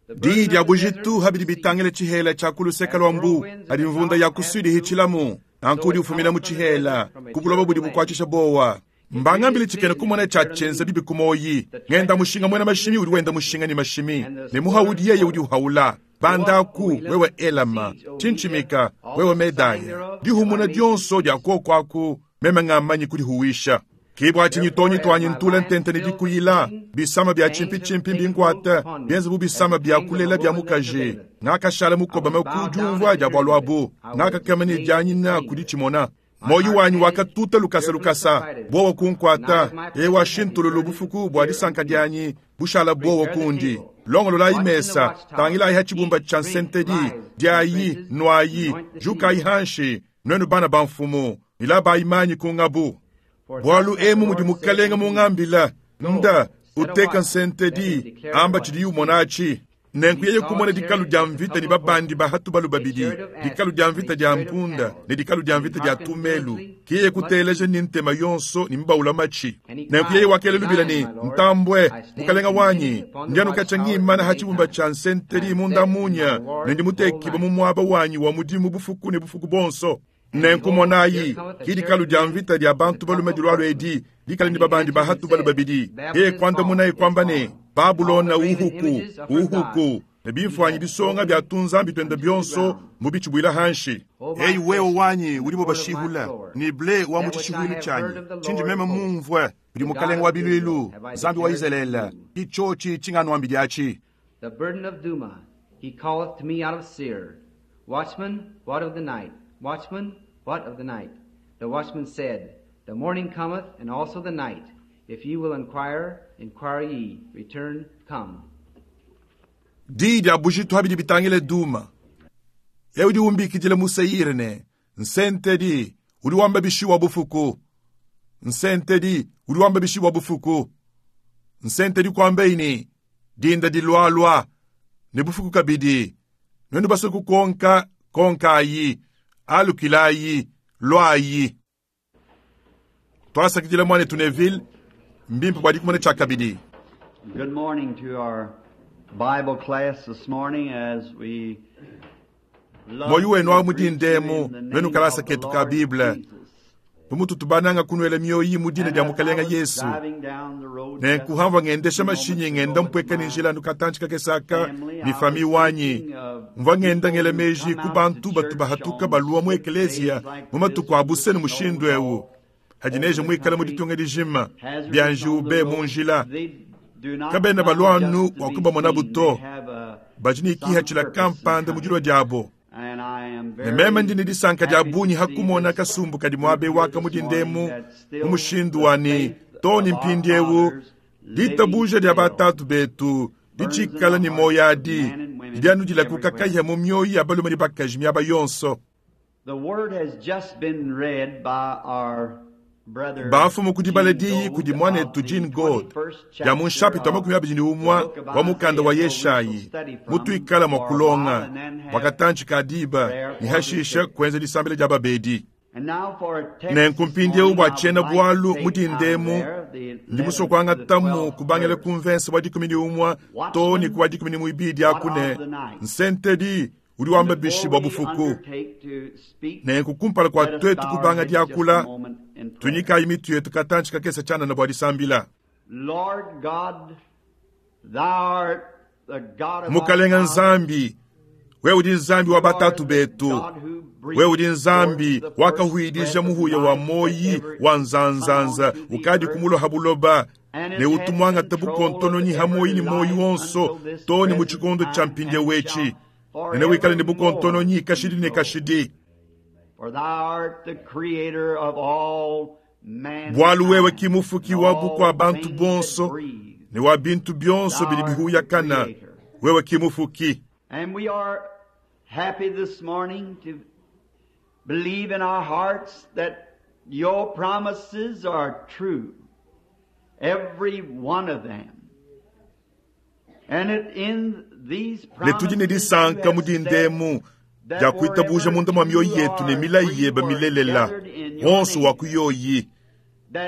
Diyi dia bujitu ha bidi bitangila tshihela tshia ku luseke lua mbu, hadi nvunda ya ku Sude ihitshilamu, nanku udi ufumina mu tshihela, ku buloba budi bukuatshisha buowa. Mbangambile tshikena kumona tshia tshienza bibi ku muoyi. Ngenda mushinga muena mashimi udi wenda mushinga ne mashimi, ne muhaudi yeye udi uhaula. Bandaku, wewe Elama, tshintshimika, wewe Medaya, dihumuna dionso dia kuoko aku, meme ngamanyi kudihuwisha. Ke bua tshinyi tuonyi tuanyi ntule ntente ne dikuyila, bisama bia tshimpitshimpi mbinkuate, bienze bu bisama bia kulela bia mukaji. Ngakashala mukobame ku diumvua dia bualu abu, ngakakema ne dianyina ku ditshimona. Muoyo wanyi wakatuta lukasa lukasa, buowa kunkuata. Ewa, shintululu bufuku bua disanka dianyi bushala buowa kundi. Longololayi mesa, tangilayi ha tshibumba tshia nsentedi, diayi, nuayi, jukayi hanshi, nuenu bana ba mfumu, ne labayi manyi ku ngabu. Bualu emu mudi Mukelenge mungambila, Nda, uteka nsentedi, amba tshidiyi umona atshi. Nenku yeye kumona dikalu dia mvita ne babandi ba ha tubalu babidi, dikalu dia mvita dia mpunda ne dikalu dia mvita dia tumelu. Ke yeye kuteleja ne ntema yonso ne mbaula matshi. Nenku yeye wakela lubila ne, Ntambue, mukalenga wanyi, ndi anu katshia ngimana ha tshibumba tshia nsentedi munda munya, ne ndi mutekibue mu muaba wanyi wa mudimu bufuku ne bufuku buonso. Nenku monayi, ki dikalu dia mvita dia bantu balume dilualua edi, dikale ne babandi ba ha tubalu babidi. Yeye kuandamunaye kuamba ne, Babulona uhuku, uhuku, ne bimfuanyi bisonga bia tunzambi tuende bionso mubitshibuila hanshi. Eyi wewe wanyi udibo bashihula, ne ble wa mu tshishihuilu tshianyi, tshindi meme mumvue kudi Mukelenge wa biluilu, Nzambi wa Izalele, ki tshiotshi tshinganuambidi atshi. The burden of Duma, he calleth to me out of Seir, Watchman, what of the night? Watchman, what of the night? The watchman said, The morning cometh, and also the night. If ye will inquire, inquire ye. Return, come. Diyi dia bujitu ha bidi bitangila Duma. Eu udi umbikidila mu Seire ne, Nsentedi, udi wamba bishi wa bufuku? Nsentedi, udi wamba bishi wa bufuku? Nsentedi kuambeyi ne, Dinda dilualua, ne bufuku kabidi. Nuenu basue kukonka, konkayi, alukilayi, luayi. Tuasakidila muanetu Neville, mbimpe bua dikumona tshiakabidi. Good morning to our Bible class this morning as we Muoyo wenu wa mu dinda emu, nuenu kalasa ketu ka Bible. Bu mututu bananga kunuela mioyi mu dina dia Mukalenga Yesu. Nenku hamvua ngendesha mashinyi ngenda mpueka ne njila anu katantshi kakese aka ne fami wanyi. Mvua ngenda ngela meji ku bantu batu bahatuka balua mu ekeleziya mu matuku a buse ne mushindu eu. Hadi neje muikale mu ditunga dijima, bia njiwu be mu njila. Kabena balua anu bua kubamonabu to. Badi ne kihatshila kampanda mu dilua diabo. Ne meme ndi ne disanka dia bungi ha kumona kasumbu kadi muaba eu aka mu dinda emu mu mushindu wa ne too ne mpindieu ditabuja dia batatu betu ditshikala ne muoyo adi didi anu dilakuka kahia mu mioyo ya balume ne bakaji miaba yonso. Bamfumu ku dibala diyi kudi muanetu Gene Goad dia mu nshapita wa 21 wa mukanda wa Yeshayi mutuikala mua kulonga bua katantshi ka diba ne hashishe kuenza disambila dia babedi. Nenku mpindieu bua tshiena-bualu mu dinda emu, ndi musue kuangatamu kubangila ku mvense wa 11 too ne ku wa 12 aku ne, Nsentedi udi wamba bishi bua bufuku? Nenku kumpala kua tuetu kubanga diakula, tuinyikayi mitu yetu katantshi kakese tshianana bua disambila. Mukalenga Nzambi, wewe udi Nzambi wa batatu betu, wewe udi Nzambi wakahuidija muhuya wa moyi wa nzanzanza ukadi kumulua ha buloba, ne utu muangata bukontononyi ha moyi ne moyi wonso too ne mu tshikondo tshia mpindieu etshi, ne newikale ne bukontononyi kashidi ne kashidi. Bualu wewe ki mufuki wa bukua bantu bonso ne wa bintu bionso bidi bihuyakana, wewe ki mufuki. And we are happy this morning to believe in our hearts that your promises are true, every one of them. And it in these Ne tudi ne promises you disanka mu have dinda said emu that dia kuitabuja wherever munda mua mioyo two yetu ne or milayi three yebe were milelela, gathered in your wonso wa name, ku yoyi.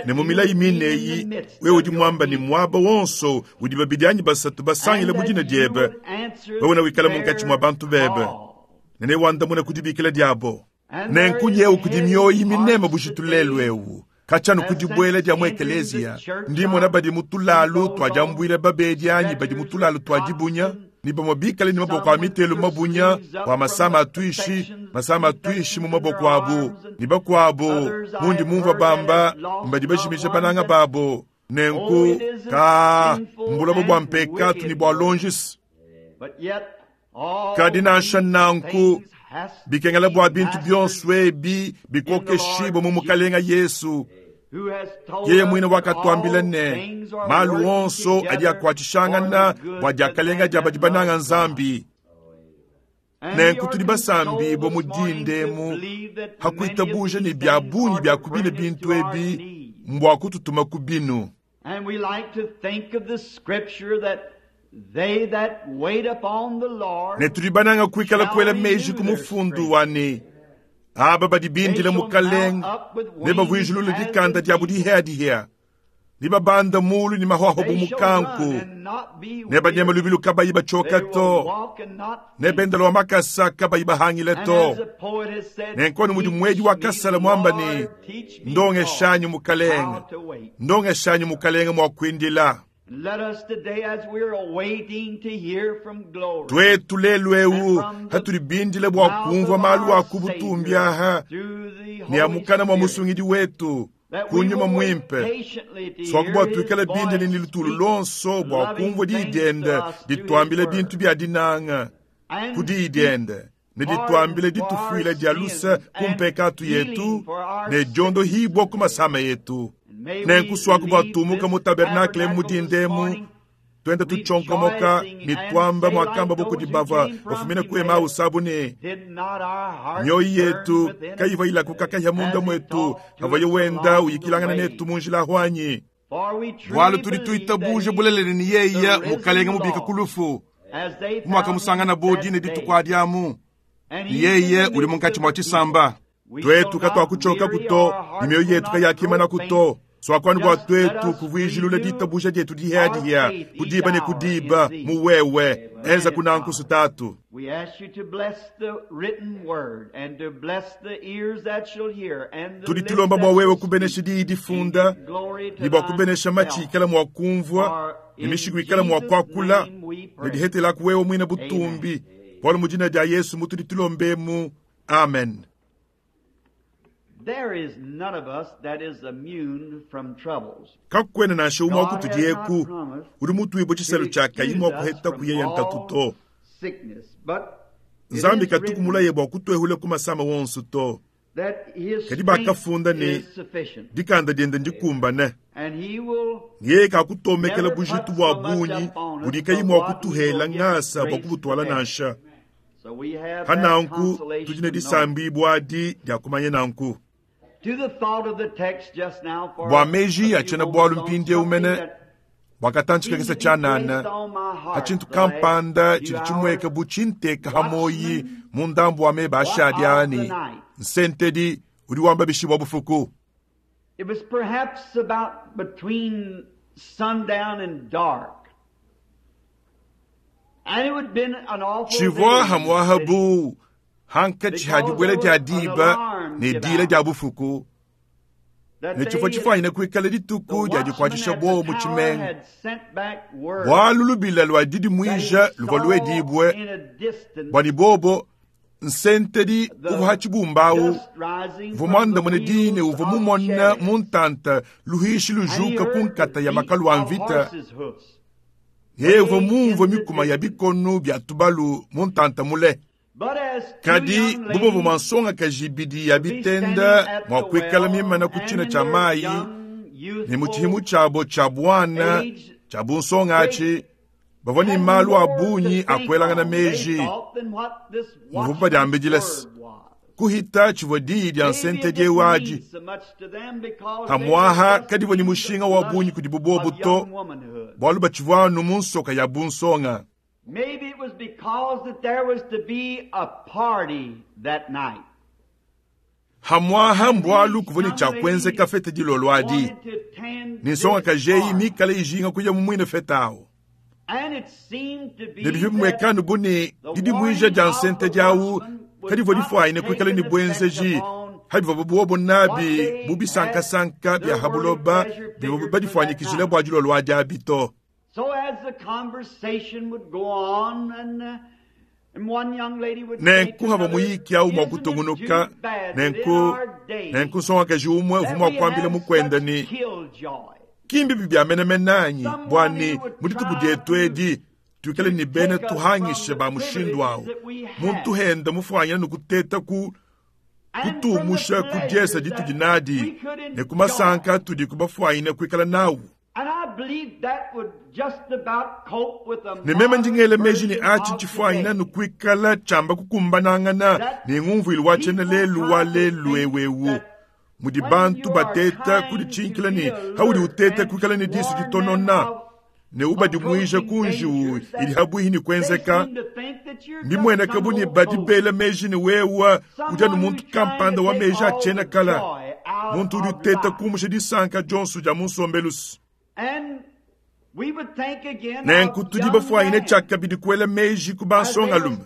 Ne mu milayi mine eyi, wewe udi muamba ne muaba wonso udi babidi anyi basatu basangile mu dina diebe, wewe newikale munkatshi mua bantu bebe, ne newandamune ku dibikila diabo. Nenku nyewu kudi mioyi mineme bujitu lelu eu. Katshia anu ku dibuela dia mu ekeleziya, ndi mmona badi mu tulalu tua diambuila babedi anyi badi mu tulalu tua dibunya, ne bamue bikale ne maboko a mitelu mabunya bua masama a tuishi, masama a tuishi mu maboko abu, ne bakuabu mundi mumvua bamba mbadi bajimija bananga babo. Nenku, ka mbuloba bua mpekatu ne bua longisi. Kadi nansha nanku, bikengela bua bintu bionso ebi bikokeshibue mu Mukalenga Yesu. Yeye muine wakatuambila ne, malu onso adi akuatshishangana bua diakalenga dia badi bananga Nzambi. Nenku tudi basambibue mu dinda emu ha kuitabuja ne bia bungi bia ku bine bintu ebi mbua kututuma ku binu. And we like to think of the scripture that they that wait upon the Lord Ne tudi bananga kuikala kuela meji ku mufundu wa ne, aba badi bindila Mukalenge nebavuijilule dikanda diabu dihiadihia, nebabanda mulu ne mahuahua bu mukanku, nebanyema lubilu kabayi batshioka to, nebenda lua makasa kabayi bahangile to. Nenku anu mudi muedi wa kasala muamba ne, ndongeshanyi Mukalenge, ndongeshanyi Mukalenge mua kuindila. Let us today, as we are awaiting to hear from glory, Tuetu lelu eu hatudi bindile bua kumvua malu a ku butumbi aha through the ne a Holy mukana mua Spirit, musungidi wetu that ku we nyuma will wait muimpe, patiently to swaku hear bua His tuikale bindile voice ne lutulu speak lonso bua loving kumvua diyi things to diende us through His dituambile word. bintu bia dinanga And ku diyi speak diende ne dituambile ditufuila dia luse ku mpekatu yetu ne diondohibua ku masama yetu. May we Nenku swaku bua leave tumuka this mu tabernakle mu tabernacle this dinda emu, morning tuenda tuchonkomoka ne tuamba muakamba bokudi bava bafumina ku Emau sabu ne Did not our hearts mioyo burn yetu within us kayiva ilakukakahya munda as he mwetu talked to havaye us wenda along the uyikilangana way? netu mu njila ahwanyi. For we truly Bualu tudi believe tuitabuje that he bulelele ne is yeya the risen Mukalenga mubika Lord, ku lufu as they found mwakamusangana him bo that dine day. dituku adiamu And ne he is yeye in the udi midst munkatshi of mua the people. tshisamba. We Tuetu shall not katuakutshoka weary, kuto our ne hearts mioyo will yetu not kayakimana grow kuto faint. swakwanu bua Just let tuetu us kuvuijilula renew ditabuja dietu our dihiadihia faith each kudiba ne hour in kudiba thee. mu wewe enza Amen, kunanku Father. sutatu. We ask you to bless the written word and to bless the ears that shall hear and the Tudi lips tulomba that bua wewe shall kubenesha speak. diyi And difunda give glory to ne bua kubenesha matshi thyself. ikala mua kumvua For ne in mishiku ikala mua Jesus' kuakula name we ne pray. dihetelaku wewe muine butumbi. Bualu mu dina dia Yesu mutudi tulombemu. Amen. There is none of us that is immune from troubles. Kakuena nansha umue wa God kutudi has not eku promised udi mutuibue to tshiselo tshia kayi excuse mua us kuheta from kuyeya ntatu all to. sickness, but it Nzambi is katuku written mulaye bua kutuehula ku masama wonso to. that his Kadi strength bakafunda ne is sufficient, dikanda diende ndikumbane. and he will Yeye kakutomekela never bujitu put bua so much bungi upon us budi kayi but mua what we will kutuhela get ngasa bua grace to kubutwala bear. nansha. So we have that Hananku consolation tudi ne to know. disambibua adi dia kumanya nanku. To the thought of the text just now for Bua a meji a few tshiena-bualu moments on mpindieu something mene that bwakatanthika seemed kesa to be tshianana placed on my heart achintu the last kampanda few tshidi hours. tshimueka bu tshinteka hamoyi Watchman, mu ndambu wa meba what ashadi of the ani night? nsentedi udi wamba bishibwa bufuku. It was perhaps about between sundown and dark. And it would have been an awful Tshivua day in the hamwaha city bu hankatshi ha because dibuela there dia was an diba alarm ne give dila out dia bufuku that ne tshivua they, tshifuanyine kuikala the dituku dia watchman dikuatshisha at the buowa mu tower tshimenga. had sent back word Bualu lubila lua that he didimuija luvua saw luedibue in a distance bua ne bobo nsentedi uvua the ha tshibumbawu dust rising uvua from the muandamune dine wheels uvua of mumona chariots, mu ntanta luhishi and he lujuka ku heard the nkata ya beat makalu a of mvita. horses' hoofs Yeye uvua way mumvue in the mikuma ya distance. bikonu bia tubalu mu ntanta mule. But as two Kadi young bubovua mua ladies nsongakaji ibidi ya would be bitenda standing at mua the kuikala well, mimana ku and tshina in tshia their mayi young, ne mu tshihimu youthful tshiabo tshia buana age, tshia bunsonga they atshi bavua ne had malu a more to bungi a think kuelangana on, they meji. thought, than what this Muvua watchman's badiambidila se word was. kuhita tshivua diyi dia Maybe it nsentedi didn't eu mean adi. so much to them because they were Hamwaha just kadivua ne in the mushinga wa flush bungi kudi bubobu of to young womanhood. bualu batshivua anu mu nsoka ya bunsonga. Maybe it was because that there was to be a party that night. Hamwaha mbwalu kuvua ne tshia kuenzeka fete dilolo adi, ne nsongakaji eyi mikale ijinga kuya mu muine fete awu. Ne bivua bimuekanu bu ne, didimuija dia nsentedi awu kadivua difuanyine kuikala ne buenzeji pa bivuabu buobo nabi bu bisankasanka bia ha buloba bivuabu badifuanyikijila bua dilolo adi abi to. Nenku havua muyiki awu mua kutungunuka, nenku, nenku nsongakaji umue uvua mua kuambila mukuende ne, Ki mbibi bia menemene anyi bua ne, mu dituku dietu edi, tuikale ne bena tuhangisha ba mushindu awu, muntu henda mufuanyine ne kuteta ku kutuumusha ku diesa ditudi nadi ne ku masanka atudi kubafuanyine kuikala nawu? Ne meme ndi ngela meji ne atshi ntshifuanyine anu kuikala tshiamba kukumbanangana ne ngumvuilu wa tshiena lelu wa lelu eu mudi bantu bateta kuditshinkila ne haudi uteta kuikala ne disu ditonona ne ubadimuija ku njiwu idi habuihi ne kuenzeka. Mbimueneke bu ne badi bela meji ne wewe udi anu muntu kampanda wa meji a tshiena kala, muntu udi uteta kumusha disanka dionso dia mu nsombelu. Nenku tudi bafuanyine tshiakabidi kuela meji ku bansongalume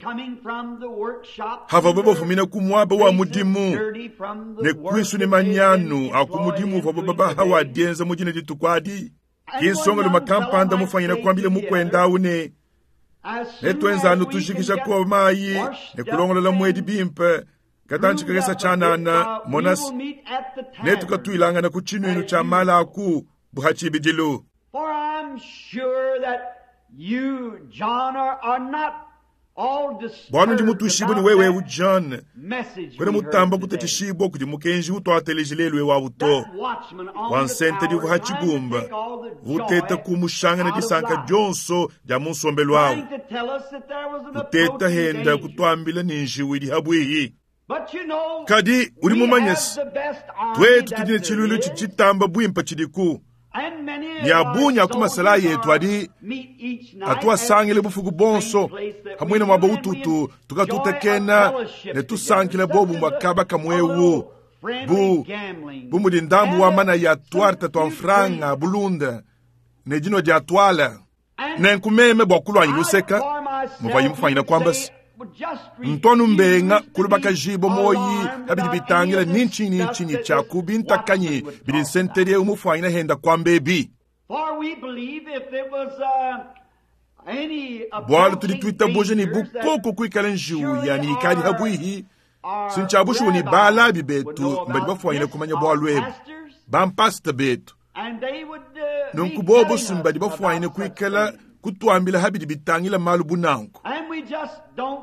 havuabo bafumina ku muaba wa mudimu ne kuisu ne manyanu a ku mudimu uvuabo babaha wa dienza mu dine dituku adi. Ki nsongalume kampanda mufwanyine kuambila mukuende au ne, Netuenze anu tujikija kuowa mayi ne kulongolola muedi bimpe katantshi kakese tshianana, mona se, netukatuilangana ku tshinuinu tshia mala aku bu ha tshibidilu. Bualu ndi mutuishibue ne wewe eu John, kuena mutamba kutatshishibua kudi mukenji utuateleji lelu eu awu to. Wa nsentedi uvua ha tshibumba uvua uteta kumushangana disanka dionso dia mu nsombelu awu, uteta henda kutuambila ne njiwu idi habuihi. Kadi udi mumanye se, tuetu tudi ne tshiluilu tshidi tshitamba buimpe tshidiku. Ne a bungi a ku masalayi etu adi atuasangile bufuku buonso hamwe ne muaba ututu tukatutekena ne tusankila bobumue kaba kamue eu, bu bu mudi ndambu wa manaya a tuarte tua mfranga, bulunda ne dinua dia tuala. Nenku meme bua kuluanyi luseka, muvuaye mufuanyine kuamba se, Ntu anu mbenga kulubakajibua muoyi pa bidi bitangila ni ntshinyi ni ntshinyi tshia ku bintakanyi bidi nsentedi eu mufuanyine henda kuamba ebi. Bualu tudi tuitabuja ne bu koko kuikala njiwu yani ikadi habuihi, si ntshia bushuwa ne balabi betu mbadi bafuanyine kumanya bualu ebu, bampasita betu. Nunku bobo si mbadi bafuanyine kuikala kutuambila ha bidi bitangila malu bu nanku.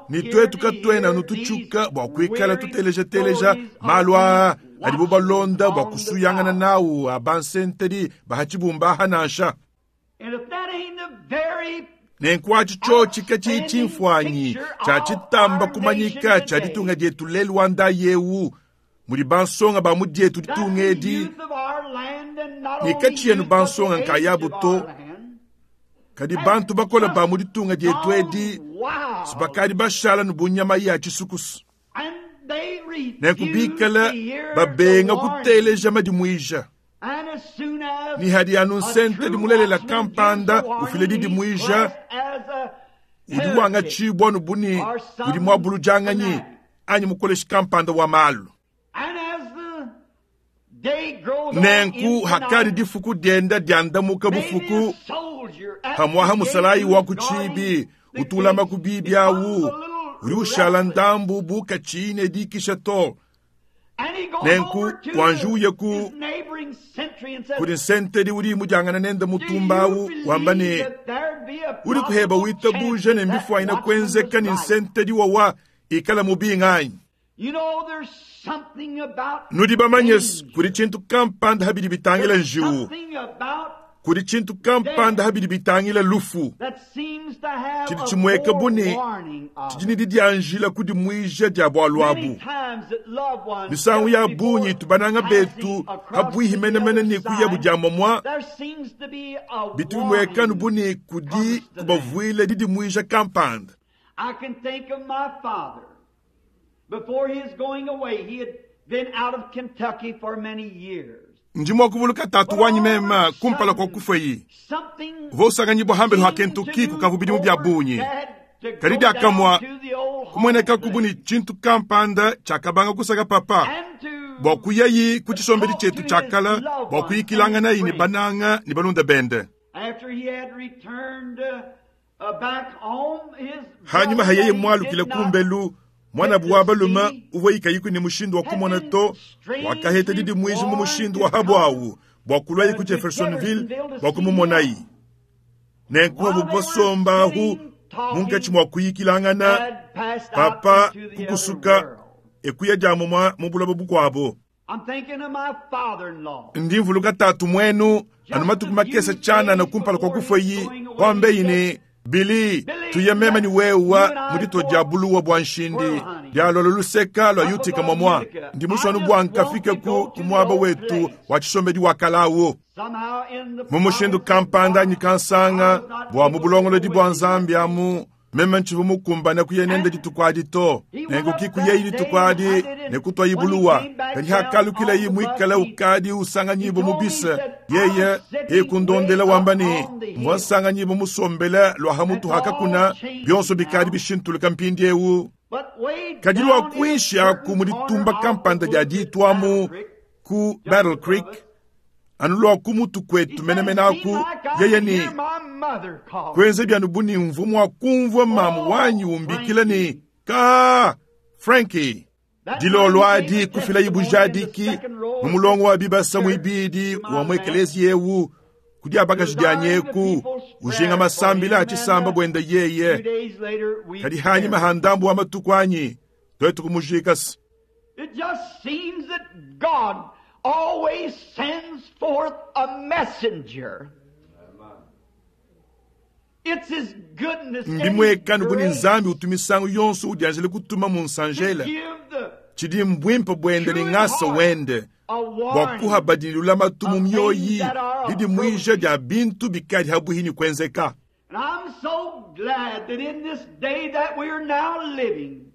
Ne tuetu katuena anu tutshuka bua kuikala tuteleja-teleja malu aa adibo balonda bua kusuyangana nawu a bansentedi ba ha tshibumba aha nansha. Nenku atshi tshiotshi katshiyi tshimfuanyi tshia tshitamba kumanyika tshia ditunga dietu lelu wa ndayi eu, mudi bansonga ba mu dietu ditunga edi, ne katshiena bansonga nkayabu to, kadi bantu bakole ba mu ditunga dietu edi bakadi bashala ne bu nyama ya tshisukusu, nenku bikale babenga kuteleja madimuija. Ne hadi anu nsentedi mulelela kampanda ufila didimuija, udi wangatshibua anu bu ne udi muabuludianganyi anyi mukoleshi kampanda wa malu. Nenku hakadi difuku dienda diandamuka bufuku, pamuaha musalayi wa ku tshibi utu ulama ku bibi awu udi ushala ndambu bu katshiyi ne dikisha to. Nenku wanji uye ku kudi nsentedi udi mudiangana nende mutumba awu wamba ne, udi kuheba witabuja ne mbifuanyine kuenzeka ne nsentedi wawa ikala mubinga anyi? Nudi bamanye kudi tshintu kampanda ha bidi bitangila njiwu, kudi tshintu kampanda ha bidi bitangila lufu tshidi tshimueka bu ne tshidi ne didianjila kudimuija dia bualu abu. Misangu ya bungi itu bananga betu pabuihi menemene ne kuyabu dia muamua, bitu bimueka anu bu ne kudi kubavuila didimuija kampanda. Ndi mua kuvuluka tatu wanyi meme kumpala kua kufuaye. Uvua usanganyibua hambelu ha Kentucky kukavua bidimu bia bungi. Kadi diakamue kumuenekaku bu ne tshintu kampanda tshiakabanga kusaka papa bua kuyayi ku tshisombedi tshietu tshia kale bua kuyikilanganayi ne bananga ne balunda bende. Hanyima ha yeye mualukile kumbelu, muanabu wa balume uvua ikayiku ne mushindu wa kumona to, wakaheta didimuija mu mushindu wa habuawu bua kuluaye ku Jeffersonville bua kumumonayi. Nenku abu basombahu munkatshi mua kuyikilangana, papa kukusuka e kuya dia mumua mu buloba bukuabo. Ndi mvuluka tatu muenu anu matuku makese tshianana kumpala kua kufuayi, kuambeyi ne, Billy, tuye meme ne wewa mu ditua dia buluwa bua nshindi dialua luseka lua Utica muamua. Ndi musue anu bua nkafike ku ku muaba wetu wa tshisombedi wa kalawu. Mu mushindu kampanda anyi kansanga bua mu bulongolodi bua Nzambi amu, meme ntshivua mukumbane kuya nende dituku adi to. Nenku ki kuyayi dituku adi ne kutuayi buluwa. Kadi hakalukilayi muikale ukadi usanganyibua mu bise, yeye yeye kundondela wamba ne, mvua nsanganyibua musombele lua ha mutu ha kakuna, bionso bikadi bishintuluka mpindieu. Kadi lua kuinshi aku mu ditumba kampanda dia ditu amu ku Battle Creek, anu lua ku mutu kuetu menemene aku, yeye ne kuenza bianu bu ne mvua mua kumvua mamu wanyi umbikila ne, Ka Frankie. Dilolo adi kufilayi bujadiki mu mulongo wa bibasa muibidi wa mu ekeleziya eu ku dia bakaji dianyi eku ujinga masambila a tshisamba buenda yeye. Kadi hanyima ha ndambu wa matuku anyi tuetu kumujika se. It just seems that God always sends forth a messenger. It's His goodness and His Mbimuekanu bu ne grace Nzambi utu misangu yonso udianjila kutuma mu to nsanjela give the tshidi mbuimpe buende ne true in ngasa heart wende a bua warning kuha badi lulamatu mu of things mioyi that are didimuija approaching. dia bintu bikadi habuhi kuenzeka. And I'm so glad that in this day that we are now living,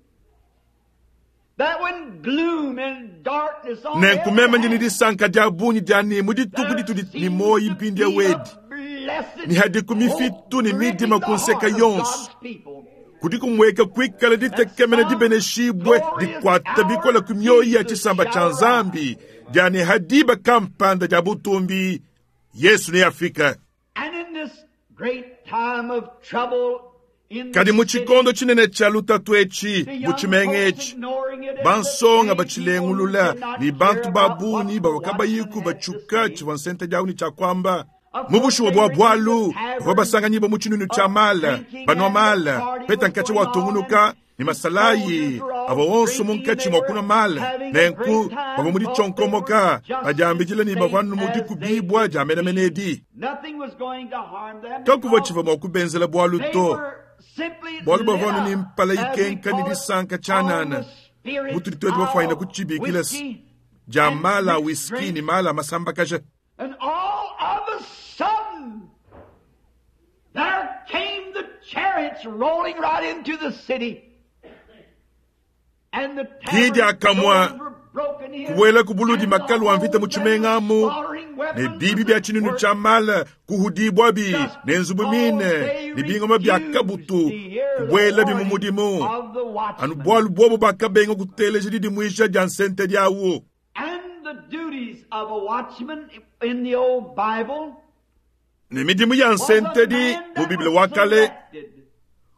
that when gloom and darkness on Nenku every meme ndi ne hand, disanka dia bungi dia ne mu dituku there ditudi ne seems muoyi to mpindieu be a wedi blessed ne hadiku hope mifitu ne gripping midima the ku nseka heart of yonso God's people. kudi kumueka kuikala That ditekemena some dibeneshibue glorious dikuata bikola hour ku mioyi ya Jesus tshisamba tshia shall rise. Nzambi dia ne hadiba kampanda dia butumbi Yesu neafika. And in this great time of trouble in Kadi the mu tshikondo city, tshinene tshia lutatu etshi the mu young tshimenga folks etshi ignoring it and the bansonga plain people who batshilengulula did not ne care bantu ba about what bungi the bavua watchman kabayiku had to batshuka say. tshivua nsenta diawu ne tshiakuamba. Of Mu course, bushuwa they bua were in the bualu bavua tavern basanganyibua mu tshinunu tshia of mala drinking banua and the mala party peta was nkatshi going wa on tungunuka and ne the masalayi soldiers were all avua onso drinking and munkatshi they mua were kunua mala. having a Nenku great time, bavua mu thought they were ditshonkomoka just as badiambidila ne bavua safe anu mu as they dikubibua could dia menemene be. edi. Nothing was going to harm them Kakuvua because tshivua mua kubenzela bualu they to. were simply Bualu lit bavua anu ne up, mpala as we ikenka ne call it, disanka on tshianana. the spirits Mutudi tuetu bafuanyina of kutshibikila whiskey dia and mala a mixed whisky drink. ne mala a masambakaja. And all of a sudden, there came the chariots rolling right into the city. And the Ki tavern diakamua doors were broken in, kubuela ku buludi and the makalu a mvita mu homes and the tshimenga amu slaughtering ne weapons bibi bia tshinunu were tshia mala kuhudibuabi just ne nzubu because mine they ne bingoma bia refused kabutu to hear the kubuelabi mu warning mudimu. of the Anu watchman. bualu buobo bakabenga kuteleja didimuija dia nsente diawu. And the duties of a watchman in the old Bible Ne midimu ya was a nsentedi man mu that Biblia was wa kale selected.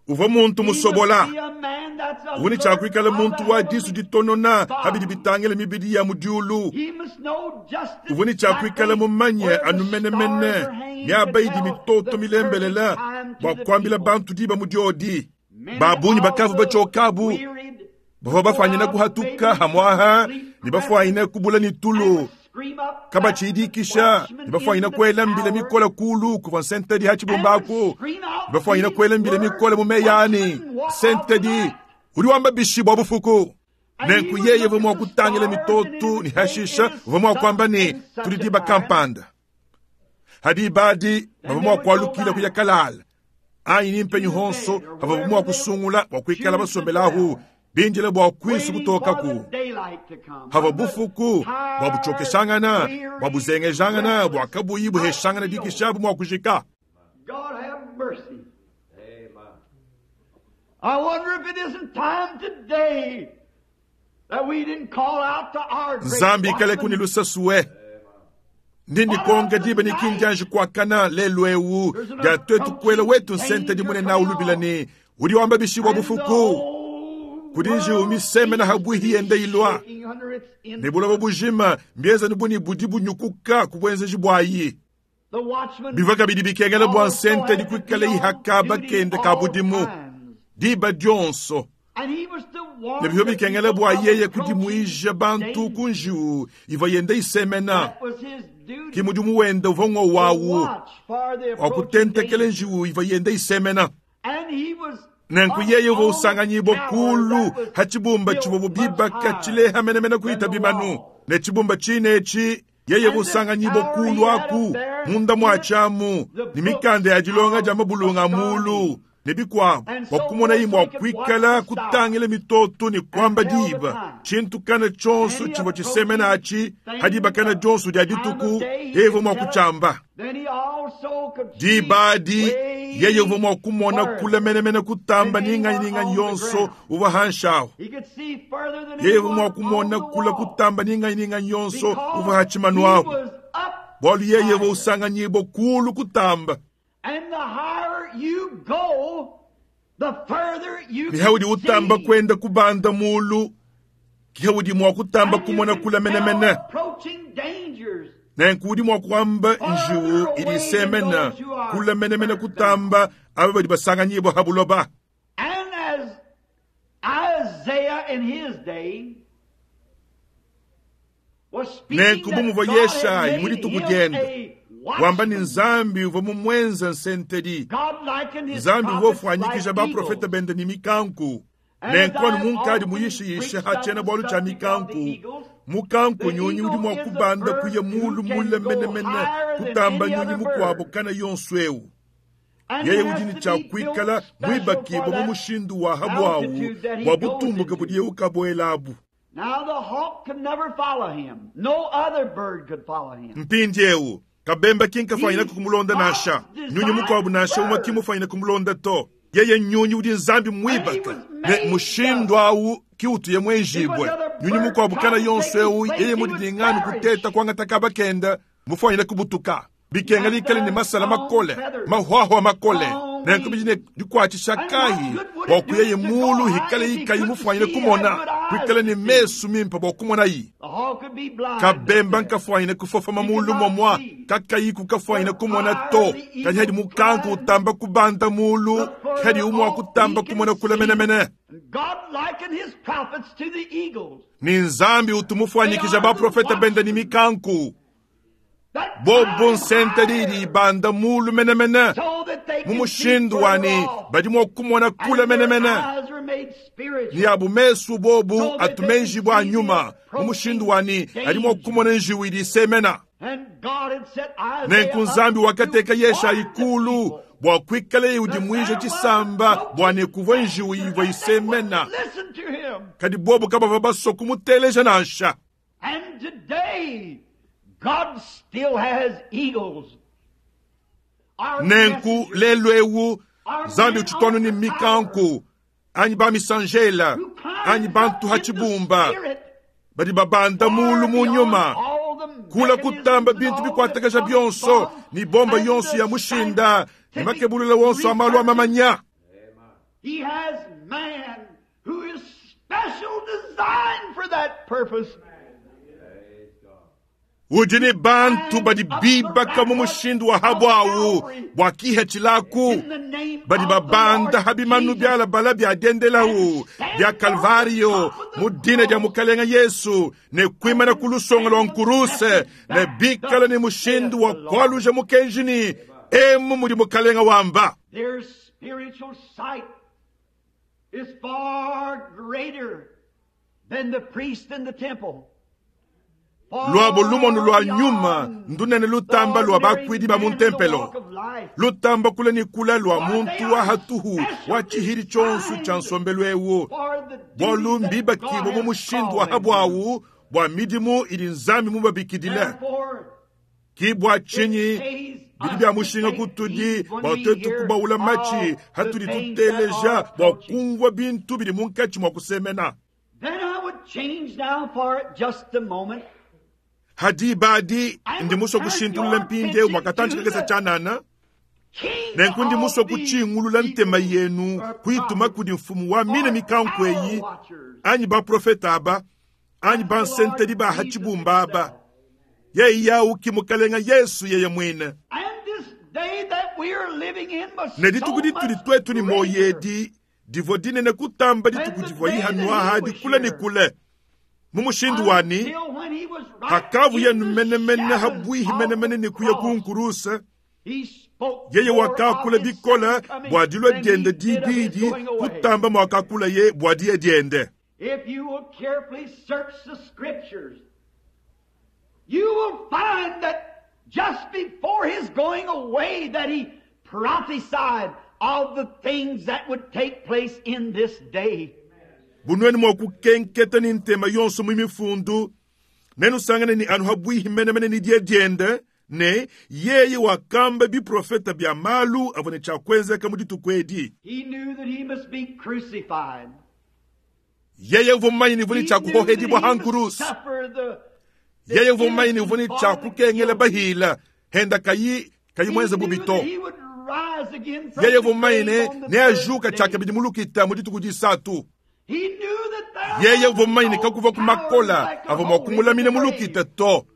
uvua muntu He must musobola. be a man that's Uvua ne alert tshiakuikala of the muntu wa disu heavenly ditonona habidi body. bitangila mibidi ya mu diulu. He must know just Uvua ne tshiakuikala exactly mumanye where the anu menemene stars are hanging to miaba idi tell mitoto the perfect milembelela time to bua the kuambila people. bantu diba mu diodi. Many Ba bungi of bakavua the batshiokabu wearied bavua go bafwanyina out kuhatuka maybe to hamwaha sleep ne bafwanyina kubula ne and tulu would scream up at the kabatshidikisha ne watchman in bafwanyina the kuela mbila tower mikola kulu kuvua nsentedi ha and would tshibumbaku scream out ne bafwanyina these kuela mbila words, mikola mu meyani Watchman, what of the nsentedi night? udi wamba bishi bua bufuku. And he Nenku would yeye look uvua at mua the kutangila stars and he mitoto would ne say, hashisha It is uvua mua such kuamba ne and such tudi a diba time. kampanda. Hadi badi Then bavua they mua would go kualukila kuya back kalala anyi ni mpenyi to the honso bed or bavua wherever mua they kusungula bua kuikala choose to basombelahu dwell, bindila bua kuisu waiting for kutokaku. the daylight. Havua bufuku bua butshiokeshangana, bua buzengejangana, bua kabuyi buheshangana dikisha bu mua kujika. God have mercy. I wonder if it isn't time today that we didn't call out to our great Nzambi ikale watchman. kuni lusasue. Ndi ndikonga diba ni kinjanji kuakana lelu ewu dia twetu kuela wetu nsente dimune na ulubila ni udi wamba bishibwa bufuku kudi njiwu misemena habwihi yende ilwa ne buloba bujima mbienza buni budi bunyukuka ku buenzeji bwayi bivua kabidi bikengela bua nsente dikuikala ihaka bakende ka budimu diba dionso ne bivua bikengela bua yeye kudimuija bantu ku njiwu ivua yende isemena ki mudimu wende uvua ng'o wawu wa kutentekela njiwu ivua yende isemena nenku yeye uvua usanganyibwa kulu ha tshibumba tshivua bibaka tshileha menemene kuita bimanu ne tshibumba tshine etshi yeye uvua usanganyibwa kulu aku munda mua tshiamu ne mikanda ya dilonga dia mabulunga a mulu ne bikuabu bua kumona yi mua kuikala kutangila mitoto ne kuamba diba tshintu kana tshionso tshivua tshisemena atshi ha diba kana dionso dia dituku yeye uvua mua kutshiamba. Diba adi yeye uvua mua kumona kule menemene kutamba ninganyi ninganyi yonso uvua hanshawu. Yeye uvua mua kumona kule kutamba ninganyi ninganyi yonso uvua ha tshimanu ahu. Bualu yeye uvua usanganyibwa kulu kutamba. And the higher you go, the further you Kiha udi can utamba see. kwenda kubanda mulu, kiha udi mua kutamba And you kumona can kule tell menemene. approaching dangers. Nenku udi mua kuamba njiwu idi isemena kule menemene kutamba aba badi basanganyibwa ha buloba. And as Isaiah in his day was speaking Nenku bu that muvua God had Yeshayi made mu dituku him diende, a wamba ni watchman. Nzambi uvua mumuenza nsentedi. God likened his Nzambi uvua prophets ufuanyikija like baprofeta eagles. bende ni mikanku. And Nenku as anu I have munkadi often muyishiyishe preached ha on the tshiena bualu tshia subject of the mikanku. eagles, Mukanku the nyunyi udi eagle mua is a kubanda bird kuya who mulu can mule go menemene higher than kutamba any nyunyi other mukuabu bird. kana yonso ewu. And Yeye he udi has ne to tshia be built kuikala special muibakibwa for mu that mushindu wa habwawu altitude that he bua goes butumbuke into. budiye ukabuelabu. Now the hawk could never follow him. No other bird could follow him. Mpindiewu kabemba kinkafanyina kumulonda nansha nyunyi mukuabu nansha umwe kimufanyina kumulonda to yeye nyunyi udi nzambi muibaka ne mushindu awu kiutuye mwenjibwe nyunyi mukuabu kana yonso ewu yeye mudidinganu kuteta kuangata kaba kenda mufanyina kubutuka bikenga likale ne masala makole mahwahwa makole nenku bidi ne dikuatshisha kayi bua kuyeye mulu hikale ikayi mufanyine kumona kuikale ne mesu mimpe bua kumonayi The hawk could be blind. kabemba nkafwanyine kufofoma mulu momwa kakayiku kafwanyine kumona to kadi hadi mukanku utamba kubanda mulu hadi umwa kutamba kumona kula menemene And God likened his prophets to the eagles. ni nzambi utumufwanyikija baprofeta bende ni mikanku That bobo climb nsente didi higher ibanda mulu menemene so that they mu can see mushindu further wani off. badi mua kumona And kula their menemene eyes are made spiritual. ni abu mesu bobu atumenji bua nyuma mu mushindu wani adi mua kumona njiwu idi isemena And God had set Isaiah nenku up nzambi wakateka to yeshayi warn the kulu people. bua kuikala udimuija tshisamba bua ne kuvua njiwu ivua isemena Listen to him. kadi bobu kabavua basua kumuteleja nansha And today, God still has eagles. Our nenku messengers lelu ewu our nzambi men utshitwanu on ni the mikanku anyi bamisanjela who climb anyi bantu up ha in the tshibumba spirit badi babanda far mulu mu beyond nyuma all the kula mechanisms kutamba and bintu all the bikuatakaja atomic bionso bombs ni bomba and yonso the ya mushinda ni scientific makebulula wonso a malu a researches. mamanya He has man who is special designed for that purpose. udi ni bantu badi bibaka mu mushindu wa habwawu bua kiha tshilaku In the name badi of the babanda Lord habimanu Jesus. bialabala bia dendelawu bia kalvario mu dina dia mukalenga yesu ne kuimana ku lusonga lua nkuruse ne bikala ni mushindu wa kualuja mukenjini emu mudi mukalenga wamba Their spiritual sight is far greater than the priest in the temple. Luabo lumonu lua nyuma ndunene lutamba lua bakuidi ba mu ntempelo, lutamba kule ne kule lua muntu wa hatuhu wa tshihidi tshionso tshia nsombelu eu, bualu mbibakibue mu mushindu wa habuawu bua midimu idi Nzambi mubabikidile. Ki bua tshinyi bidi bia mushinga kutudi bua tuetu kubaula matshi hatudi tuteleja bua kumvua bintu bidi munkatshi mua kusemena. Ha diba adi ndi musue kushintulula mpindieu bua katantshi kakese tshianana, nenku ndi musue kutshingulula ntema yenu kuyituma kudi mfumu wa mine mikanku eyi, anyi baprofete aba, anyi bansentedi ba ha tshibumba aba. Yeye au ki Mukalenga Yesu yeye muine. Ne dituku ditudi tuetu ne muoyo edi divua dinene kutamba dituku divua Noa adi kule ne kule. Mu mushindu wani, hakavuye menemene habuihi menemene ne kuya ku nkuruse, yeye wakakula bikole bua dilua diende dibidi kutamba muakakulaye bua diya diende. If you will carefully search the scriptures, you will find that just before his going away that he prophesied of the things that would take place in this day. Bu nuenu mua kukenketa ne ntema yonso mu mifundu, nenusangane ne anu habuihi menemene ne diya diende, ne yeye wakamba biprofeta bia malu avua ne tshia kuenzeka mu dituku edi. He knew that he must be crucified. Yeye uvua mumanye ne uvua ne tshia kuhohedibua ha nkuruse. Yeye uvua mumanye ne uvua ne tshia kukengela bahila henda kayi kayi muenze bubi to. Yeye uvua mumanye ne neajuka tshiakabidi mu lukita mu dituku disatu. Yeye uvua mumanye ne kakuvua ku makola avua mua kumulamina mu lukita to,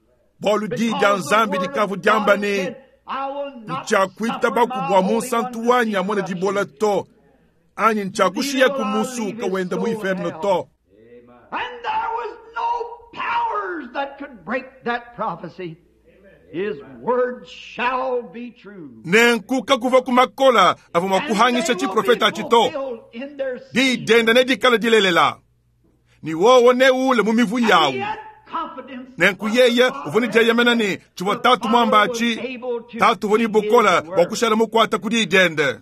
bualu diyi dia Nzambi dikavua diamba ne, Ntshiakuitabaku bua munsantu wanyi amone dibola to, anyi ntshiakushiya ku musuka wenda mu inferno to. And there was no powers that could break that prophecy. His word shall be true. Nenku kakuvua ku makola avua mua kuhangisha tshiprofeta atshi to. Diyi diende nedikale dilelela, ne wowo neuule mu mivu yawu. Nenku yeye uvua ne dieyemena ne tshivua Tatu muamba atshi, Tatu uvua ne bukole bua kushala mukuate ku diyi diende.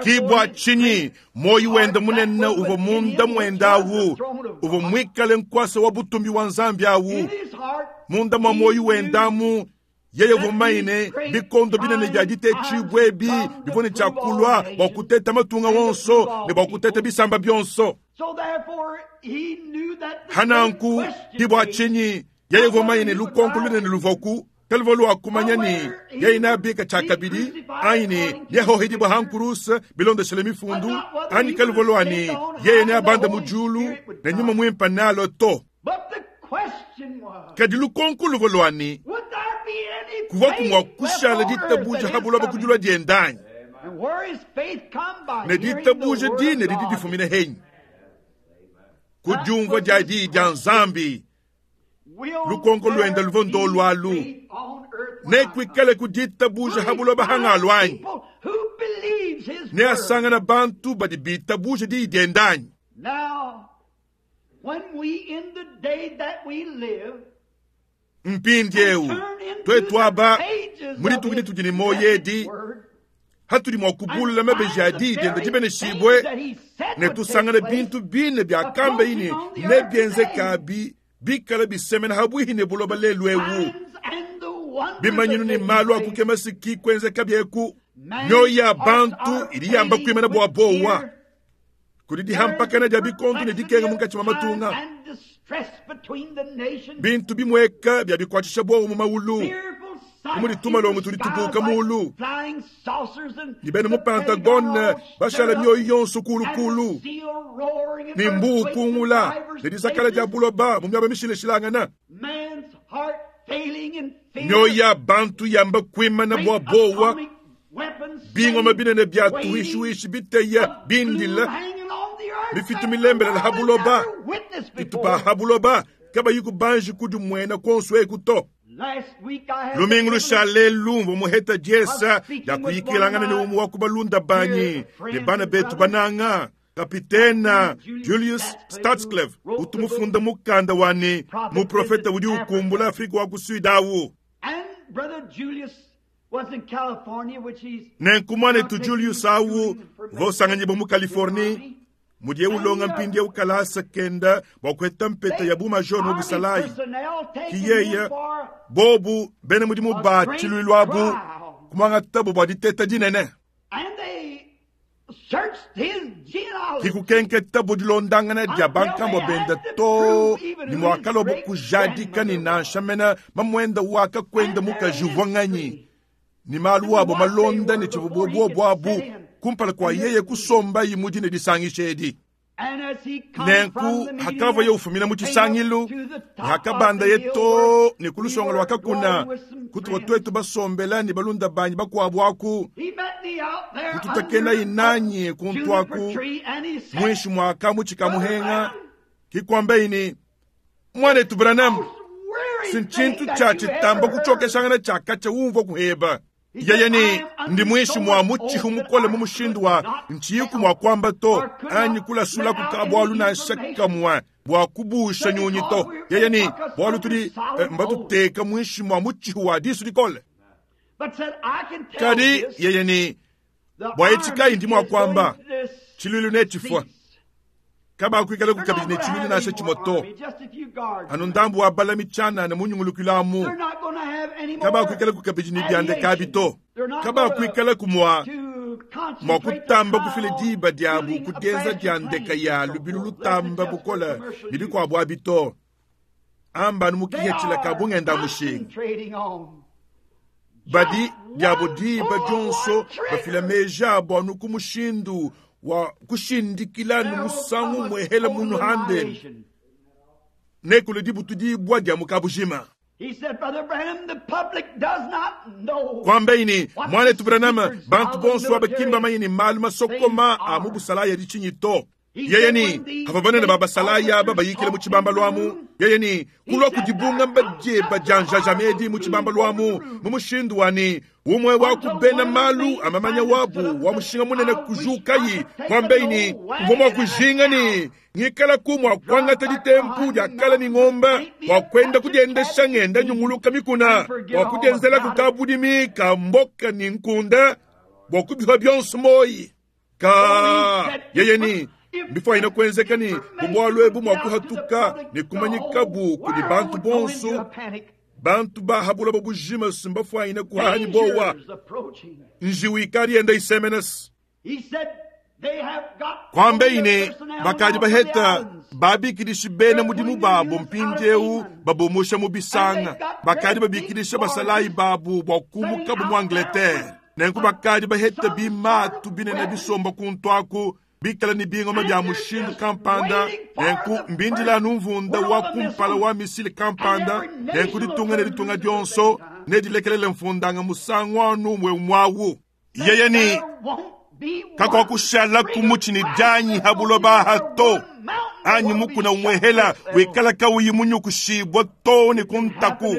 Ki bua tshinyi muoyo wende munene uvua munda muende awu, uvua muikale nkuasa wa butumbi wa Nzambi awu. Munda mua muoyo wende amu, yeye uvua mumanye ne, bikondo binene bia ditetshibua ebi bivua ne tshia kulua bua kuteta matunga wonso ne bua kuteta bisamba bionso. Hananku, ki bua tshinyi yeye uvua mumanye ne, lukonko lunene luvuaku kaluvua lua kumanya ne yeye neabika tshiakabidi anyi ne neahohedibua ha nkuruse bilondeshele mifundu, anyi kaluvua lua ne yeye neabande mu diulu ne nyuma muimpe nealue to. Kadi lukonko luvua lua ne, kuvuaku mua kushala ditabuja ha buloba ku dilua diende anyi? Ne ditabuja dine didi difumina henyi? Ku diumvua dia diyi dia Nzambi. Lukonko luende luvua ndolu alu, nekuikale ku ditabuja ha buloba hangalu anyi? Neasangana bantu badi bitabuja diyi diende anyi? Mpindieu tuetu aba mu dituku ditudi ne muoyo edi, hatudi mua kubulula mabeji a diyi diende dibeneshibue, ne tusangana bintu bine biakambaye ne nebienzekabi bikala bisemena habuihi ne buloba lelu eu. Bimanyinu ne malu a kukema siki kuenzeka bieku. Mioyo ya bantu idi yamba kuimana bua bowa kudi dihampakana dia bikondo ne dikenga munkatshi mua matunga. Bintu bimueka bia bikuatshisha buowa mu maulu, bu mudi tumalongo tudi tubuka mulu, ne bena mu Pentagone bashala mioyo yonso kulukulu, ne mbuu ukungula ne dizakala dia buloba mu miaba mishilashilangana. Mioyo ya bantu yamba kuimana bua buowa, bingoma binene bia tuhishiwishi biteya bindila, mifitu milembelela ha buloba, itupa ha buloba kabayi kubanji kudimuena kuonso eku to. Lumingu lushale lumvua muheta diesa dia kuyikilangana ne umue wa ku balunda banyi ne bana betu bananga. Kapitena Julius Stadsklev utu mufunda mukanda wa ne muprofete udi ukumbula Afrika wa ku Sud awu. Nenku muanetu Julius awu uvua usanganyibua mu Californie, mudiye ulonga mpindieu kalasa kenda bua kuheta mpeta ya bu-major mu busalayi. Ki yeye bobu bena mudimu ba tshiluilu abu kumuangatabu bua diteta dinene. Ki kukenketabu dilondangana dia bankambua benda too ne muakalobo kujadika ne nansha mena mamuenda wakakuenda mukaji uvua nganyi ne malu abo malonda ne tshivua buobu abu kumpala kua yeye kusombayi mu dine disangisha edi. Nenku hakavua ufumina mu tshisangilu, hakabandaye too ne ku lusongo lua kakuna kutuvua tuetu basombela ne balunda banyi bakuabu aku, kututakenayi nanyi kuntu aku muinshi mua kamutshi ka muhenga, kikuambayi ne, Muanetu Branham, si ntshintu tshia tshitamba kutshiokeshangana tshia katshia umvua kuheba. Yeye ne, Ndi muinshi mua mutshihu mukole mu mushindu wa ntshiyiku mua kuamba to, anyi kulasulaku ka bualu nansha kamue bua kubusha nyunyi to. Yeye ne, Bualu tudi mbatuteka muinshi mua mutshihu wa disu dikole. Kadi yeye ne, Bua etshi kayi ndi mua kuamba, tshiluilu netshifua. Kabakuikalaku kabidi ne tshiluilu nansha tshimue to, anu ndambu wa balami tshianana mu nyungulukilu amu. Kabakuikalaku kabidi ne biandeka abi to. Kabakuikalaku mua mua kutamba kufila diba diabu ku dienza dia ndeka ya lubilu lutamba bukole ne bikuabu abi to. Amba anu mu kihetshila ka bungenda mushinga. Badi diabo diba dionso bafila meji abo anu ku mushindu wa kushindikila anu musangu muehela munu handeni nekule dibutudibua dia mu kabujima. Kuambayi ne, Muanetu Branham, bantu bonso aba ki mbamanye ne malu masokoma a mu busalayi adi tshinyi to. Yeye ne, Pavua banene ba basalayi aba bayikila mu tshibambalu amu, yeye ne, kulua ku dibungamba dieba dia njajamedi mu tshibambalu amu, mu mushindu wa ne, umue wa ku bena malu a mamanya wabu wa mushinga munene kujukayi, kuambayi ne, mvua mua kujinga ne ngikalaku mua kuangata ditempu dia kala ne ngomba bua kuenda kudiendesha ngenda nyunguluka mikuna, bua kudienzelaku kabudimi ka mboka ne nkunda, bua kubipa bionso moyi. Ka yeye ni mbifuanyine kuenzeka ne bu bualu ebu mua kuhatuka ne kumanyikabu kudi bantu bonso, bantu ba ha buloba bujima si mbafuanyine kuhaha ne bowa. Njiwu ikadi yenda isemenesa. Kuambeyi ne, bakadi baheta babikidishi bena mudimu babo mpindieu babumusha mu bisanga, bakadi babikidisha basalayi babu bua kumukabu mu Angleterre. Nenku bakadi baheta bimatu binene bisomba kuntu aku, bikala ne bingoma bia mushindu kampanda. Nenku mbindila anu mvunda wa kumpala wa misile kampanda. Nenku ditunga ne ditunga dionso nedilekelele mfundanga musangu anu umue umue awu. Yeye ne, Kakuakushalaku mutshi ne dianyi ha buloba aha to, anyi mukuna umuehela wikala kauyi munyukushibua to ne ku ntaku.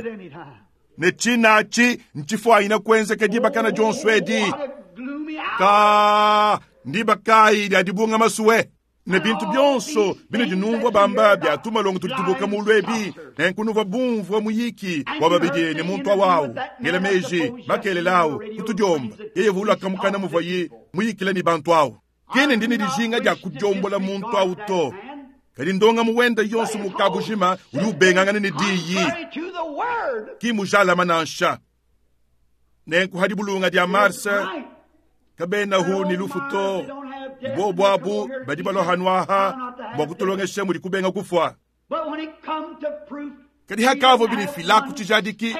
Ne tshina atshi ntshifuanyine kuenzeka dibakana dionso edi. Ka ndiba kayi dia dibungama sue? Ne bintu bionso binudi numvua bamba bia tumalongo tudi tubuka mulu ebi, nenku nuvua bumvua muyiki wa babidi ne muntu awawu, ngela meji makelela awu kutudiomba, yeye vulaka mukana muvuaye muyikila ne bantu awu. Kene ndi ne dijinga dia kudiombola muntu awu to, kadi ndongamu wenda yonso mu kabujima udi ubengangana ne diyi, ki mujalama nansha. Nenku ha dibulunga dia Mars kabenahu ne lufu to, bobu abu badi balua hanu aha bua kutulongesha mudi kubenga kufua. Kadi hakavua binifilaku tshijadiki,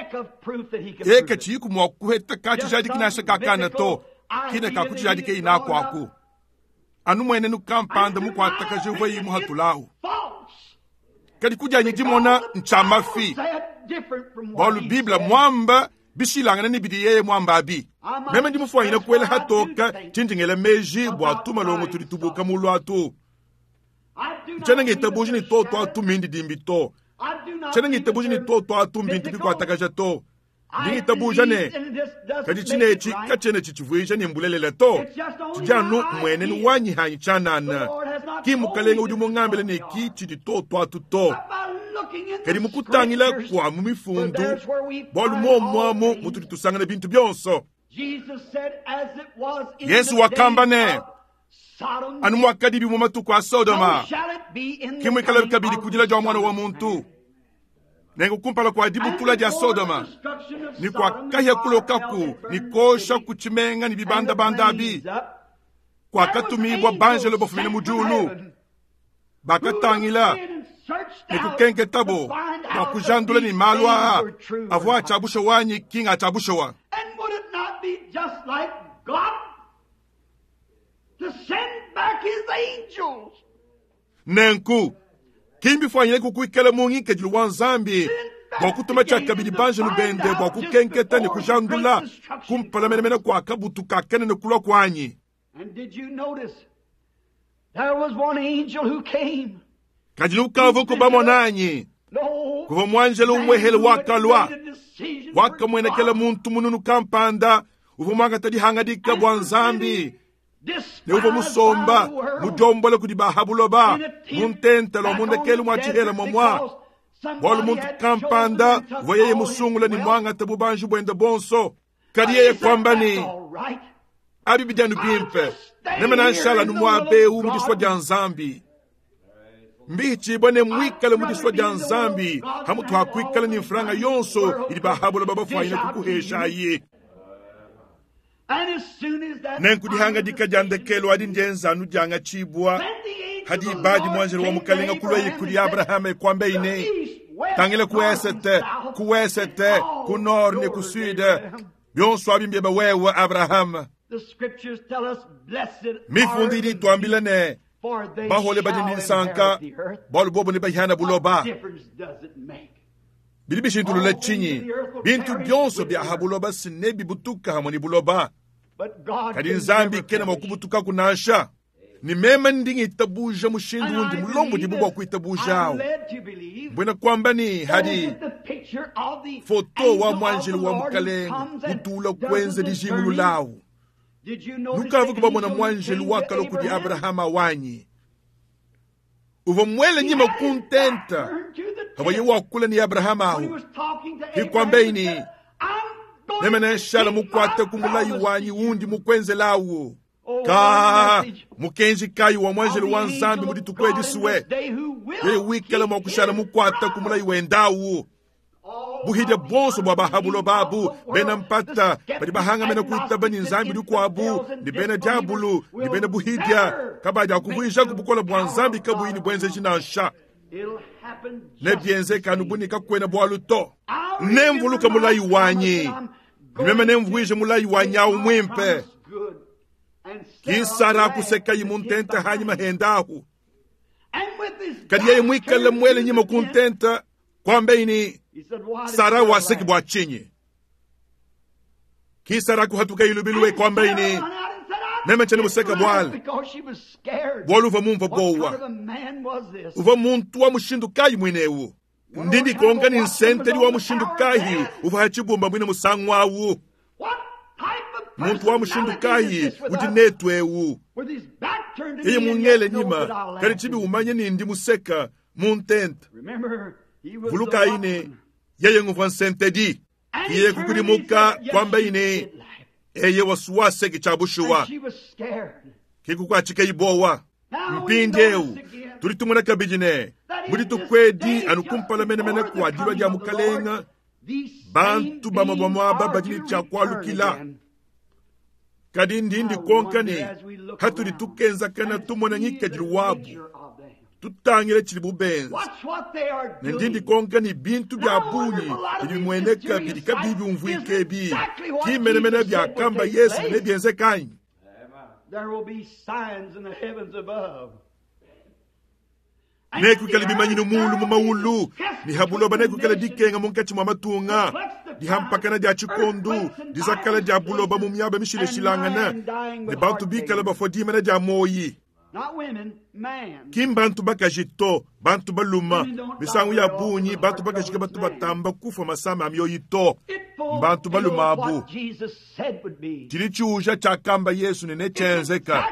eka tshiyiku mua kuheta ka tshijadiki nansha kakana to, kina ka kutshijadika inaku aku. Anu muenenu kampanda mukuatakaje uvua muhatulawu. Kadi kudianyi dimona ntshia mafi, bualu Bible muamba bishilangane ne bidi yeye muamba abi. Meme ndi mufuanyine kuela hatoka tshindi ngela meji bua tumalongo tudi tubuka mulu atu. Tshiena ngitabuja ne toto atu mindidimbi to. Tshiena ngitabuja ne toto atu mbintu bikuatakaja to. Ndi ngitabuja ne, kadi tshine etshi katshiena tshitshivuija ne mbulelela to. Tshidi anu mmuenenu wanyi hanyi tshianana. Ki Mukalenge udi mungambile ne ki tshidi tuotu atu to. Kadi mu kutangila kua mu Mifundu, bualu muomu amu mutudi tusangana bintu bionso. Yezu wakamba ne, Anu muakadibi mu matuku a Sodoma, ke muikalabi kabidi ku dila dia Muana wa muntu. Nenku kumpala kua dibutula dia Sodoma ne kua kahia kulokaku ne kuosha ku tshimenga ne bibandabanda abi, kuakatumibua banjelo bafumine mu diulu, bakatangila ne kukenketabo bua kujandula ne malu aa avua a tshia bushuwa anyi ki nga tshia bushuwa. Nenku, ki mbifuanyine kuikala mu ngikadilu wa Nzambi bua kutuma tshiakabidi banjelu bende bua kukenketa ne kujandula kumpala menemene kua kabutu ka kanene kulua kuanyi. Kadi nukavuku bamona anyi? Kuvua muanjelu umuehele wakalua, wakamuenekela muntu mununu kampanda uvua muangata dihangadika bua Nzambi ne uvua musomba mudiombola kudi ba ha buloba mu ntenta wa mu ndekelu mua tshihela muamua, bualu muntu kampanda uvua yeye musungula ne muangata bubanji buende buonso. Kadi yeye kuamba ne, Abi bidi anu bimpe, meme nanshala anu muaba eu mu disua dia Nzambi. Mbihitshibua ne muikale mu disua dia Nzambi hamutu ha kuikala ne mfranga yonso idi ba ha buloba bafuanyine kukuheshayi. Nenku dihangadika dia ndekelu adi ndienza anu diangatshibua ha diba adi muanjelo wa Mukalenga kuluaye kudi Abrahama kuambaye ne, Tangila ku esete, ku wesete, ku nord ne ku sud, bionso abi mbiebe wewe Abrahama. Mifundu idi ituambila ne, bahole badi ne disanka, bualu bobo nebahiana buloba. Bidi bishintulula tshinyi? Bintu bionso bia ha buloba si nebibutuka hamue ne buloba, kadi Nzambi kena mua kubutukaku nansha. Ne meme ndi ngitabuja mushindu undi mulombodibue bua kuitabuja au, mbuena kuamba ne, hadi foto wa muanjelu wa Mukalenge utula kuenza dijingulula au. Nukavua bamona muanjelu wakalua kudi Abrahama wanyi uvua muele nyima ku ntenta pavuaye wakula ne Abrahama ahu, hikuambeyi ne, meme nenshala mukuate ku mulayi wanyi undi mukuenzelawu. Ka mukenji kayi wa muanjelu wa Nzambi mu dituku edi sue yeye wikala mua kushala mukuate ku mulayi wendawu. Buhidia buonso bua ba ha buloba abu, bena mpata badi bahangamena kuitaba ne nzambi dikuabu, ne bena diabulu ne bena buhidia, kabadiakuvuijaku bukole bua Nzambi kabuyi ne buenzeji nansha. Nebienzeke anu bu ne kakuena bualu to. Nemvuluke mulayi wanyi, ne meme nemvuije mulayi wanyi awu muimpe. Ki Sara kusekayi mu ntenta hanyima hendahu. Kadi yeye muikale muele nyima ku ntenta, kuambeyi ne, Sara waseki bua tshinyi? Ki Sara kuhatuka ilubilu e kuambeyi ne, meme tshiena museka bualu bualu uvua mumvua bowa. Uvua muntu wa mushindu kayi muine eu? Ndi ndikonka ne nsentedi wa mushindu kayi uvua ha tshibumba muine musangu awu? Muntu wa mushindu kayi udi netu eu? Yeye mungele nyima, kadi tshibi umanye ne ndi museka mu ntenta. Vulukayi ne, yeye nguvua nsentedi. Yeye kukudimuka kuambayi ne, eye wasuwaseki tshia bushuwa. Ke kukuatshikayi bowa. Mpindieu tudi tumona kabidi ne, mu dituku edi anu kumpala menemene kua dilua dia Mukalenga, bantu bamue bamue aba badi ne tshia kualukila. Kadi ndi ndikonka ne, hatudi tukenzakana tumona ngikadilu wabu, tutangile tshidibu benza, ne ndi ndikonka ne bintu bia bungi bidi bimueneka bidi kabiyi biumvuika ebi ki menemene biakamba Yesu ne nebienzeke anyi? Nekuikale bimanyinu muulu mu mawulu, ne ha buloba nekuikale dikenga munkatshi mua matunga, dihampakana dia tshikondu, dizakala dia buloba mu miaba mishilashilangane, ne bantu bikale bafua dimana dia muoyi. Ki mbantu bakaji to, bantu baluma. Misangu ya bungi bantu bakaji ke batu batamba kufua masama a mioyi to, mbantu baluma abu. Tshidi tshiuja tshiakamba Yesu ne netshienzeka.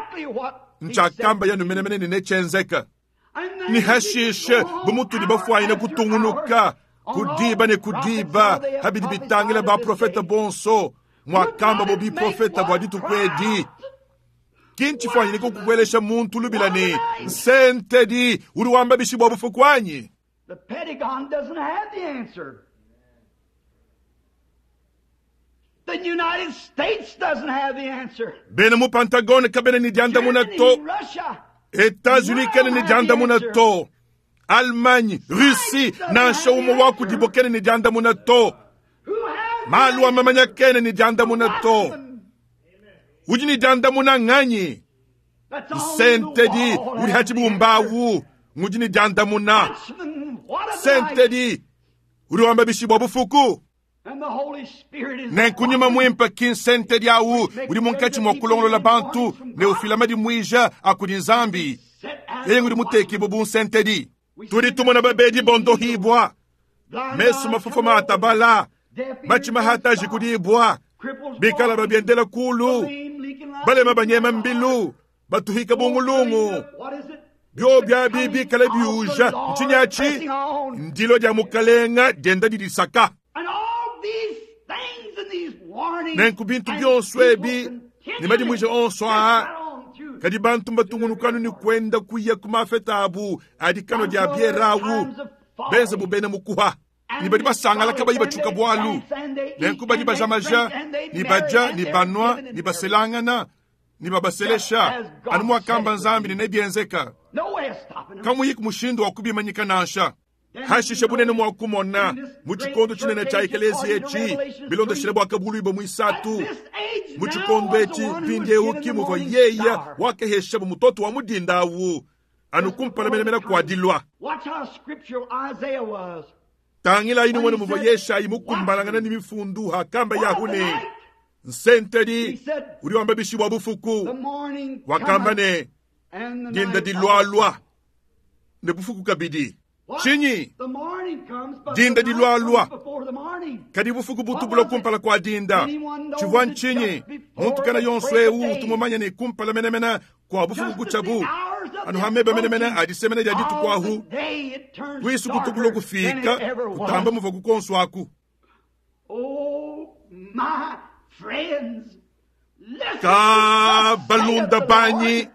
Ntshiakamba yanu menemene ne netshienzeke. Ne hashishe, bu mutudi bafuanyine kutungunuka ku diba ne ku diba pa bidi bitangila baprofete bonso, muakamba bo biprofete bua dituku edi, ki ntshifuanyine kukuelesha muntu lubila ne, Nsentedi, udi wamba bishi bua bufuku anyi? The Pentagon doesn't have the answer. The United States doesn't have the answer. Bena mu Pentagone kabena ne diandamuna to. Russia. Etats-Unis kena ne diandamuna to. Allemagne, Russie, nansha umue wa kudibo kena ne diandamuna to. Who has Malu a mamanya kena ne diandamuna to. Udi ne diandamuna nganyi? That's only the Nsentedi wall udi has the hachibumbawu ngudi ne diandamuna. Watchman, what of the night? Sentedi udi wamba bishi bua bufuku. And the Holy Spirit is Nenku nyuma muimpe ki nsentedi awu udi munkatshi mua kulongolola bantu ne ufila madimuija a kudi Nzambi. set as Yeye ngudi mutekibue bu nsentedi. Tudi tumona babedi bondohibwa, blind mesu eyes mafufu come open, maatabala, deaf ears machima hataji stop, kudibwa, cripples bikala walking, babiendela kulu, lame leaking like balema banyema mbilu, batuhika bungulungu. What is it? Byo bya bibi kale biuja ntshinyachi ndilo dia mukalenga dienda didisaka. And all these things and these warnings Nenku bintu and byonso people ebi ne madimuija onso continually aa just right on through. kadi bantu mbatungunukanu ni kwenda kuya ku mafeta abu adi kano dia bierawu benze bubena mukuha ni badi basangala kabayi batshuka bwalu nenku badi bajamaja ni baja ni banwa ni baselangana ni babaselesha anu muakamba Nzambi ne nebienzeka No way of stopping them. kamuyi ku mushindu wa kubimanyika nansha hashishe bunene mwa kumona mu tshikondo tshinene tshia ekeleziya etshi bilondoshile bua kabuluibua muisatu This age mu now tshikondo was etshi the one who was mpindieu given the kimuvua morning yeya star. wakehesha mutoto wa mudinda awu anu kumpala menemene kua dilua Watch how scriptural Isaiah was. tangila inu mwene muvua Yeshayi mukumbalangana ni mifundu hakamba What of yahu the ne night? nsentedi He said, udi wamba bishi bua The bufuku morning wakamba cometh ne and the dinda night dilwalwa ne bufuku kabidi What? tshinyi The morning comes, but Dinda the night dilwalwa. comes before the morning. kadi bufuku butubula kumpala kua dinda tshivua ntshinyi muntu kana yonso ewu tumumanya ne kumpala menemene kua bufuku kutshabu anu hameba menemene adisemene dia dituku All the ahu day it turns kuisu darker kutukula than kufika it ever was. kutamba muva kukonso aku Oh, my friends, listen ka to thus balunda saith the banyi Lord.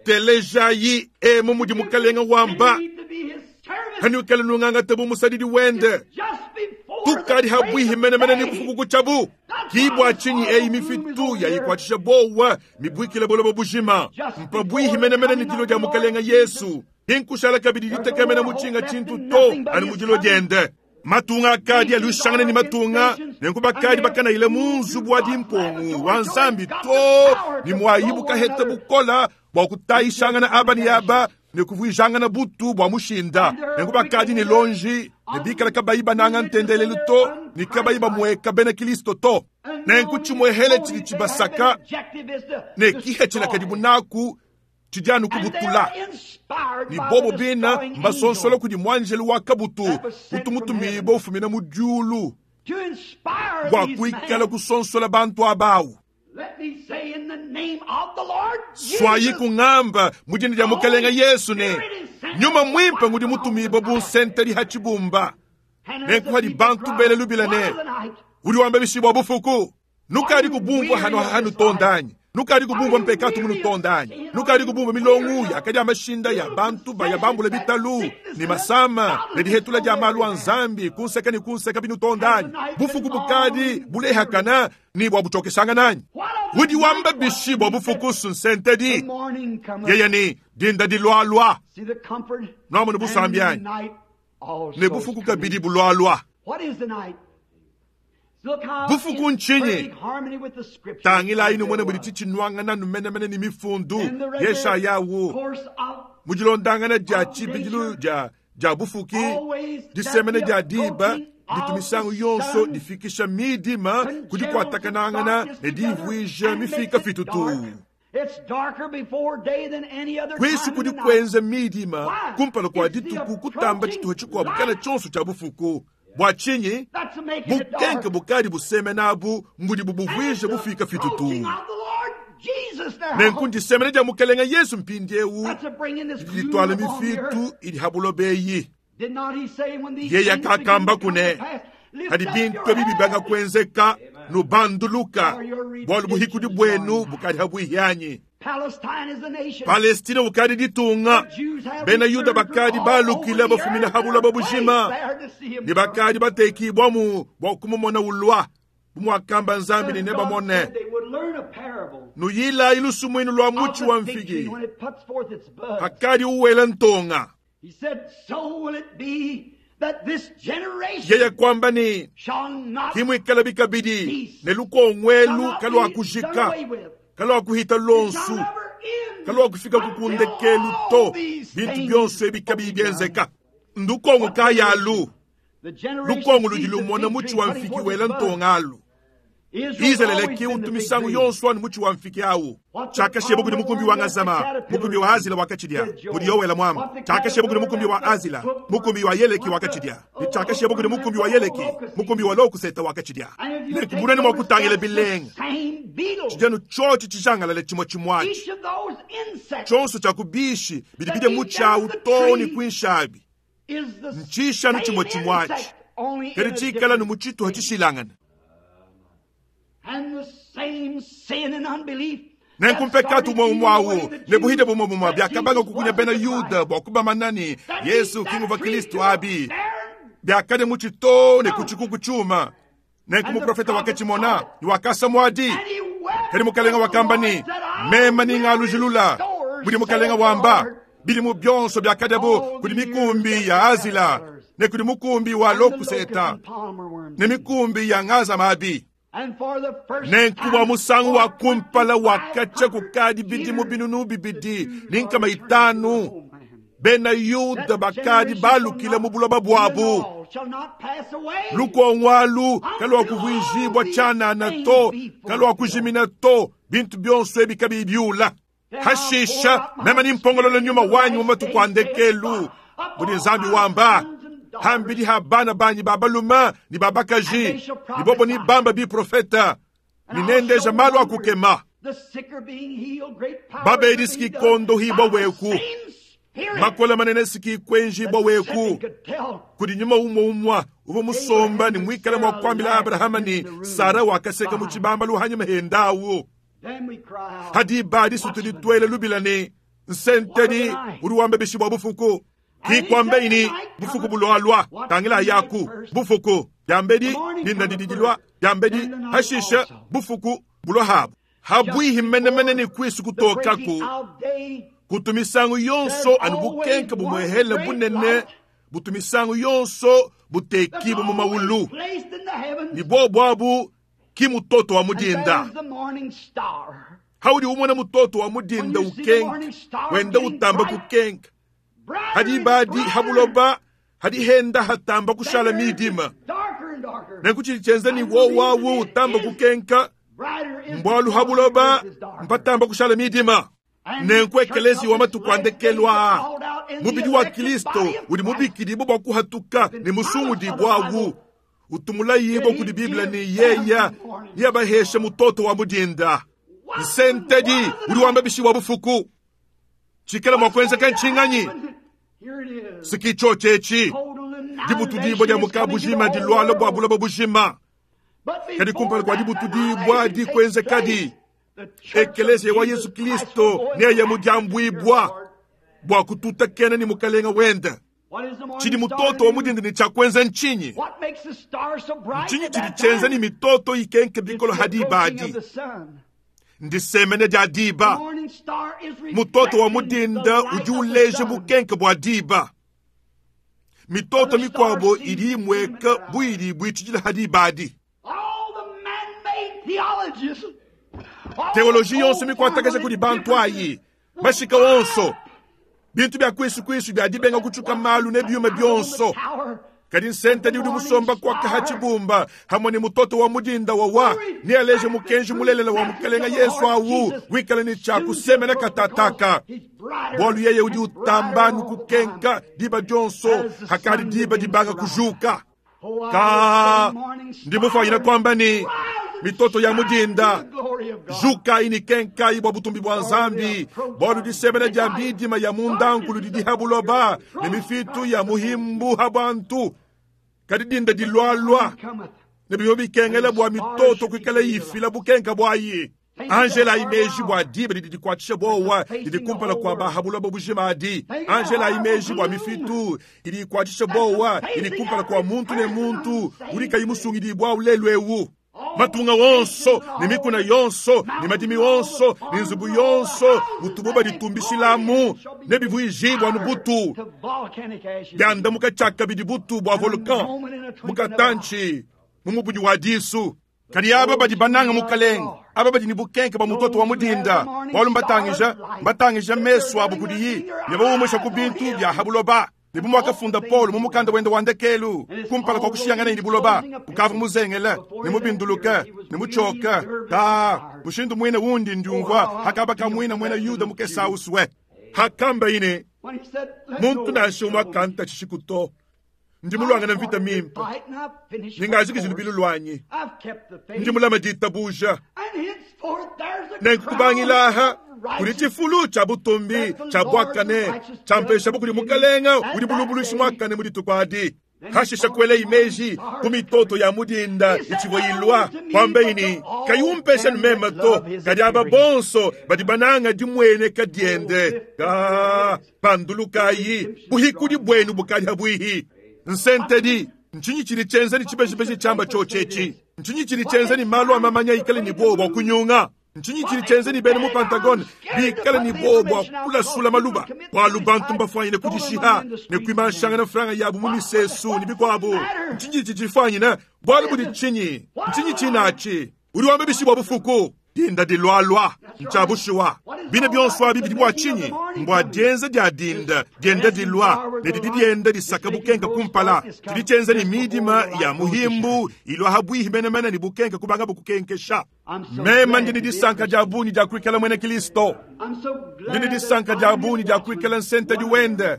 telejayi emu mudi mukalenga wamba Need to be his servant hanuikale nungangata bu musadidi wende just before the tukadi break habwihi of menemene ni day. bufuku kutshabu kibwa tshinyi eyi mifitu yayikwatshisha bowa mibwikile buloba bujima mpabwihi menemene ni dilo dia mukalenga Yesu inkushala kabidi ditekemena mutshinga tshintu to anu mudilo diende matunga akadi alushangana ni matunga nenku bakadi bakanayile mu nzubu wa dimpongu wa Nzambi to ni mwayibu kaheta bukola bua kutayishangana aba ni aba ne kuvuijangana butu bua mushinda nenku bakadi ni lonji ne bikala kabayi bananga ntendelelu to ni kabayi bamueka bena Kristo to nenku tshimuehele tshidi tshibasaka Objective is to ne kihe tshilakadi bunaku tshidi anu And they kubutula are inspired ni by bobo the bina destroying mbasonsola angel kudi mwanjelu wa kabutu utumutumibo ufumina mu diulu to inspire bua these kuikala men. kusonsola bantu abawu Let me say in the name of the Lord swayi Jesus, kung'amba mu dina dia mukalenga Yesu ne nyuma mwimpe ngudi mutumibo bu nsentedi ha tshibumba and as nenku the hadi people bantu cry, bele lubila "What ne of the night?" udi wamba bishi bua bufuku nukadi kubumvua hano hanu tondanyi nukadi kubumvua mpekatu munu tondanyi nukadi kubumvua milongu yakadi ya mashinda ya bantu baya bambula bitalu ni masama ne dihetula dia malu a Nzambi kunseka ni kunseka binu tondanyi bufuku bukadi bulehakana ni bua butsokeshanga nanyi udi wamba bishi bua bufuku The sunsentedi morning cometh. yeye ni dinda dilwalwa See the comfort Nwamona and the busambi night also ne is bufuku coming. kabidi bulwalwa What is the night? Look how Bufuku in ntshinyi? perfect harmony with the scriptures tangila inu mwene there mudi was. tshitshinwangana numenemene ni mifundu In the regular yeshayawu course of mudilondangana dia tshibidilu dia dia bufuki always that disemene the dia diba approaching ditu of misangu the yonso sun difikisha midima kudi kuatakanangana congeals ne the darkness divuija together and mifika makes it fitutu dark. It's darker before day than any other kwisu time in kudi the night. kuenza midima Why? kumpala kua It's the dituku kutamba approaching tshituha tshikuabu light. kana tshionso tshia bufuku bua tshinyi That's making it bukenke dark. bukadi busemena abu mbudi And bubuvuija the bufika fitutu approaching of the Lord Nenku ndisemena dia Mukelenge Yesu mpindieu didi dituala mifitu idi ha buloba eyi. Yeye kakamba kune hadi bintu ebi bibanga kuenzeka nubanduluka, bualu buhikudi buenu bukadi habuihi anyi. Palestina ukadi ditunga, bena Yuda bakadi balukile bafumina ha buloba bujima ne bakadi batekibwamu bua kumumona ulua. Bu muakamba Nzambi ne nebamone. Nuyilayi lusumuinu lua mutshi wa mfigi hakadi uwela ntonga. Yeye kuamba ne, Kimuikala bikabidi ne lukonguelu kaluakujika, kaluakuhita luonsu, kaluakufika ku kundekelu to, bintu bionso ebi kabiyi bienzeka. Ndukongu kayalu? Lukongu ludi lumona mutshi wa mfiki wela ntonga alu. Izalele ki utu misangu yonso anu mutshi wa mfiki awu. Tshiakashiyebo kudi mukumbi wa Ngazama, mukumbi wa Azila wakatshidia, mudi Yoele muamba. Tshiakashiyebo kudi mukumbi wa Azila, mukumbi wa Yeleki wakatshidia. Ne tshiakashiyebo kudi mukumbi wa Yeleki, mukumbi wa Lokuseta wakatshidia. Nenku bunene mua kutangila bilenga, tshidi anu tshiotshi tshijangalale tshimue tshimuatshi. Tshionso tshia ku bishi bidi bidia mutshi awu too ne kuinshi abi. Ntshishanu tshimue tshimue atshi, kadi tshikala anu mu tshituha tshishilangane. Nenku mpekatu umue umue au ne buhide bumue bumue biakabanga kukunya bena Yuda bua kubamana ne, Yezu ki nguvua Kristo abi, biakadia mutshi too ne ku tshikuku tshiuma. Nenku muprofete wakatshimona ne wakasa muadi. Kadi mukalenga wakamba ne, Mema ningalujilula, mudi mukalenga wamba, bidimu bionso biakadiabo kudi mikumbi ya Azila ne kudi mukumbi wa Lokuseta ne mikumbi ya Ngazamabi. Nenku bua musangu wa kumpala wakatshia kukadi bidimu binunu bibidi ne nkama itanu, bena Yuda bakadi balukile mu buloba buabu. Lukongo alu kaluakuvuijibua tshianana to, kaluakujimina to, bintu bionso ebi kabiyi biula. Hashisha meme nimpongolola nyuma wanyi mu matuku a ndekelu, mudi Nzambi wamba, hambidi ha bana banyi ba balume ne ba bakaji, ne bobo nibamba biprofeta, ne nendeja malu a kukema. Babedi sikikondohibua weku, makola manene sikikuenjibua weku. Kudi nyuma umue umue uvua musomba ne muikale mua kuambila Abrahama ne Sara wakaseka mu tshibambalu hanyima hendawu. Hadiba disu tudi tuela lubila ne, Nsentedi udi wamba bishi bua bufuku? Ki kuambeyi ne, Bufuku bulualua, tangila yaku bufuku diambedi dinda didi dilua diambedi, hashisha bufuku bulua habu habuihi menemene ne kuisu kutokaku. Kutu misangu yonso anu bukenka bumuehele bunene butu misangu yonso butekibue mu maulu, ne buobu abu ki mutoto wa mudinda. Haudi umona mutoto wa mudinda ukenka, wenda utamba kukenka, hadi badi ha buloba hadi henda hatamba kushala midima. Nenku tshidi tshienza ne wowawu utamba kukenka mbualu ha buloba mpatamba kushala midima. Nenku ekeleziya wa matuku a ndekelu aa, mubidi wa Kristo udi mubikidibue bua kuhatuka ne musungudibue awu, utumulaibua kudi Bible ne yeya neabaheshe mutoto wa mudinda. Nsentedi udi wamba bishi bua bufuku? Tshikala mua kuenzeka ntshinganyi? Siki tshiotshi etshi dibutudibua dia muka bujima diluala bua buloba bujima. Kadi kumpala kua dibutudibua dikuenzekadi, ekeleziya wa Yesu Kristo neye mudiambuibua bua kututakena ne Mukalenga wende. Tshidi mutoto wa mudinda ne tshia kuenza ntshinyi? Ntshinyi tshidi tshienza ne mitoto ikenke bikolo ha diba adi? Ndisemene dia diba. Mutoto wa mudinda udi uleja bukenke bua diba. Mitoto mikuabo idi imueka bu idi ibuitshidila ha diba adi. Teoloji yonso mikuatakaja kudi bantu ayi, mashika onso, bintu bia kuisu kuisu bia dibenga kutshuka malu ne biuma bionso. Kadi nsentedi udi musomba kuaka ha tshibumba hamwe ne mutoto wa mudinda wawa nealeje mukenji mulelela wa Mukalenga Yesu awu wikale ne tshia kusemena katataka, bualu yeye udi utamba nukukenka diba dionso hakadi diba dibanga kujuka. Ka ndi mufuanyina kuamba ne mitoto ya mudinda Jukayi ne kenkayi bua butumbi bua Nzambi, bualu disemena dia midima ya mundankulu didi ha buloba, ne mifitu ya muhimbu ha bantu. Kadi dinda dilualua, ne bivua bikengela bua mitoto kuikala ifila bukenka buayi. Angela imeji bua diba didi dikuatshisha buowa didi kumpala kua ba ha buloba bujima adi. Angela imeji bua mifitu idi ikuatshisha buowa idi kumpala kua muntu ne muntu udi kayi musungidibua lelu eu. Matunga wonso ne mikuna yonso ne madimi wonso ne nzubu yonso mutubo baditumbishilamu ne bivuijibua anu butu biandamuka tshiakabidi butu bua volcan mukatantshi mu mubudi wa disu. Kadi aba badi bananga Mukalenge, aba badi ne bukenke bua mutoto wa mudinda, bualu mbatangija mbatangija mesu abu kudiyi ne baumusha ku bintu bia ha buloba. Ne bu muakafunda Paulo mu mukanda wende wa ndekelu kumpala kua kushiyangana ne buloba, ukavua muzengele ne mubinduluke ne mutshioke ta mushindu muine wundi ndiumvua hakaba kamuina muena Yuda mukesa usue hakamba ine muntu nansha umue akanta tshishiku to. Ndi mulwangana mvita mimpe, ningajikije lubilu lwanyi, ndi mulama ditabuja nenkubangilaha kudi tshifulu tshia butumbi tshia buakane tshiampesha kudi Mukalenga udi bulubulushi muakane mu dituku adi. Hashisha kuela imeji ku mitoto ya mudinda itshivua ilua kwambeini kayiumpesha meme to, kadi aba bonso badi bananga dimueneka diende ka pandulukayi buhikudi buenu bukadi habuihi. Nsentedi ntshinyi tshidi tshienza ne tshibejibeji tshiamba tshiotshi ntshinyi tshidi tshienza ne malu a mamanya ikale ne buowa bua kunyunga ntshinyi tshidi tshienza ne bena mu Pentagone bikale ne buowa bua kulasula maluba bualu bantu mbafuanyine kudishiha ne kuimanshangana franga yabu mu misesu ne bikuabu. Ntshinyi tshidi tshifuanyine bualu budi tshinyi ntshinyi tshinatshi udi wamba bishi bua bufuku dinda dilualua ntshiabushuwa bine bionso abi bidi bua tshinyi mbua dienza dia dinda dienda dilua ne didi dienda disaka bukenka kumpala tshidi tshienza ne midima ya muhimbu ilua habuihi menemene ne bukenka kubanga bukukenkesha. Mema ndi ne disanka dia bungi dia kuikala muena Kristo, ndi ne disanka dia bungi dia kuikala nsentedi wende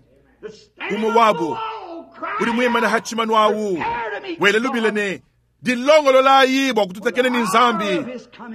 umue wabu udi muimane ha tshimanu awu wele lubile ne dilongololayi bua kututakena ne Nzambi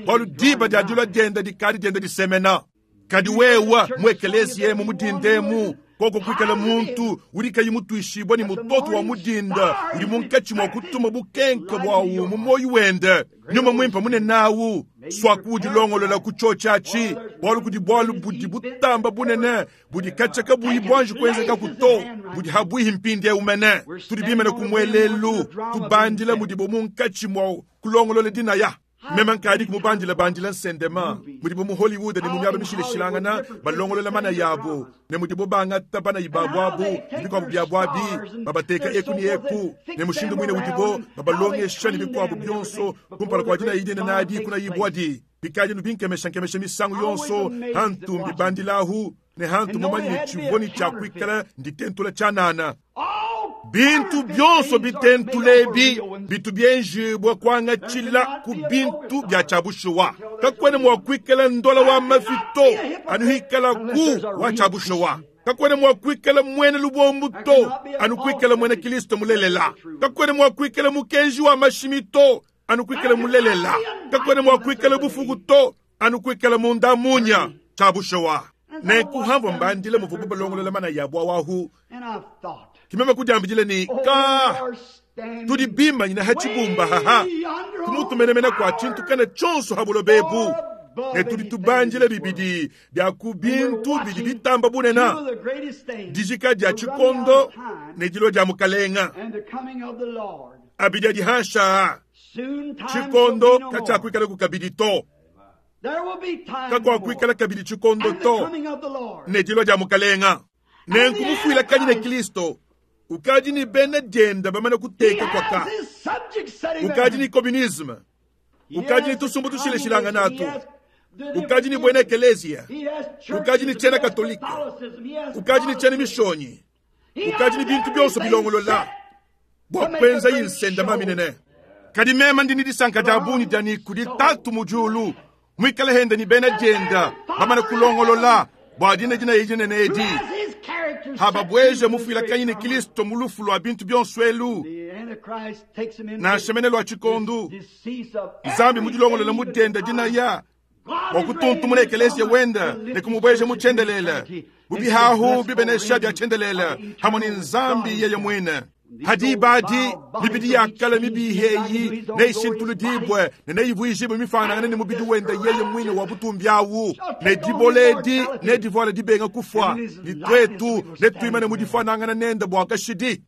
bualu diba dia dilua dienda dikadi dienda disemena. Kadi wewa mu ekeleziya emu mudindemu koko kuikala muntu udi kayi mutuishibua ne mutoto wa mudinda udi munkatshi mua kutuma bukenke buawu mu muoyo wende nyuma muimpe munenawu swaku udilongolola ku tshiotshi bualu kudi bualu budi butamba bunene budi katshia buyi buanji kuenzeka kuto budi habuihi mpindieu mene tudi bimene ku muelelu tubandila mudibo munkatshi mua kulongolola dinaya. Meme nkadi kumubandila bandila nsendema mudibo mu Hollywood ne mu miaba mishilashilangana balongolola mana yabo ne mudibo bangata bana ibabu abu ne bikuabu biabu abi babateka eku ne eku ne mushindu muine udibo babalongesha ne bikuabu bionso kumpala kua dina idine nadi kuna ibwadi bikadi nubinkemesha nkemesha misangu yonso hantu mbibandilahu ne hantu mumanyi ne tshivua ne tshiakuikala nditentula tshianana. Bintu bionso bitentulebi bitu bienjibua kuangatshila ku bintu bia tshiabushuwa kakwene mua kuikala ndola wa mafito anu hikala ku wa tshiabushuwa kakwene mua kuikala muena lubombu to anu kuikala muena Kristo mulelela kakwene mua kuikala mukenji wa mashimi to anu kuikala mulelela kakwene mua kuikala bufuku to anu kuikala munda munya tshiabushuwa nenkuhamvua mbandile muvubu balongolola mana yabua wahu kimema kudiambidile ni ka tudi bimanyina ha tshibumba haha kumutumenemena kua tshintu kana tshionso ha buloba ne tudi tubandila bibidi bia ku bintu bidi bitamba bunena dijika dia tshikondo ne dilo dia Mukalenga abidi adi hansha tshikondo katshiakuikala ku kabidi to kakuakuikala kabidi tshikondo to ne dilo dia Mukalenga nenkumufuila kanyi ne Kristo ukadi ni bena dienda bamana kuteka kwaka ukadi ni communisme ukadi ni tusumbu tushileshilanga natu ukadi ni bwena ekelesia ukadi ni tshiena katolika ukadi ni tshiena mishonyi ukadi ni bintu bionso bilongolola bua kuenza insenda maminene kadi mema ndi ni disanka dia bungi dia ni kudi tatu mu diulu muikale henda ni bena dienda bamana kulongolola bua dina dina idinene edi hababweje mufuila kanyi ne Kristo mu lufu lua bintu bionso elu nansha mene lua tshikondu Nzambi mudilongolola mudenda dinaya. Bua kutuntumuna ekeleziya wende ne kumubueja mu tshiendelele, bu bihahu bibenesha bia tshiendelele hamwe ne Nzambi yeye muine. Hadiba adi, mibidi ya kale mibihe eyi neyishintuludibue ne neyivuijibue mifuanangane ne mubidi wende yeye muine wa butumbi awu, ne dibola edi nedivuale dibenga kufua, ne tuetu netuimane mu difuanangana nende bua kashidi.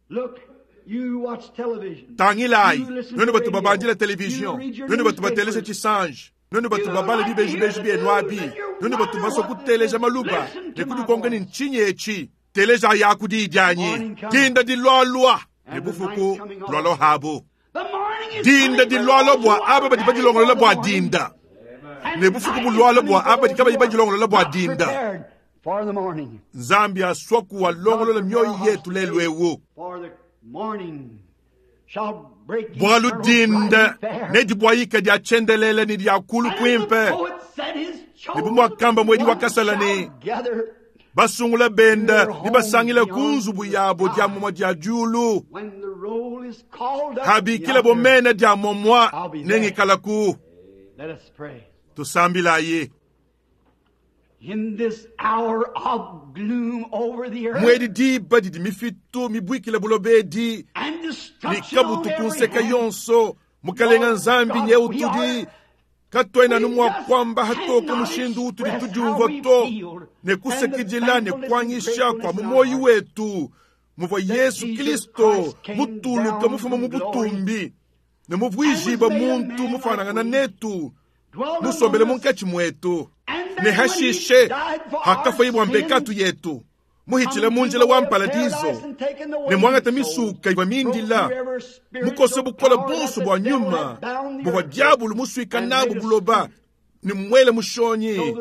Tangilayi, nuenu batu babandila televizion, nuenu batu bateleja tshisanji, nuenu batu babala bibejibeji bienu abi, nuenu batu basua kuteleja maluba ne kudikonka ne ntshinyi etshi, teleja yaku diyi dianyi, dinda dilualua ne bufuku lualua habu. Dinda dilualua bua aba badi badilongolola bua dinda, ne bufuku bulualua bua aba badi kabayi badilongolola bua dinda. Nzambi asua kuwalongolola mioyo yetu lelu eu. Bualu dinda nedibuayika dia tshiendelele ne dia kulu kuimpe, ne bu muakamba muedi wa kasala ne basungula benda ne basangila ku nzubu yabo dia momua dia diulu, habikila bo mena dia momua nengikalaku. Tusambilayi. Muedi diba didi mifitu mibuikile buloba edi ne kabutu ku nseka yonso, Mukalenga Nzambi nyeu tudi katuena anu mua kuamba hatoke mushindu utudi tudiumvua to, ne kusakidila ne kuanyisha kua mu muoyo wetu muvua Yesu Kristo mutuluke mufuma mu butumbi ne muvuijibue muntu mufuanangana netu, musombele munkatshi muetu, ne hashishe hakafuaye bua mpekatu yetu, muhitshile mu njila wa mparadizo ne muangate misuka ivua mindila, mukose bukole bonso bua nyuma buvua diabulu musuika nabu buloba, ne muele mushonyi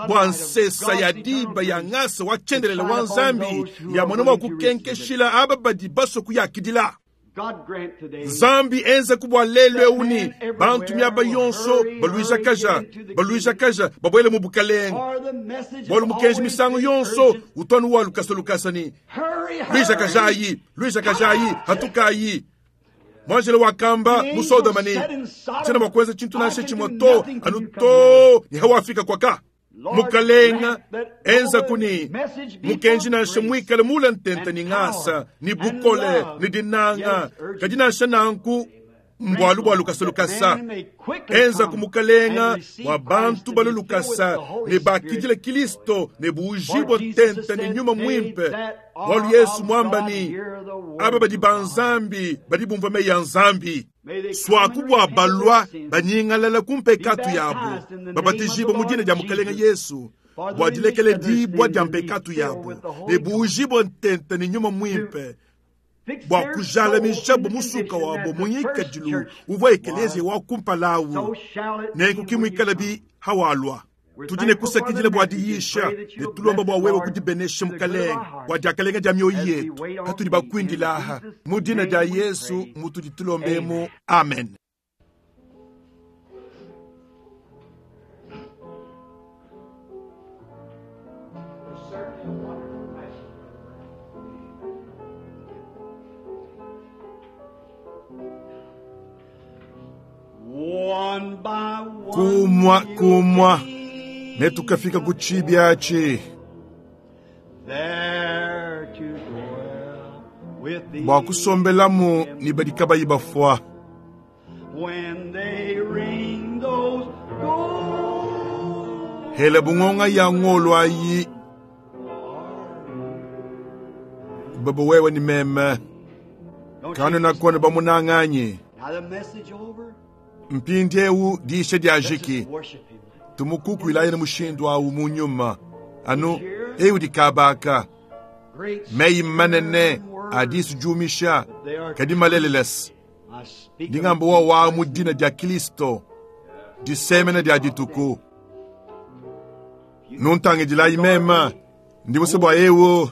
bua nsesa ya diba ya ngasa wa tshiendelele wa Nzambi ya mona mua kukenkeshila aba badi basue kuyakidila. Nzambi enza ku bua lelu eu ne bantu miaba yonso baluijakaja baluijakaja babuele mu bukalenge, bualu mukenji misangu yonso utu anu wa lukasa lukasa ne luijakajayi luijakajayi hatukayi. Muanjelo wakamba mu Sodoma ne tshiena mua kuenza tshintu nansha tshimue to anu to ne hawafika kwaka. Mukalenga enza kuni mukenji nansha muikale mule ntente ni ngasa ni bukole ni dinanga, kadi nansha nanku mbualu bua lukasa lukasa. Enza ku mukalenga wa bantu balu lukasa ne bakidila Kristo ne buujibua ntente ni nyuma muimpe, bualu Yesu muamba ni aba badi ba Nzambi badi bumvua meyi ya Nzambi. Suaku bua balua banyingalala ku mpekatu yabu, babatijibue mu dina dia Mukalenga Yesu bua dilekele dibua dia mpekatu yabu ne buujibue ntente ne nyuma muimpe bua kujalamijabo musuka wabo mu ngikadilu uvua ekeleziya wa kumpala awu, nenku ki muikale bi hawalua. Tudi ne kusakidila bua diyisha ne tulomba bua wewe kudibenesha Mukalenge bua diakalenga dia mioyo yetu katudi bakuindila aha mu dina dia Yesu mutudi tulombemu, amen. Kumua kumua ne tukafika ku tshibi atshi bua kusombelamu ne badi kabayi bafua. Hela bungonga ya ngolo ayi baba wewe ni meme kanena kone bamunanganyi. Mpindieu diisha dia jiki tumukukuilaye ne mushindu awu mu nyuma anu eu dikabaka meyi manene adisu jumisha kadi malelelesi ndingambo wa wa mu dina dia Kristo disemena dia dituku. Nuntangidilayi mema ndi musue bua eu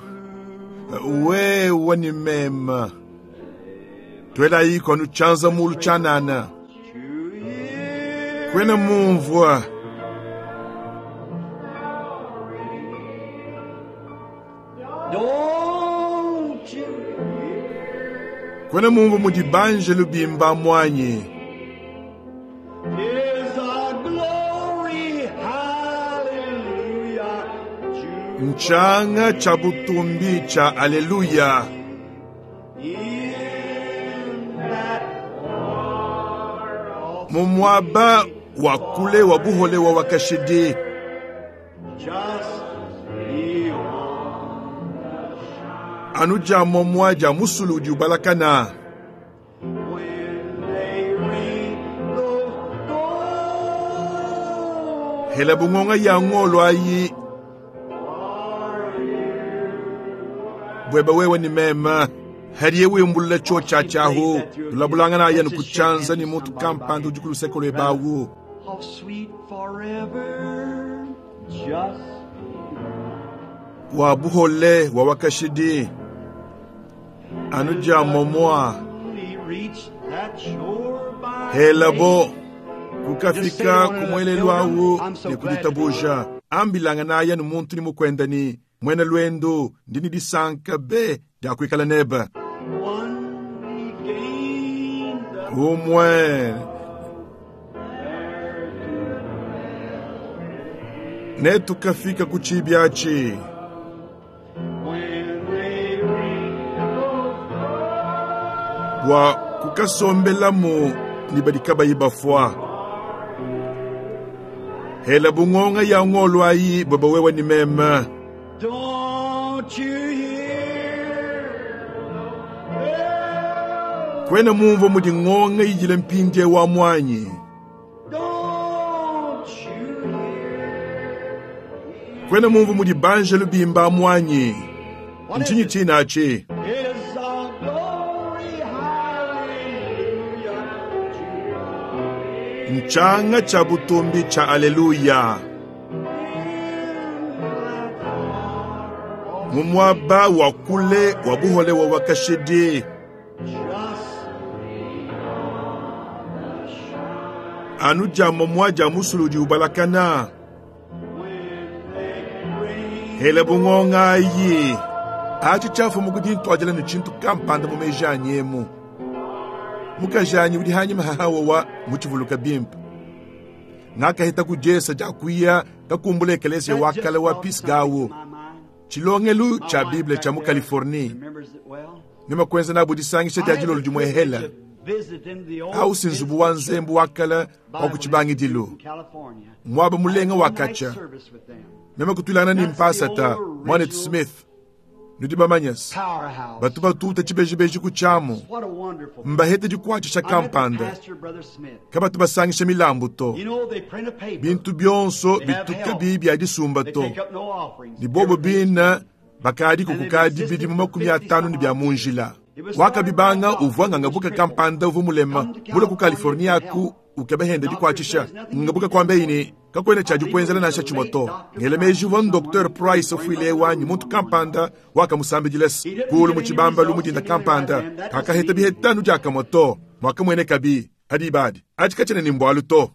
wewe ni mema tuelayi kwanu tshianza mulu tshianana kwena mumvua. Kwena mumvua mudi banjelu bimba muanyi. Ntshianga tshia butumbi tshia Aleluya. Mu muaba wa kule wa buhole wa wakashidi. Anu dia momua dia musulu udi ubalakana. Hela bungonga ya ngolo ayi bweba wewe ni mema hadiye wimbulula cho cha chahu tulabulangana ayanu kuchanza ni muntu kampanda udi ku luseke lwebawu. How sweet forever, just wa buhole wa wakashidi anu dia momoa we reach that shore by helabo kukafika kumwelelu awu ne kuditabuja ambilangana ayanu muntu ni mukwenda ni mwena lwendo ndini disanka be dia kuikala neba one we gain the umwe ne tukafika ku tshibiatshi when they ring bua kukasombelamu ni badi kabayi bafua hela bungonga ya ngolo ayi bweba wewe ni meme Don't you hear? kwena mumva mudi ngonga yijile mpindie wa mwanyi Don't you hear? kwena mumva mudi banjelu bimba mwanyi ntshinyi tshinachi Is a glory, hallelujah. nchanga cha butumbi cha aleluya mu muaba wa kule wa buhole wa wakashidi Just anu dia momua dia musulu udi ubalakana when they ring hela bungonga ayi atshi tshiafumu kudi ntuadila ne tshintu kampanda mu meji anyi emu mukaji anyi udi hanyima hahawa wa mutshivuluka bimpe ngakahita kudiesa dia kuya kakumbula ekelesia That wa just kale wa brought something pisgawu to my mind. tshilongelu My tshia wife bible back tshia mu there californie remembers it well. nema kuenza nabu disangisha I dia had dilolo the dimue privilege hela of visiting the old au si nzubu wa nzembu wa kale wa Bible ku tshibangidilu Institute in California. muaba mulenga I had wa one night katsha service with them. meme kutulangana ni mpasata mwanet smith nudi bamanyasi Powerhouse. batu batuta tshibejibeji ku tshiamu What a wonderful. mbahete dikuatshisha I met the kampanda pastor, Brother Smith. kabatu basangisha milambu to You know, they print a paper. bintu byonso bituka bibi bia disumba They to take up no offerings. ni bobo Everything's bina bakadi kukukadi bidimu 50 ni bia munjila wakabibanga uvua ngangabuka kampanda uvu mulema mule ku california aku ukebehende dikuatshisha ngabuka kwambeini kakwena tshia dikuenzela nansha tshimue to ngele meji uvua dr price ofuile wanyi muntu kampanda wakamusambidilesi kulu mu tshibambalu mudinda kampanda kakaheta bihetanu diakamue to mwakamuenekabi hadi ibadi atshi katshene ni mbualu to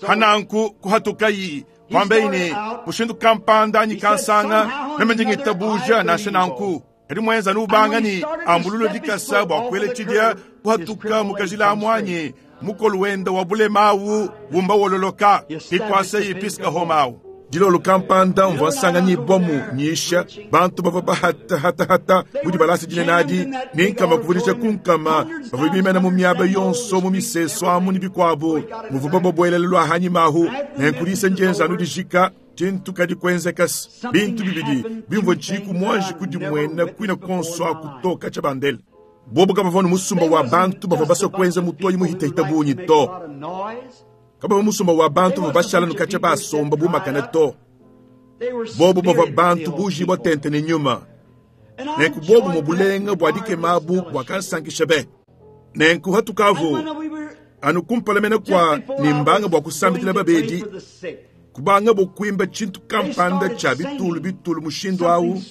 hananku kuhatukayi kwambeini mushindu kampanda anyi kansanga meme ndingitabuja nansha nanku kadi muenza nubanga ni ambululo dikasa bua kuela tshidia kuhatuka mukajila amwanyi mukolu wenda wa bulemawu wumba wololoka ikwasa yipiska homawu dilolo kampanda mvua nsanga bomu nyisha bantu bavua bahatahata mudi balasa dinenadi ni nkama kuvudisha kunkama bavua bimena mu miaba yonso mu miseso amu ni bikuabu muvua babobuelele lua hanyimahu nenkulisa njenza anu dijika tshintu kadi kuenzekasi bintu bibidi bimvua tshiku muanji kudimuena kuina konso akutoka tsha bandele bobo kabavua ni musumba wa bantu bavua basua kuenza mutoyi muhitahita bunyi to kabavua musumba wa bantu bavua bashala nukatsha basomba bumakane to bobo bavua bantu bujibua tente ne nyuma nenku bobo mu bulenga bua dikemabu buakansankisha be nenku hatukavu anu kumpala mene kua ni mbanga bua kusambidila babedi kubanga bokuimba tshintu kampanda tsha bitulu bitulu mushindu awu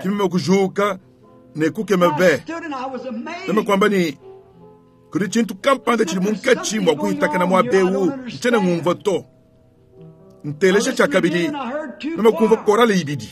kimeme kujuka ne kukema be meme kuamba ni kudi tshintu kampanda tshidi munkatshi mua kuhitakana mua bewu ntshiena ngumvua to ntelesha tshia kabidi meme kumvua korale ibidi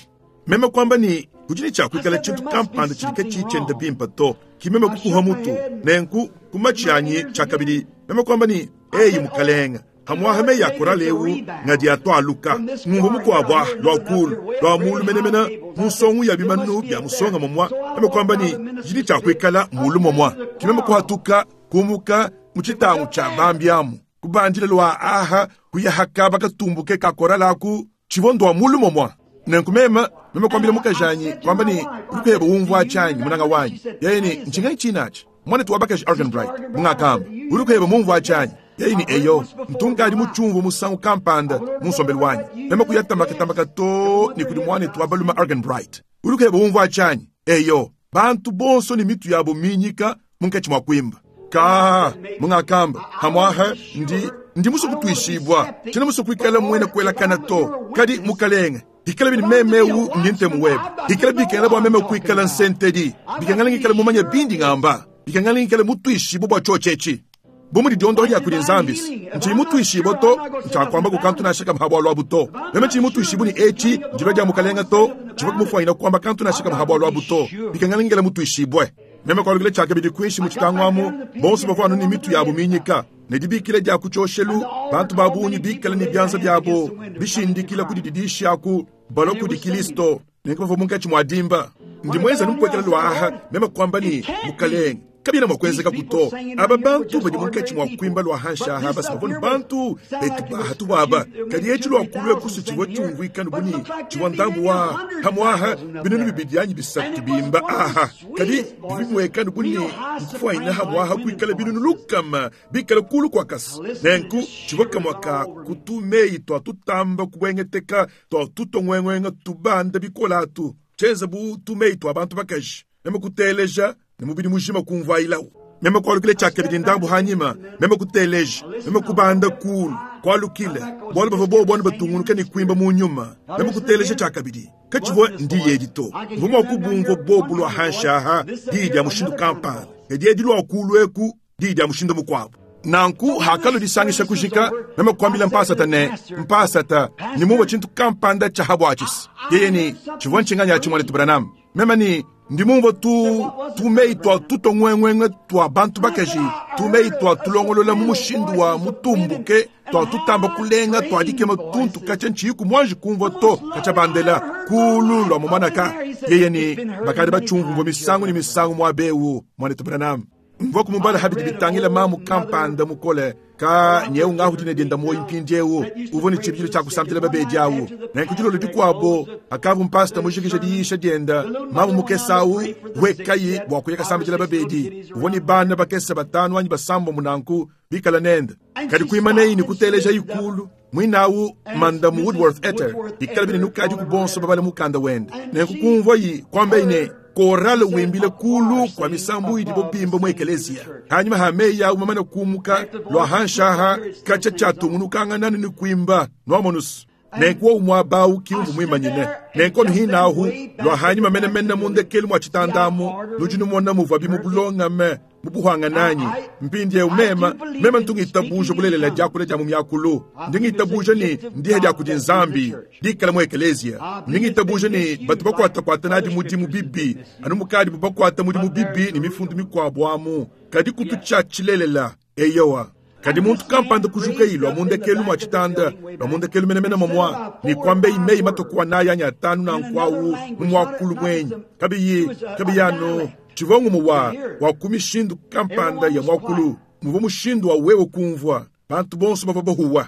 meme kuamba ni kudi ne tshiakuikala tshintu kampanda tshidi katshiyi tshienda bimpa to kimeme kukuha mutu nenku kumatshi anyi tshia kabidi meme kuamba ni eyi mukalenga Pamuapa meyi a korale eu ngadi atualuka. Ngumvua mukuabu ah, lua kuulu, lua muulu menemene mu nsongu ya bimanu bia musonga momua, meme kuamba ne, Didi tshia kuikala muulu momua. Ke meme kuhatuka, kumuka mu tshitangu tshia bambi amu, kubandila lua aha kuya ha kaba katumbuke ka korale aku, tshivua ndua muulu momua. Nenku meme, meme kuambila mukajanyi, kuamba ne, Udi pebe umvua tshianyi, munanga wanyi? Yeye ne, Ntshinganyi tshine atshi? Muanetu wa bakaji Arganbright, mungakamba, udi pebe mumvua tshianyi? Yeye ne, Eyo, ntu nkadi mutshiumvue musangu kampanda mu nsombelu wanyi. Meme kuya tambakatambaka too ne kudi muanetu wa balume Arganbright. Udi pebe umvua tshianyi? Eyo. Bantu bonso ne mitu yabo minyika munkatshi mua kuimba. Kaa, mungakamba, pamuapa ndi, ndi musue kutuishibua. Tshiena musue kuikala muena kuelakana to. Kadi, Mukalenge, ikala ne meme eu ndi ntemu webe. Ikala bikengela bua meme kuikala nsentedi. Bikengela ngikale mumanye bindi ngamba. Bikengela ngikale mutuishibue bua tshiotshi etshi. Bu mudi diondoha dia kudi Nzambi, ntshiyi mutuishibue to, ntshiakuamba ku kantu nansha kamue ha bualu abu to. Meme tshiyi mutuishibue ne etshi ndilua dia Mukalenge to, tshivua kumufuanyina kuamba kantu nansha kamue ha bualu abu to. Bikengela ngikale mutuishibue. Meme kualukila tshiakabidi kuinshi mu tshitangu amu, bonso bavua anu ne mitu yabu minyika, ne dibikila dia ku tshioshelu, bantu ba bungi bikale ne bianza biabo bishindikila ku dididishi aku, balua kudi Kilisto. Nenku bavua munkatshi mua dimba. Ndi muenze anu mpuekela lua aha, meme kuamba ne, Mukalenge, kabiena mua kuenzekaku to. Aba bantu badi munkatshi mua kuimba lua hanshi aha basi bavua ne bantu betu ba hatuhu aba. Kadi etshi lua kulua kusu tshivua tshiumvuika anu bu ne, tshivua ndambu wa pamuaha binunu bibidi anyi bisatu bimba aha. Kadi bivua bimueka anu bu ne, nkufuanyina pamuaha kuikala binunu lukama bikale kulu kua kasa. Nenku tshivua kamue ka ku tu-meyi tua tutamba kubuengeteka tua tutonguenguenga tubanda bikole atu, tshienza bu tu-meyi tua bantu bakaji. Meme kuteleja ne mubidi mujima kumvuayilawu. Meme kualukila tshiakabidi ndambu hanyima, meme kuteleja, meme kubanda kuulu, kualukila, bualu bavua bobu anu batungunuka ne kuimba mu nyuma. Meme kuteleja tshiakabidi. Katshivua ndiyi edi to. Mvua mua kubumvua bobu lua hanshi aha, diyi dia mushindu kampanda, kadi edi lua kuulu eku, diyi dia mushindu mukuabu. Nanku hakalua disangisha kujika, meme kuambila mpasata ne, Mpasata, ndi mumvue tshintu kampanda tshia ha buatshisi. Yeye ne, Tshivua ntshinganyi atshi, muanetu Branham? Meme ne, Ndi mumvue tu, tumeyi tua tutongwenguengue tua bantu bakaji, tumeyi tua tulongolola mu mushindu wa mutumbuke, tua tutamba kulenga tua dikema tuntu katshia ntshiyiku muanji kumvua to, katshia bandela kuulu lua mumanaka. Yeye ne, Bakadi batshiumvumvua misangu ne misangu muaba eu, muanetu Branham. Mvua kumubala ha bidi bitangila mamu kampanda mukole ka nyeu ngahu dina dienda muoyo mpindieu uvua ne tshibidilu tshia kusambila babedi au. Nenku dilolo dikuabo akavua mpasita mujikije diyisha dienda, mamu mukese au wekayi bua kuya kasambidila babedi. Uvua ne bana bakese batanu anyi basambombo nanku bikala nende. Kadi kuimanayi ne kutelejayi kulu muine au Mandamu Woodworth Etter, bikala bine nukadiku bonso babale mukanda wende. Nenku kumvuayi kuambayi ne, Korale wimbile kulu kua misambu idibo bimba mu ekeleziya. Hanyima ha meyi au mamane kumuka lua hanshi aha, katshia tshiatungunukangana ne kuimba, nuamonus. Nenku wowu muaba au ki umvua muimanyine. Nenku anu hine ahu, lua hanyima menemene mu ndekelu mua tshitanda amu, nudi numona muvuabi mu bulongame, mu buhuangane anyi? Mpindieu mema, mema ntu ngitabuja bulelela diakula dia mu miakulu. Ndi ngitabuja ne ndiha dia kudi Nzambi dikala mu ekeleziya. Ndi ngitabuja ne batu bakuatakuata nadi mudimu bibi, anu mukadibu bakuata mudimu bibi ne mifundu mikuabu amu. Kadi kutu tshia tshilelela. Eyowa. Kadi muntu kampanda kujukayi lua mu ndekelu mua tshitanda, lua mu ndekelu menemene momua, ne kuambeyi meyi matue ku anayi anyi atanu nanku awu mu muakulu muenyi, kabiyi, kabiyi anu tshivua ngumue wa, wa ku mishindu kampanda ya muakulu, muvua mushindu wa wewe kumvua. Bantu bonso bavua bahuwa.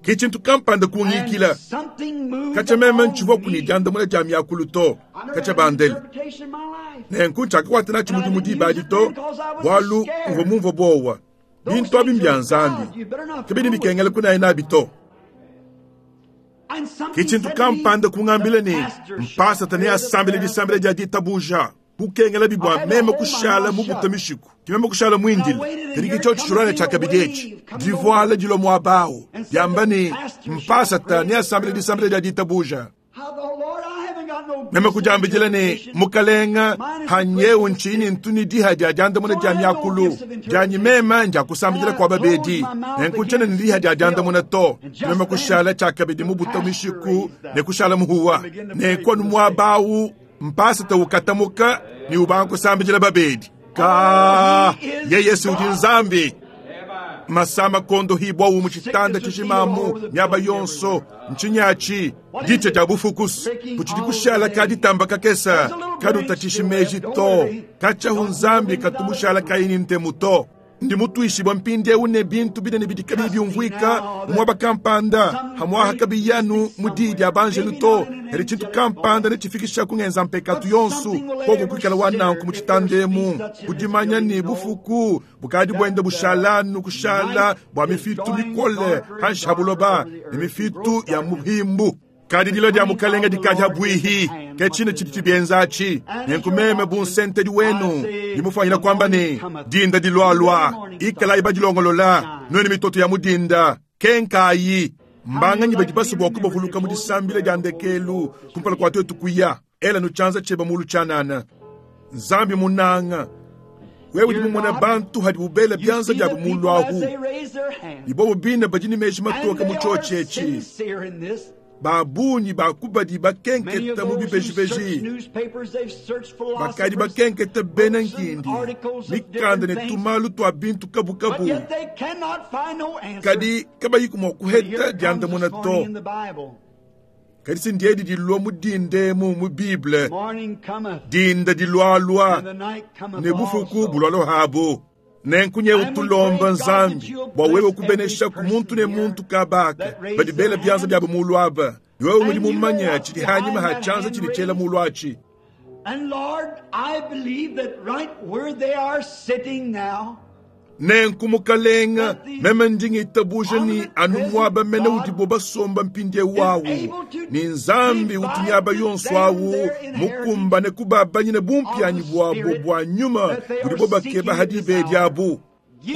Ke tshintu kampanda kungikila. Katshia meme ntshivuaku ne diandamuna dia miakulu to, katshia bandele. Nenku ntshiakakuata natshi mudimu diba adi to, bualu mvua mumvue buowa. Bintu abi mbia Nzambi, kabidi bikengela kunaya nabi to. Ke tshintu kampanda kungambila ne, mpasata neasambile disambila dia ditabuja. Kukengelabi bua meme kushala mubute mishiku, ke meme kushala muindile. Kadi ke tshiotshi tshilua ne tshiakabidi etshi, divuala dilua muaba au, diamba ne, mpasata neasambile disambila dia ditabuja. Meme kudiambidila ne, Mukalenga, hanyeu ntshiyi ne ntu ne diha dia diandamuna dia miakulu dianyi meme ndia kusambidila kua babedi, nenku ntshiena ne diha dia diandamuna to. Meme kushala tshiakabidi mubute mishiku ne kushala muhuwa. Nenku anu muaba au mpasata ukatamuka ne ubanga kusambidila babedi. Ka, yeye si udi Nzambi. Masama kondohibwawu mu tshitanda tshijimamu miaba yonso. Ntshinyi atshi? Ditshia dia bufukusu kutshidi kushala ka ditamba kakesa kadutatshishi meji to. Katshia Nzambi katumushala kayi ne ntemu to. Ndi mutuishibua mpindieu ne bintu binene bidi kabiyi biumvuika mu muaba kampanda, pamu'apa kabiyi anu mu diyi dia banjelu to, kadi tshintu kampanda netshifikisha ku ngenza mpekatu yonso, koku kuikala wa nanku mu tshitanda emu, ku dimanya ne bufuku bukadi buenda bushala anu kushala bua mifitu mikole panshi ha buloba ne mifitu ya muhimbu. Kadi dilua dia Mukalenge dikadi habuihi, ke tshine tshidi tshibienza atshi. Nenku meme bu nsentedi wenu ndi mufuanyina kuamba ne, dinda dilualua, ikalayi badilongolola, nuenu mitoto ya mu dinda, kenkayi. Mbanganyi badi basue bua kubavuluka mu disambila dia ndekelu kumpala kua tuetu kuya? Ela nu tshianza tshiebe mulu tshianana. Nzambi munanga, wewe udi mumone bantu hadibu bela bianza biabu mulu ahu, ne bobo bine badi ne meji matoke mu tshiotshi etshi. Ba bungi ba ku badi bakenketa mu bibejibeji, bakadi bakenketa bena nkindi, mikanda ne tumalu tua bintu kabukabu, kadi kabayiku mua kuheta diandamuna to. Kadi si ndiedi dilua mu dinda emu mu Bible, dinda dilualua ne bufuku bulualua habu. Nenku nyewu tulomba Nzambi bua wewe kubenesha ku muntu ne muntu kabaka badi bela bianza biabo mulu aba. Ne wewe ngudi mumanye tshidi hanyima ha tshianza tshidi tshiela mulu atshi. And Lord, I believe that right where they are sitting now, Nenku Mukalenga, meme ndi ngitabuja ne anu muaba mene udibo basomba mpindieu awu, ne Nzambi utu miaba yonso awu mukumbane kubabanyina bumpianyi buabo bua nyuma budibo bakeba ha diba edi abu.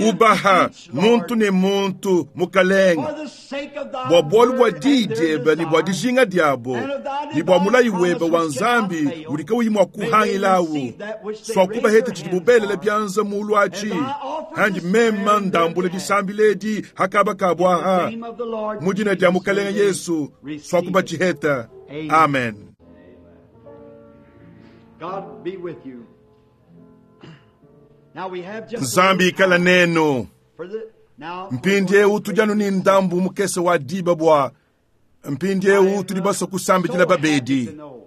Ubaha muntu ne muntu, Mukalenga, for the sake of thy bua bualu bua word and diyi their diebe ne bua desire, dijinga diabo and of thy ne bua divine mulayi webe promise wa which cannot Nzambi fail, udi kauyi mua may they kuhangilawu. receive that which they Sua raise kubaheta their tshidibu hands belela for. bianza mulu atshi. As I offer Handi this prayer mema in their ndambula behalf, disambila edi hakaba kabu in the aha. name of the Lord Mu dina dia Jesus, Mukalenge may they Yesu, sua receive it. kubatshiheta. Amen. Amen. God be with you. Now we have just a Nzambi little ikala time nenu. for the now we're Mpindieu going to tudi anu pray ne for the sick. ndambu mukese wa diba bua I mpindieu am tudi basue so kusambidila happy babedi. to know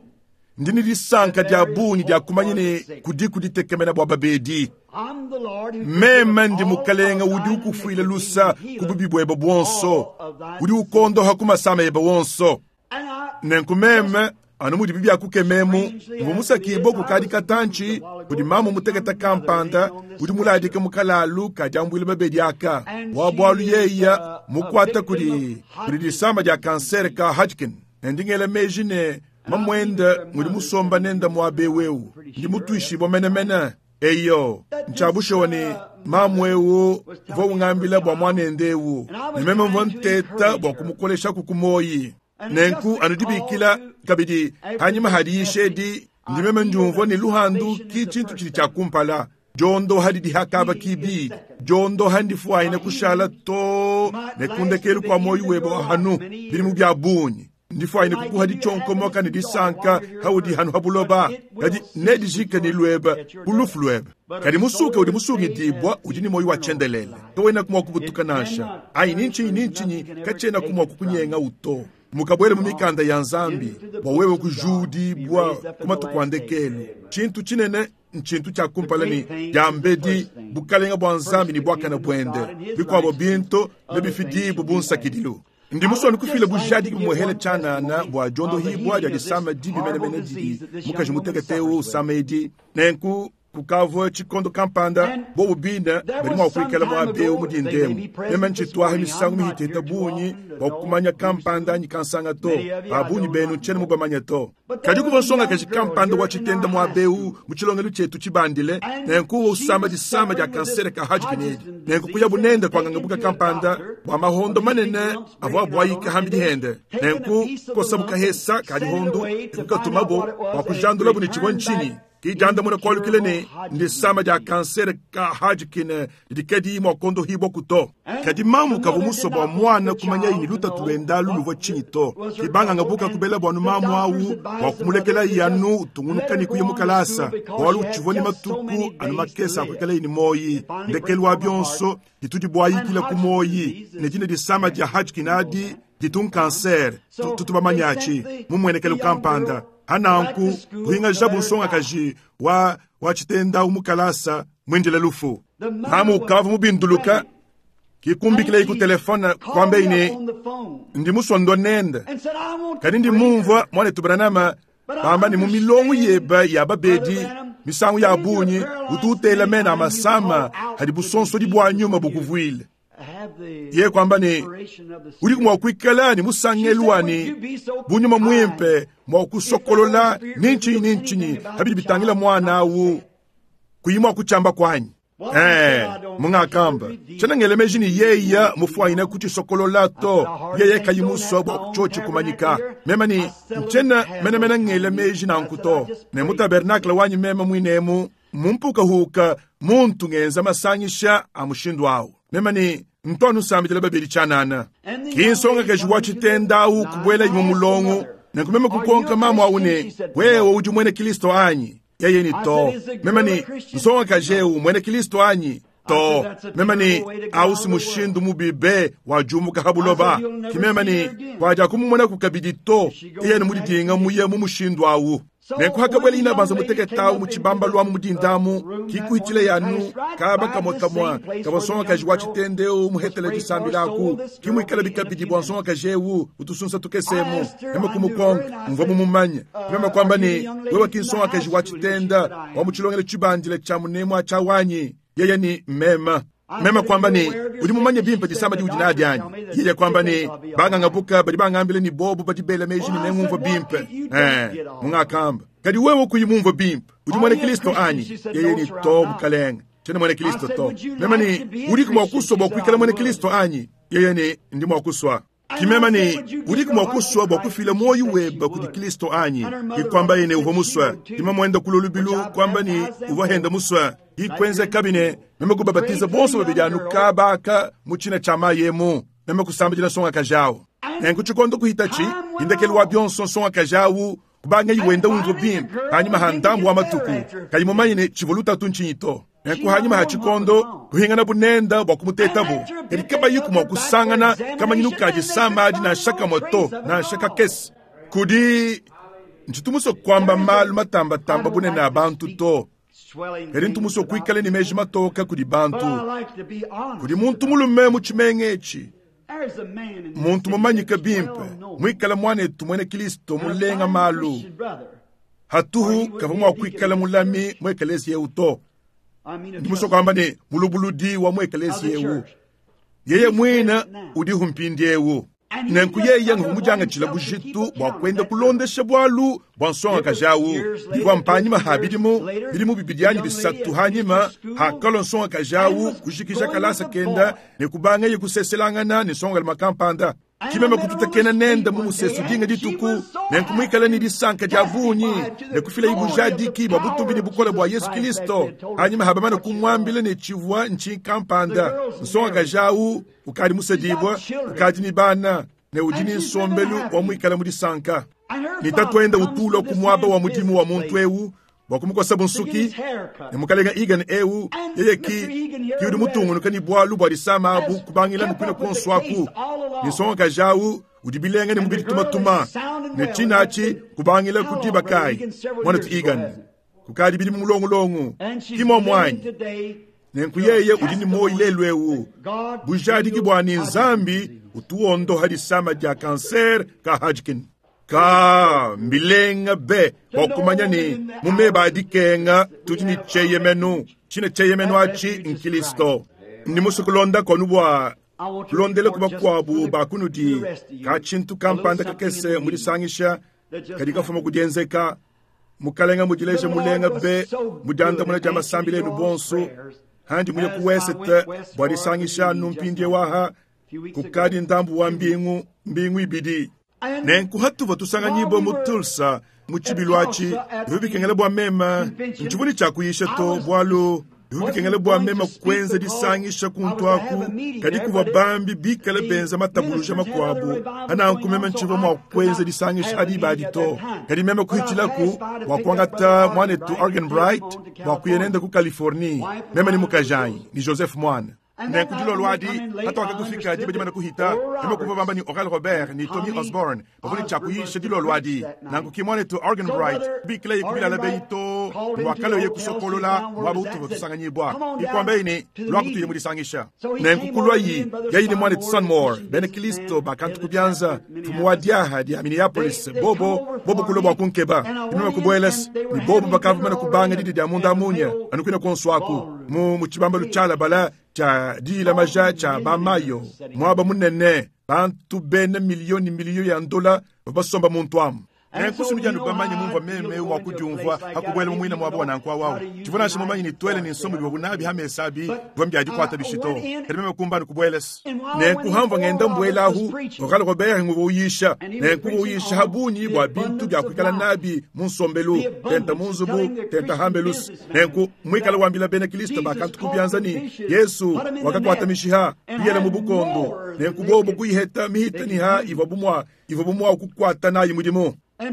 Ndi ne disanka that dia there is bungi dia hope kumanya for the ne sick. kudi kuditekemena bua babedi. I'm the Lord who Meme forgiveth ndi all Mukalenga of udi thine ukufuila iniquity lusa and ku healeth bubi buebe buonso, all of thy udi diseases. ukondoha ku masama ebe wonso. And I Nenku just meme anu mudibi biakukememu strangely mvua as it is, musakibue I kukadi was moved a katantshi while ago kudi by mamu this mutekete young mother kampanda laying on this udi muladike stretcher. mu kalalu kadiambuila babedi aka And bua she bualu is yeya a mukuata victim of kudi kudi Hodgkin's disama dia kansere disease. ka Hodgkin. Ne ndi ngela meji ne And I believe mamuende it's her ngudi mother musomba sitting nenda here muaba this morning. eu. I'm pretty Ndi sure that's mutuishibue right. menemene. Eyo, That this ntshiabushewa ne mamu mother eu was uvua telling me of her ungambila bua child, muanende eu and I ne was meme mvua trying to nteta encourage bua her. kumukolesha ku kumoyi. And just Nenku the anu call dibikila to kabidi after hanyima this hadiisha message, edi ndi I meme feel ndiumvua that ne luhandu salvation is ki the tshintu first tshidi tshia thing. kumpala. Diondoha didi hakaba Healing is kibi. second. Diondoha ndifuayine My kushala healing to might ne last to kundekelu the kwa moyo end of webe your wa life, hanu many bilimu years. bia bungi. It Ndifuayine might kukuha give you dichonkomoka happiness ne and joy disanka while you're here on haudi earth, hanu but habuloba. it will Kadi cease with nedijike ne your luebe at your ku death. lufu luebe. But a Kadi musuke soul udi is saved musungidibwa has udi ne moyo wa eternal tshiendelele. life. Kawena kumua kubutuka It nansha. cannot Ayi ni perish, ntshinyi ni there's ntshinyi nothing can ever katshiena take kumua it from kukunyenga you. uto. Mukabwele mu Gone mikanda ya Nzambi into the bua wewe books of God, be kujudibwa raised up ku in the matuku a last day. ndekelu. Tshintu tshinene ntshintu tshia The kumpala ne great thing is the diambedi first thing. bukalenga bua Nzambi First ne the buakane kingdom of buende. God and his Bikuabo righteousness, bintu other things nebifidibu shall bu be added. nsakidilu. Ndi I musue would kufila just like to bujadiki give bumuhele one tshianana testimony bua of the diondohibwa healing dia of this disama dibi horrible menemene didi disease that this young mukaji woman mutekete suffers with. usama edi. Nenku kukavua tshikondo kampanda And bobu bine there badi was mua some kuikala time muaba eu ago, mu they dinda may emu. be Meme present this ntshituaha morning. I'm misangu not mihiteta here too bungi often to bua know kumanya who's kampanda who. anyi kansanga to. Many of you Ba I bungi do benu not ntshiena know. mubamanye to. But there Kadi was kuvua a young nsongakaji girl kampanda here wa in tshitenda our muaba high eu school. mu tshilongelu tshietu tshibandile. And Nenku she usama was disama dia suffering with this kansere ka Hodgkin edi. Hodgkin's Nenku disease kuyabu and nende was kwa taken ngangabuka to a kampanda doctor bua mahondo of these big manene lumps avua breaking out on abuayika her, and hambidi they hende. taken a Nenku piece of the kosabu lump and kahesa sent it kadihondo away to find out kukatumabo what it bua was, and it kujandulabu ne tshivua returned ntshinyi. back Ki diandamuna kualukila ne, Ndisama dia kansere ka Hodgkin didi kadiyi mua kuondohibua to. Kadi mamu kavua musue bua muana kumanyaye ne lutatu luende alu luvua tshinyi to. Ke bangangabuka kubela bua anu mamu au bua kumulekelaye anu utungunuka ne kuya mu kalasa, bualu utshivua ne matuku anu makese a kuikalaye ne muoyi. Ndekelu wa bionso, ditudi buayikila ku muoyi ne dine disama dia Hodgkin adi ditu nkansere, tutu bamanye atshi mu mmuenekelu kampanda. Pa nanku, kuhingajabu nsongakaji wa wa tshitenda au mu kalasa muindile lufu. Mamu ukavua mubinduluka, ke kumbikilaye ku telefone kuambaye ne, Ndi musue ndua nende, kadi ndi mumvua muanetu Branham bamba ne mu milongo yebe ya babedi misangu ya bungi utu utela mena a masama adi busonsodi bua nyuma bukuvuile. Yeye kuamba ne, udiku mua kuikala ne musangelu wa ne bu nyuma muimpe mua kusokolola ni ntshinyi ni ntshinyi pa bidi bitangila muana au kuyi mua kutshiamba kuanyi. Ee, mungakamba, tshiena ngela meji ne yeye mufuanyine kutshisokolola to, yeye kayi musue bua tshiotshi kumanyika. Meme ne, ntshiena menemene ngela meji nanku to. Ne mu tabernakle wanyi meme muine emu, mu mpukahuka muntu ngenza masangisha a mushindu au. Meme ne, ntu anu nsambidila babedi tshianana. Ki nsongakaji wa tshitenda au kubuelaye mu mulongo. Nenku meme kukonka mamu au ne, Wewe udi muena Kristo anyi? Yeye ne, To. Meme ne, Nsongakaji eu muena Kristo anyi? To. Meme ne, Au si mushindu mubi be wa diumuka ha buloba. Ki meme ne, Kuadiakumumonaku kabidi to, yeye ne mudidinga muye mu mushindu au. Nenku hakabuela inabanza mutekete au mu tshibambalu amu mu dinda amu, kikuhitshileye anu kaba kamue kamue kavua nsongakaji wa tshitende eu muhetele disambila aku, ki muikalabi kabidi bua nsongakaji eu utusunsa tukese emu. Meme kumukonka, mvua mumumanye. Meme kuamba ne, Wewe ki nsongakaji wa tshitenda wa mu tshilongelu tshibandile tshia munemu atshi awu anyi? Yeye ne, Mmeme. Meme kuamba ne, Udi mumanye bimpe disama diudi nadi anyi? Yeye kuamba ne, Bangangabuka badi bangambila ne bobu badi bela meji ne nengumvue bimpe. Ee, mungakamba. Kadi wewe kuyi mumvue bimpe, udi muena Kristo anyi? Yeye ne, To, mukalenge, tshiena muena Kristo to. Meme ne, Udiku mua kusua bua kuikala muena Kristo anyi? Yeye ne, Ndi mua kusua. Ki meme ne, Udiku mua kusua bua kufila muoyo webe kudi Kristo anyi? Ki kuambaye ne, uvua musue. Ki mamuende kulua lubilu kuamba ne, uvua hende musue. Ki kuenzekabi ne, meme kubabatiza bonso babidi anu kaba aka mu tshina tshia mayi emu. Meme kusambidila nsongakaji au. Nenku tshikondo kuhitatshi, ndekelu wa bionso nsongakaji au kubangayi wenda umvua bimpe panyima ha ndambu wa matuku, kayi mumanye ne tshivua lutatu ntshinyi to. Nenku hanyima ha tshikondo kuhinganabu nenda bua kumutetabu, kadi kabayiku mua kusangana kamanyinu ka disama adi nansha kamue to, nansha kakese. Kudi ntshitu musue kuamba malu matambatamba bunene a bantu to, kadi ntu musue kuikala ne meji matoka kudi bantu. Kudi muntu mulume mu tshimenga etshi, muntu mumanyike bimpe, muikale muanetu muena Kristo mulenga malu. Hatuhu kavua mua kuikala mulami mu ekeleziya eu to. Ndi musue kuamba ne, mulubuludi wa mu ekeleziya eu yeye muine udihu mpindieu. Nenku yeye nguvua mudiangatshila bujitu bua kuenda kulondesha bualu bua nsongakaji au. Bivua mpanyima ha bidimu, bidimu bibidi anyi bisatu hanyima hakalua nsongakaji au kujikija kalasa kenda ne kubangaye kuseselangana ne nsongalume kampanda. Ki meme kututakena nende mu musesu dinga dituku, nenku muikale ne disanka dia bungi ne kufilaye bujadiki bua butumbi ne bukole bua Yesu Kristo. Hanyima ha bamane kumuambila ne tshivua ntshinyi kampanda, nsongakaji au ukadi musedibue, ukadi ne bana, ne udi ne nsombelu wa muikale mu disanka. Ne tatuende utu ulua ku muaba wa mudimu wa muntu eu bua kumukosabu nsuki, ne mukalenge Egan eu yeye ki ki udi mutungunuka ne bualu bua disama abu kubangila ne kuine kuonso aku, ne nsongakaji au udi bilenga ne mubidi tumatuma, ne tshina atshi kubangila ku diba kayi, muanetu Egan? Kukadi bidimu mulongulongu, ki muomu anyi? Nenku yeye udi ne muoyo lelu eu, bujadiki bua ne Nzambi utu wondoha disama dia kanser ka Hodgkin. Ka mbilenga be bua kumanya ne mu meba a dikenga tudi ne tshieyemenu. Tshine tshieyemenu atshi n'Kilisto. Ndi musue kulondako anu bua kulondela ku bakuabu ba kunudi ka tshintu kampanda kakese mu disangisha kadi kafuma ku dienzeka. Mukalenga mudileje mulenga be mu diandamuna dia masambila enu bonso. Handi muye ku wesete bua disangisha anu mpindieu aha kukadi ndambu wa mbingu, mbingu ibidi. Nenku hatuvua tusanganyibua mu Tulsa mu tshibilu atshi, bivua bikengela bua meme, ntshivua ne tshia kuyisha to, bualu bivua bikengela bua meme kuenza disangisha kuntu aku, kadi kuvua bambi bikale benza matabuluja makuabu, pananku meme ntshivua mua kuenza disangisha adi diba to. Kadi meme kuhitshilaku bua kuangata muanetu Arganbright bua kuya nende ku Californie, meme ne mukajanyi ne Joseph muana. Nenku dilolo adi, patuakakufika diba dimane kuhita, meme kuvua bamba ne Oral Robert ne Tommy Osborn bavua ne tshia kuyisha dilolo adi. Nanku ki muanetu Arganbright kubikilaye ku bilala beyi too ne muakalua kusokolola muaba utuvua tusanganyibua. Ke kuambaye ne, Luaku tuye mu disangisha. Nenku kuluayi, yeye ne muanetu Sonmore, bena Kilisto ba kantu ku bianza, mfumu wa diaha dia Minneapolis, bobo, bobo kulua bua kunkeba. Ke meme kubuela's, ne bobo bakavua bamane kubanga didia dia munda munya anu kuine kuonso aku, mu, mu tshibambalu tshialabala tshia diyila maja tshia ba Mayo, muaba munene, bantu bena miliyo ne miliyo ya ndola bavua basomba muntu amu. Nenku nudi anu bamanye mumvua meme mua kudiumvua pa kubuela mu muine muaba wa nanku au au. Tshivua nansha mumanye ne tuele ne nsombo bivuabu nabi ha mesa abi bivua mbia dikuata bishi to. Kadi meme kumba anu kubuela's. Nenku hamvua ngenda mbuela ahu, Oral Robert nguvua uyisha. Nenku uvua uyisha ha bungi bua bintu bia kuikala nabi mu nsombelu, tenta mu nzubu, tenta hambelu's. Nenku muikale wambila bena Kristo ba kantu ku bianza ne, Yesu wakakuata mishiha, kuyela mu bukondo. Nenku bobo kuyiheta mihita ne ha ivuabu mua ivuabu mua kukuata nayi mudimu. Ne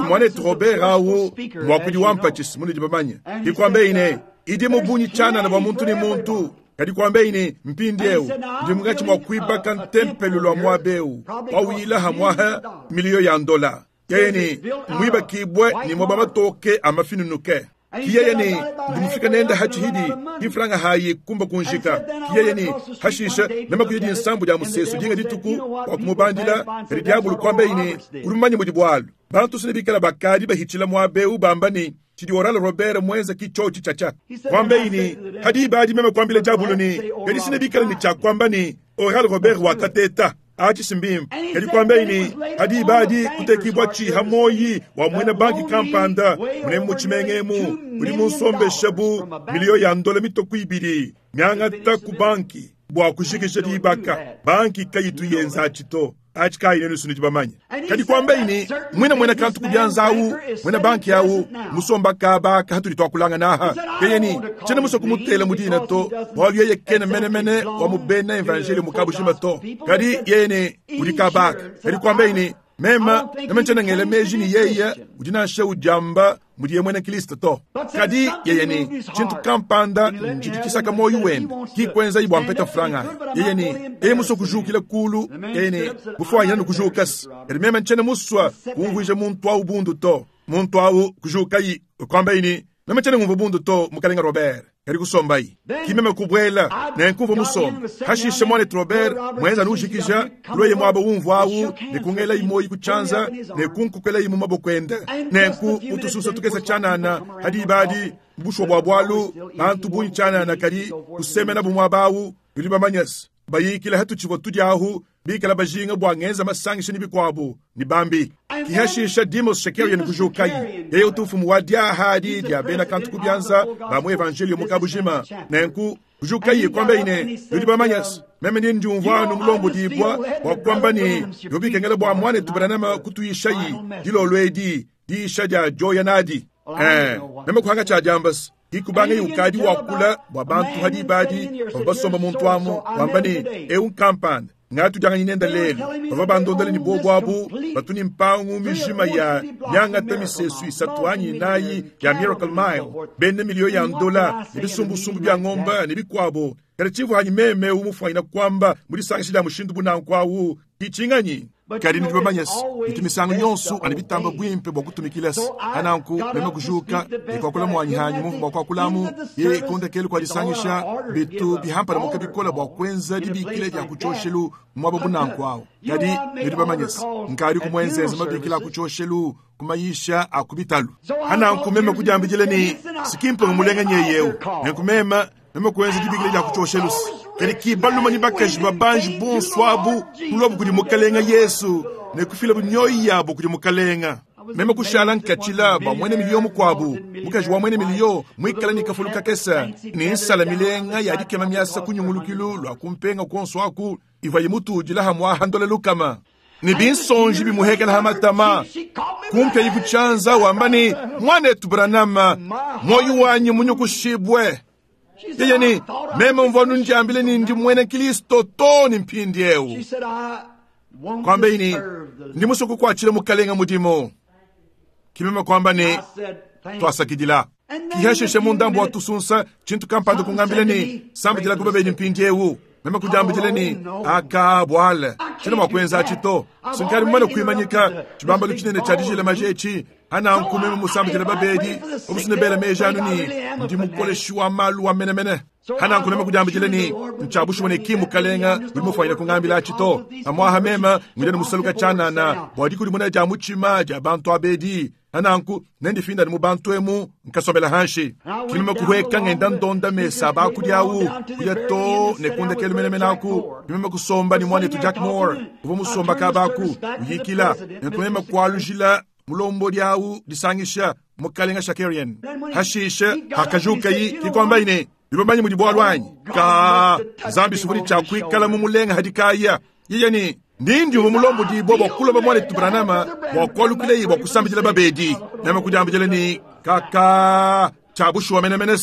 muanetu Robert au, muakudi wa mpatshis munudi bamanye, ke kuambeyi ne, Idi mu bungi tshianana bua muntu ne muntu. Kadi kuambeyi ne, Mpindieu ndi munkatshi mua kuibaka ntempelo lua muaba eu, pawuyila hamuaha miliyo ya ndola. Yeye ne, Mmuibakibue ne muaba matoke a mafinunuke. Ki yeye ne, Ndi mufika nende ha tshihidi, ki mfranga hayi kumba kunjika. Ki yeye ne, Hashishe meme kuya dinsambu dia musesu dinga dituku bua kumubandila, kadi diabulu kuambeyi ne, Udi mumanye mudi bualu, bantu sene bikala bakadi bahitshila muaba eu bamba ne, Tshidi Oral Robert muenza ki tshiotshi tshiatshia. Kuambeyi ne, Ha diba adi meme kuambila diabulu ne, Kadi sene bikala ne tshia kuamba ne, Oral Robert wakateta. Atshi si mbimpe. Kadi kuambayi ne, pa diba adi kutekibua tshiha muoyi wa muena banki kampanda munemu mu tshimenga emu udi munsombesha bu miliyo ya ndola mitoku ibidi miangata ku banki bua kujikija diibaka. Banki kayitu yenza atshi to. Atshi kayi nenu nudi bamanye. Kadi kuambayi ne, muina muena kantu ku bianza awu, muena banki awu, musomba kaba aka hatudi tuakulangana aha, yeye ne, tshiena musue kumutela mu dina to, bualu yeye kena menemene wa mu bena evanjeliyo mu kabujima to. Kadi yeye ne, udi kaba aka. Kadi kuambaye ne, meme, meme ntshiena ngela meji ne yeye udi nansha udiamba mudiye muena Kristo to. Kadi yeye ne, tshintu kampanda ntshidi tshisaka muoyo wende, ki kuenzayi bua mpeta mfranga ayi. Yeye ne, yeye musue kujukila kulu, yeye ne, bufuanyina ne kujuka-se. Kadi meme ntshiena musue kumvuija muntu au bundu to. Muntu au kujukayi, kuambaye ne, Meme tshiena ngumvua bundu to, Mukalenga Robert. Kadi kusombayi. Ki meme kubuela, nenku mvua musombe. Hashishe muanetu Robert muenza anu ujikija, kuluaye muaba umvua au ne kungelayi muoyi ku tshianza ne kunkokelayi mu maboko ende. Nenku mu tususa tukese tshianana, pa diba adi, mu bushuwa bua bualu, bantu bungi tshianana kadi kusemenabu muaba au, nudi bamanye-se. Bayikila hatutshivua tudia ahu, bikala bajinga bua ngenza masangisha ne bikuabu ne bambi. Ki hashisha Demos Shakarian kujukayi. Yeye utu mfumu wa diaha adi dia bena kantu ku bianza ba mu evanjeliyo mu kabujima. Nenku kujukayi kuambayi ne, Nudi bamanye se, meme ndi ndiumvua anu mulombodibua bua kuamba ne, bivua bikengela bua muanetu Branham kutuyishayi dilolo edi diyisha dia dioya nadi. Ee, meme kuhanga tshia diamba se, Kikubangaye ukadi wakula bua bantu ha diba adi bavua basomba muntu amu, wamba ne, Eu nkampanda, ngatudianganyi nende lelu. Bavua bandondele ne buobu abu batu ne mpangu mijima ya miangata misesu isatu anyi inayi ya Miracle Mile, bena miliyo ya ndola ne bisumbusumbu bia ngomba ne bikuabo. Kadi tshivua anyi meme eu mufuanyina kuamba mu disangisha dia mushindu bu nanku au ki tshinganyi? Kadi nudi bamanye se, bitu misangu yonso anu bitamba buimpe bua kutumikila se, pa nanku meme kujuka ne kuakula muanyi hanyi mumvua mua kuakulamu, ye ku ndekelu kua disangisha, bitu bihampalamuka bikole bua kuenza dibikila dia ku tshioshelu mu muaba bu nanku au. Kadi nudi bamanye se, nkadi kumuenzenza mabikila a ku tshioshelu ku mayisha a ku bitalu. Pa nanku meme kudiambidila ne, si ki mpunga mulenga nyeye eu. Nenku meme Meme kuenza dibikila dia ku tshioshelu se, kadi ki balume ne bakaji babanji bonso abu kuluabu kudi Mukalenga Yesu ne kufilabu mioyo yabu kudi Mukalenga. Meme kushala nkatshila bua muena miliyo mukuabu, mukaji wa muena miliyo muikale ne kafulu kakese ne nsala milenga ya dikema miasa ku nyungulukilu lua ku mpenga kuonso aku ivuaye mutudila hamuaha ndola lukama. Ne binsonji bimuhekela ha matama, kumpyayi ku tshianza wamba ne, Muanetu Branham, muoyo wanyi munyukushibue. Yeye ne, Meme mvua nundiambile ne ndi muena Kristo too ne mpindieu. Kuambeyi ne, Ndi musue kukuatshila Mukalenga mudimu. Ke meme kuamba ne, Tuasakidila. Kihashishe mu ndambu wa tusunsa, tshintu kampanda kungambila ne, Sambidila ku babedi mpindieu. Meme kudiambidila ne, Aka buale, tshiena mua kuenza atshi to. Sinkadi mumane kuimanyika tshibambalu tshinene tshia dijila maji etshi. Hananku meme musambidila babedi, bamusune bela meji anu ne, ndi mukoleshi wa malu wa menemene. Hananku meme kudiambidila ne, ntshia bushuwa ne ki mukalenga udi mufuanyine kungambila atshi to. Pamuaha meme ngudi ne musaluka tshianana bua dikudimuna dia mutshima dia bantu abedi. Hananku nendifindane mu bantu emu nkasombela hanshi. Ki meme kuhueka ngenda ndonda mesa a bakudi awu kuya too ne ku ndekelu menemene aku. Ki meme kusomba ne muanetu Jack Moore uvua musomba kaba aku uyikila. Nenku meme kualujila mulombodi awu disangisha Mukalenga Shakarian. Hashishe hakajukayi ki kuambayi ne, Nudi bamanye mudi bualu anyi? Ka Nzambi suvudi tshia kuikala mu mulenga hadikaya. Yeye ne, Ndi ndiumvua mulombodibua bua kulomba muanetu Branham bua kualukileyi bua kusambidila babedi. Meme kudiambidila ne, Kaka, tshia bushuwa menemene.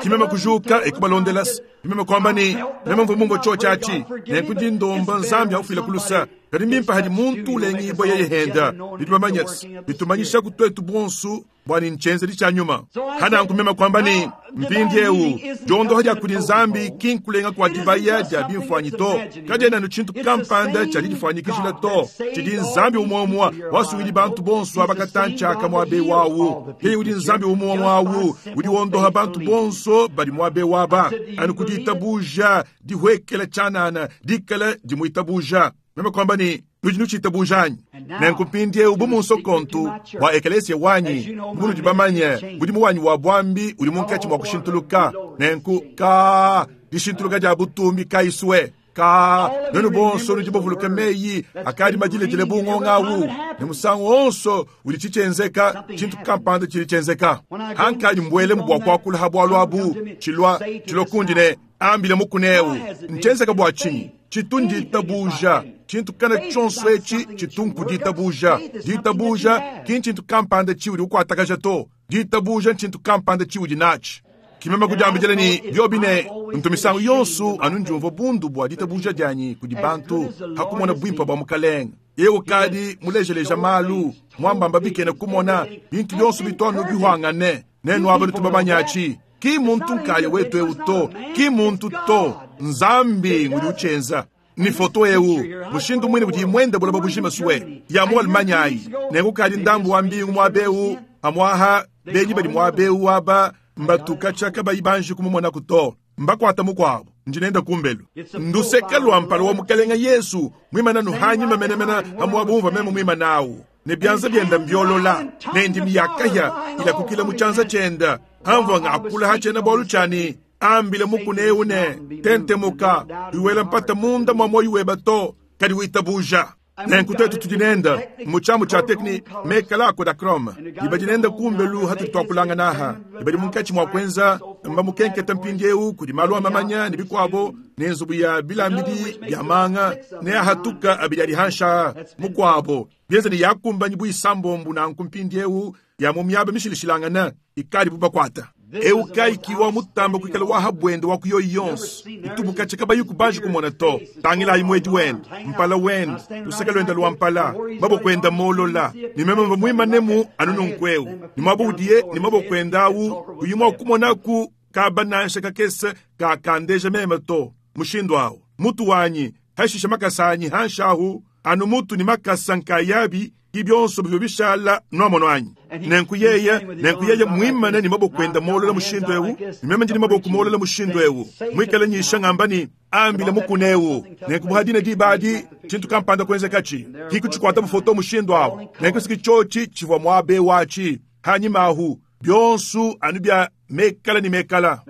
Ki meme kujuka e kubalondela. Ki meme kuamba ne, Meme mvua mumvue tshiotshi atshi, nenku ndi ndomba Nzambi aufile ku lusa. Kadi mbimpe hadi muntu ulengibua yeye henda. Nudi bamanye, bitumanyishaku tuetu buonso bua ne ntshienzedi tshia nyuma. Hananku meme kuamba ne, Mpindieu, diondoha dia kudi Nzambi ki nkulenga kua dibaya dia bimfuanyi to. Kadiena anu tshintu kampanda tshia didifuanyikijila to. Tshidi Nzambi umue-umue wasungidi bantu bonso aba katantshi aka muaba eu awu. Yeye udi Nzambi umue-umue awu udi wondoha bantu bonso badi muaba eu aba, anu ku ditabuja dihuekela tshianana dikala dimuitabuja. Meme kuamba ne, Nudi nutshitabuja anyi? Nenku mpindieu bu munsokontu bua ekelesia wanyi, bu munudi bamanye, mudimu wanyi wa buambi udi munkatshi mua kushintuluka. Nenku ka dishintuluka dia butumbi kayisue ka nuenu bonso nudi bavuluke meyi akadi madiledile bu ngonga awu, ne musangu wonso udi tshitshienzeka, tshintu kampanda tshidi tshienzeka. Hankadi mbuelemu bua kuakula ha bualu abu, tshilua tshilua kundi ne, Ambile mukuna eu, ntshienzeka bua tshinyi? Tshitu nditabuja. Tshintu kana tshionso etshi tshitu nkuditabuja. Ditabuja ki ntshintu kampanda tshiudi ukuatakaja to. Ditabuja ntshintu kampanda tshiudi natshi. Ki meme kudiambidila ne, biobi ne, ntu misangu yonso anu ndiumvua bundu bua ditabuja dianyi kudi bantu ha kumona buimpe bua Mukalenge. Yeye ukadi mulejeleja malu, muambamba bikena kumona, bintu bionso bitu anu bihuangane. Nenu aba nutu bamanyatshi. Ki muntu nkaya wetu eu to, ki muntu to, Nzambi ngudi utshienza. Ni foto eu, mushindu muine udi muende buloba bujima sue ya mu Allemagne ayi. Nenku kadi ndambu wa mbingu muaba eu, pamuaha benyi badi muaba eu aba mbatuka tshia kabayi banji kumumonaku to. Mbakuata mukuabu, ndi nenda kumbelu. Nduseke lua mpala wa Mukalenga Yesu muimana nu hanyima menemene ha muaba umvua meme muimana awu. Ne bianza bienda mbiolola, ne ndimi ya kahia ilakukila mu tshianza tshienda. Hamvua ngakula ha tshiena-bualu tshia ne, Ambile mukuna eu ne, Tentemuka, uyi wela mpata munda mua muoyo weba to, kadi witabuja. Nenku tuetu tudi nenda mu tshiamu tshia tekni mekala a Kodachrome, ne badi nenda kumbelu hatudi tuakulangana aha, ne badi munkatshi mua kuenza mbamukenketa mpindieu kudi malu a mamanya ne bikuabo, ne nzubu ya bilambidi bia manga ne ahatuka abidi adi hansha mukuabo, bienza ne yakumbanyi bu isambombu nanku mpindieu ya mu miaba mishilashilangane ikadibu bakuata. Eu kayi ki wa mutamba kuikala wa ha buende wa ku yoyi yonso itubu katshia kabayi kubanji kumona to. Tangilayi muedi wende, mpala wende, luseke luende lua mpala, maboko ende molola, ne meme mvua muimanemu anu nunku eu, ne muaba udiye ne maboko ende au kuyi mua kumonaku kaba nansha kakese kakandeja meme to. Mushindu au mutu wanyi, hashishe makasa anyi hanshi ahu, anu mutu ne makasa nkayabi ki bionso bivua bishala nuamono anyi? Nenku yeye, nenku yeye muimane ne maboko ende molola mushindu eu, ne meme ndi ne maboko molola mushindu eu, muikale nyisha ngamba ne, Ambile mukuna eu. Nenku buha dine diba adi, tshintu kampanda kuenzekatshi, ki kutshikuata bu foto mushindu au. Nenku siki tshiotshi tshivua muaba eu atshi, hanyima ahu, bionso anu bia mekala ne mekala.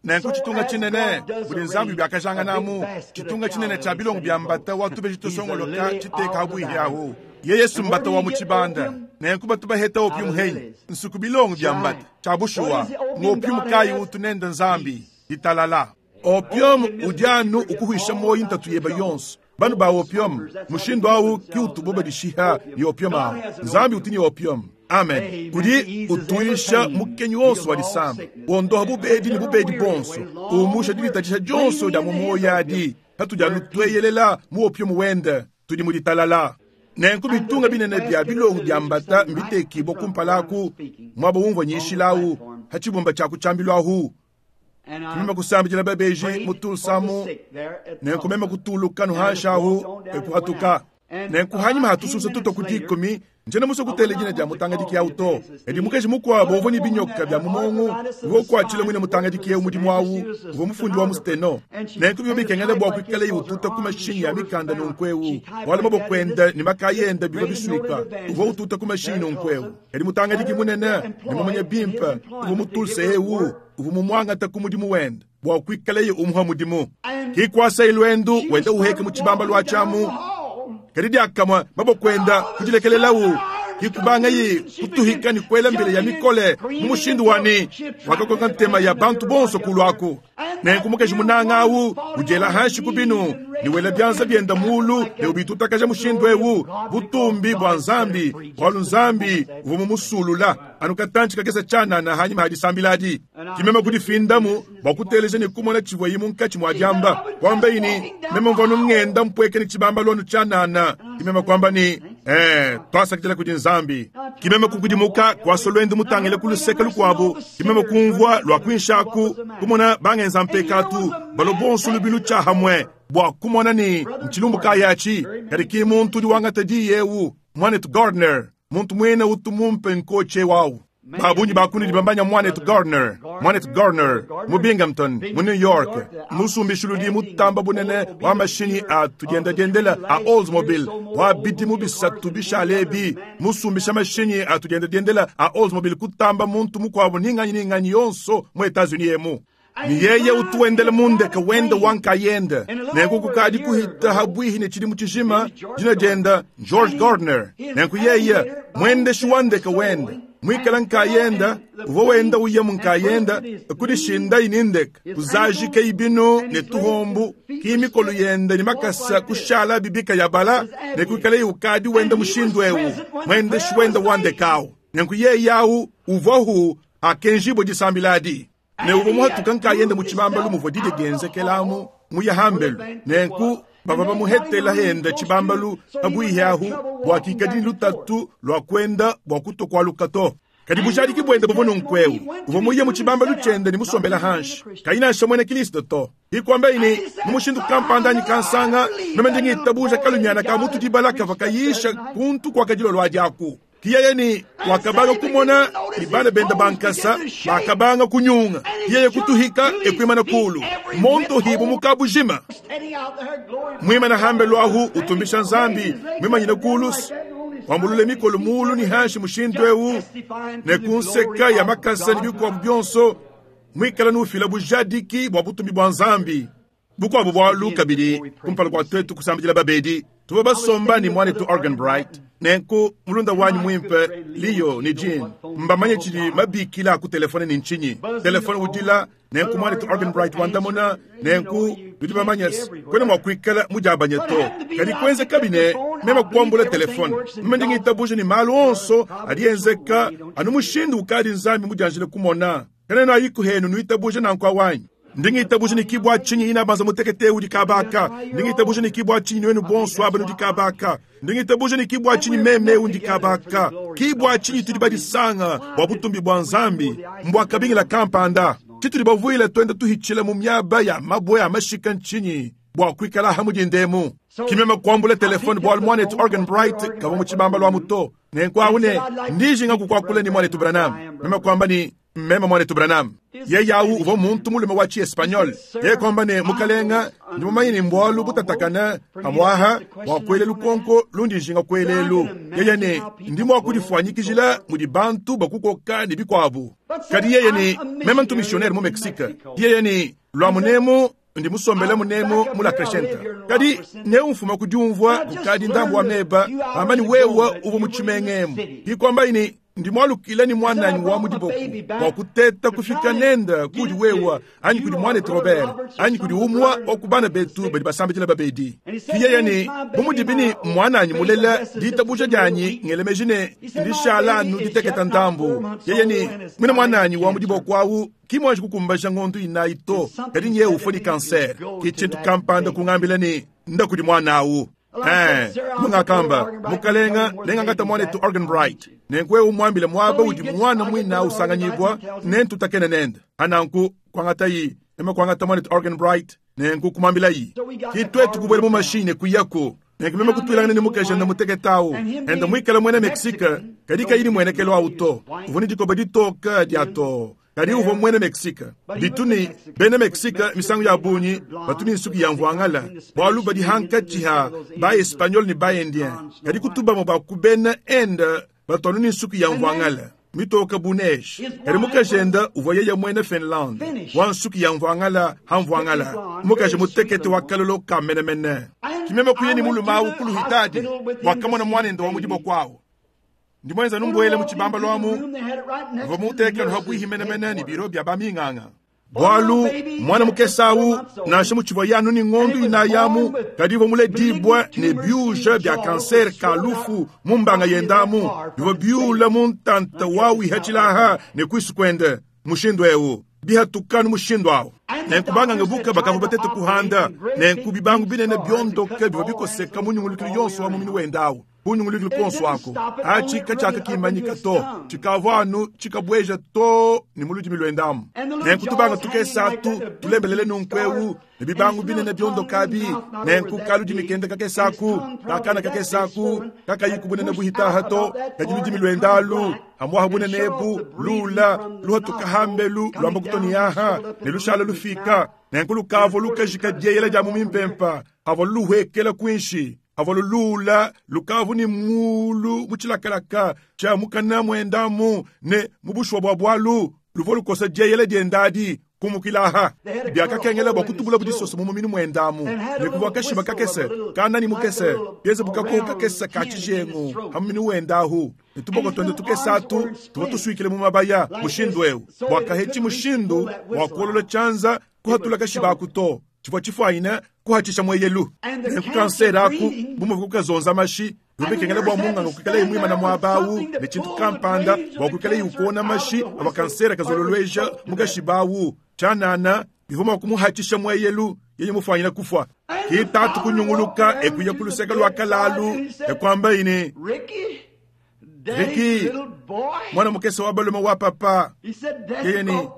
Nenku tshitunga tshinene budi Nzambi biakajanganamu, tshitunga tshinene tshia bilongo bia mbata wa tubeji tusongoloka tshiteka ha buihi ahu. Yeye mbata wa mu tshibanda. Nenku batu baheta opium henyi nsuku bilongo bia mbata. Tshia bushuwa, ng'opium kayi utu nende Nzambi? Ditalala. Opium udi anu ukuhuisha muoyo ntatu yebe yonso. Banu ba opium, mushindu awu ki utubo badishiha ne opium awu. Nzambi utu ne opium. Amen. Udi utuyisha mukenyi wonso wa disama, wondoha bubedi ne bubedi bonso, umusha diditatshisha dionso dia mu muoyo adi. Patudi anu tueyelela mu opium wende, tudi mu ditalala. Nenku bitunga binene bia bilongo bia mbata mbitekibua kumpala aku, muaba umvua nyishilawu, ha tshibumba tshia ku tshiambilu ahu. Meme kusambidila babeji mu Tulsa-mu, nenku meme kutuluka nuhanshi ahu, ekuhatuka. Nenku hanyima ha tususa tutua ku dikumi, ntshiena musue kutela dina dia mutangadiki au to. Kadi mukaji mukuabu uvua ne binyoka bia mu muongo, uvua ukuatshila muine mutangadiki eu mudimu au, uvua mufundi wa mu steno. Nenku bivua bikengela bua kuikalaye ututa ku mashinyi a mikanda nunku eu, bualu maboko ende ne makaya ende bivua bisuika. Uvua ututa ku mashinyi nunku eu. Kadi mutangadiki munene ne mumanye bimpe uvua mu Tulsa eu uvua mumuangate ku mudimu wende bua kuikalaye umuha mudimu. Ke kuasaye luendu wenda uheka mu tshibambalu atshi amu, kadi diakamue maboko enda kudilekelelawu. Ke kubangaye kutuhika ne kuela mbila ya mikole mu mushindu wa ne, wakakoka ntema ya bantu bonso kulu aku. Nenku mukaji munanga au udiela hanshi ku binu ne wela bianza biende mulu ne ubitutakaja mushindu eu, butumbi bua Nzambi, bualu Nzambi uvua mumusulula anu katantshi kakese tshianana hanyima ha disambila adi. Ke meme kudifindamu bua kuteleja ne kumona tshivuaye munkatshi mua diamba. Kuambaye ne, meme mvua anu ngenda mpueka ne tshibambalu anu tshianana. Ke meme kuamba ne, Ee, tuasakidila kudi Nzambi. Ke meme kukudimuka, kuasa luendu mutangile ku luseke lukuabu. Ke meme kumvua lua kuinshi aku, kumona bangenza mpekatu balua bonso lubilu tshiahamue bua kumona ne ntshilumbu kayi atshi. Kadi ki muntu udi wangata diyi eu, muanetu Gardner, muntu muine utu mumpe nkotshi eu au. Ba bungi ba kunudi bamanya muanetu Gardner, muanetu Gardner mu Binghamton, mu New York, musumbishiludi mutamba bunene wa mashinyi a tudiendadiendela a Oldsmobile wa bidimu bisatu bishale ebi, musumbisha mashinyi a tudiendadiendela a Oldsmobile kutamba muntu mukuabu ni nganyi ni nganyi yonso mu Etats-Unis emu. Ne yeye utu wendela mu ndeke wende wa nkayende. Nenku kukadi kuhita ha buihi ne tshidimu tshijima, dina diende George Gardner. Nenku yeye muendeshi wa ndeke wende muikala nkayende, uvua wenda uya mu nkayende kudishindayi ne ndeke, kuzajikeyi binu ne tuhombu, ki mikolo yende ne makasa kushala bibika ya bala, ne kuikalaye ukadi wenda mushindu eu, muendeshi wende wa ndeke au. Nenku yeye au uvuahu akenjibue disambila adi. Ne uvua muhatuka nkayende mu tshibambalu muvua didia dienzekelamu muya hambelu. Nenku bavua bamuhetela henda tshibambalu pabuihi ahu bua kikadi ne lutatu lua kuenda bua kutua kualuka to. Kadi bujadiki buende buvua nunku'eu, uvua muye mu tshibambalu tshiende ne musombela hanshi, kayi nansha muena Kristo to. Ikuambayi ne, mu mushindu kampanda anyi kansanga, meme ndi ngitabuja kalumiana ka mutu dibala kavua kayisha kuntu kuakadilolo adi aku. Kiyeye ne wakabanga kumona ne bana bende ba nkasa bakabanga kunyunga. Kiyeye kutuhika ekuimana kulu monto hibu mu kabujima. Muimana hambelu ahu utumbisha Nzambi muimanyine kulu wambulule mikolo mulu ne hanshi mushindu eu ne ku nseka ya makasa ne bikuabu bionso muikala nufila bujadiki bua butumbi bua Nzambi. Bukuabu bualu kabidi, kumpala kua tuetu kusambidila babedi, tuvua basomba ne muanetu Organ Bright. Nenku mulunda wanyi muimpe Leo ne Jean mbamanye tshidi mabikila a ku telefone ne ntshinyi. Telefone udila, nenku muanetu Organ Bright wandamuna, nenku nudi bamanye kuena mua kuikala mudiabanye to. Kadi kuenzekabi ne meme kuambula telefone, meme ndi ngitabuja ne malu onso adi enzeka anu mushindu ukadi Nzambi mudianjile kumona. Kanena ayiku henu nuitabuja nanku awanyi. Ndi ngitabuja ne kibua tshinyi inabanza mutekete udi kabaka. Ndi ngitabuja ne kibua tshinyi nuenu bonso aba nudi kabaka. Ndi ngitabuja ne kibua tshinyi meme eu ndi kabaka. Kibua tshinyi tudi badisanga bua butumbi bua Nzambi mbua kabingila kampanda. Tshitudi bavuile tuenda tuhitshila mu miaba ya mabue a mashika ntshinyi bua kuikala ha mudindemu. Kimeme kuambula telefone bualu muanetu Organ Bright kavua mu tshibambalu amu to. Nenku awu ne ndijinga kukuakula ne muanetu Branham. Meme kuamba ne meme muanetu Branham. Yeye awu uvua muntu mulume wa tshi-espagnol. Yeye kuamba ne, Mukalenga, ndi mumanye ne mbualu butatakane pamuaha bua kuela lukonko lundi njinga kuela elu. Yeye ne, ndi mua kudifuanyikijila mudi bantu bakukoka ne bikuabu. Kadi yeye ne, meme ntu missionnaire mu Mexique. Yeye ne, lua munemu ndi musombele munemu mu La Crescenta. Kadi neumfuma ku diumvua kukadi ndambu wa meba, amba ne wewe uvua mu tshimenga emu. Ikuambayi ne, Ndi mualukile ne muananyi wa mu diboko bua kuteta kufika nende kudi wewe anyi kudi muanetu Robert anyi kudi umue wa ku bana betu badi basambidila babedi. Ke yeye ne, Bu mudibi ne muananyi mulela, ditabuja dianyi ngela meji ne, ndishala anu diteketa ndambu. Yeye ne, Muine muananyi wa mu diboko au ki muanji kukumbaja ngondo inayi to, kadi nyeye ufua ne kansere. Ke tshintu kampanda kungambila ne, Nda kudi muana au. Ee, mungakamba, Mukalenga, nengangata muanetu Arganbright. Nenku wewe umuambile muaba udi muana muine au usanganyibua, nentutakene nende. Pa nanku, kuangatayi, meme kuangata muanetu Arganbright, nenku kumuambilayi. Ki tuetu kubuela mu mashinyi ne kuyaku. Nenku meme kutuilangana ne mukajende mutekete au, enda muikale muena Mexique, kadi kayi ne muenekelu au to. Uvua ne dikoba ditoke dia too. Kadi uvua muena Mexique. Bitu ne, bena Mexique misangu ya bungi batu ne nsuki ya mvuangala, bualu badi hankatshi ha ba-Espagnol ne ba-Indien. Kadi kutu bamue ba ku bena Inde batu anu ne nsuki ya mvuangala mitoke bu neige. Kadi mukajende uvua yeye muena Finlande, wa nsuki ya mvuangala ha mvuangala, mukaji mutekete wa kalolo ka menemene. Ki meme kuya ne mulume au ku luhitadi bua kamona muanende wa mu diboko au. Ndi muenze anu mbuele mu tshibambalu amu, mvua muteke anu pabuihi menemene ne biro bia baminganga. Bualu muana mukese au, nansha mutshivuaye anu ne ngondo inayi amu, kadi uvua muledibue ne biuja bia kansere ka lufu mu mbanga yende amu, bivua biula mu ntanta wa wihatshilaha ne kuisu kuende mushindu eu, bihatuka anu mushindu au. Nenku banganga buka bakavua batete kuhanda, nenku bibangu binene biondoke bivua bikoseka mu nyungulukilu yonso wa muminu wende au. Ku nyungulukilu kuonso aku, atshi katshiakakimanyika to, tshikavua anu tshikabueja too ne mu ludimi luende amu. Nenku tubanga tukese atu tulembelele nunku'eu, ne bibangu binene biondoka abi, nenku kaludimi kende kakese aku, kakana kakese aku, kakayiku bunene buhitaha to, kadi ludimi luende alu, amuaha bunene ebu, lula, luhatuka hambelu, luamba kutua ne aha, ne lushala lufika, nenku lukavua lukajika dieyela dia mu mimpempa, avua luluhuekela kuinshi. Avua luluula lukavu ne muulu mu tshilakalaka tshia mukana muende amu, ne mu bushuwa bua bualu, luvua lukosa dieyela diende adi kumukila aha. Biakakengela bua kutubulabu disoso mu muminu muende amu, ne kuvua kashiba kakese, kanani mukese, bienze bu kakoho kakese ka tshijengu pa muminu wende ahu, ne tuboko tuende tukese atu tuvua tusuikile mu mabaya mushindu'eu bua kahetshi mushindu wa kuolola tshianza kuhatula kashiba aku to. Tshivua tshifuanyine kuhatshisha mueyelu. Nenku kansere aku, bu muvua kukazonza mashi, bivua bikengela bua munganga kuikalaye muimane muaba au ne tshintu kampanda bua kuikalaye ukuona mashi avua kansere kazololueja mu kashiba au. Tshianana, bivua mua kumuhatshisha mueyelu yeye mufuanyine kufua. Ke tatu kunyunguluka e kuya ku luseke lua kalalu e kuambaye ne, Ricky, mwana mukese wa balume wa papa, yeye ne,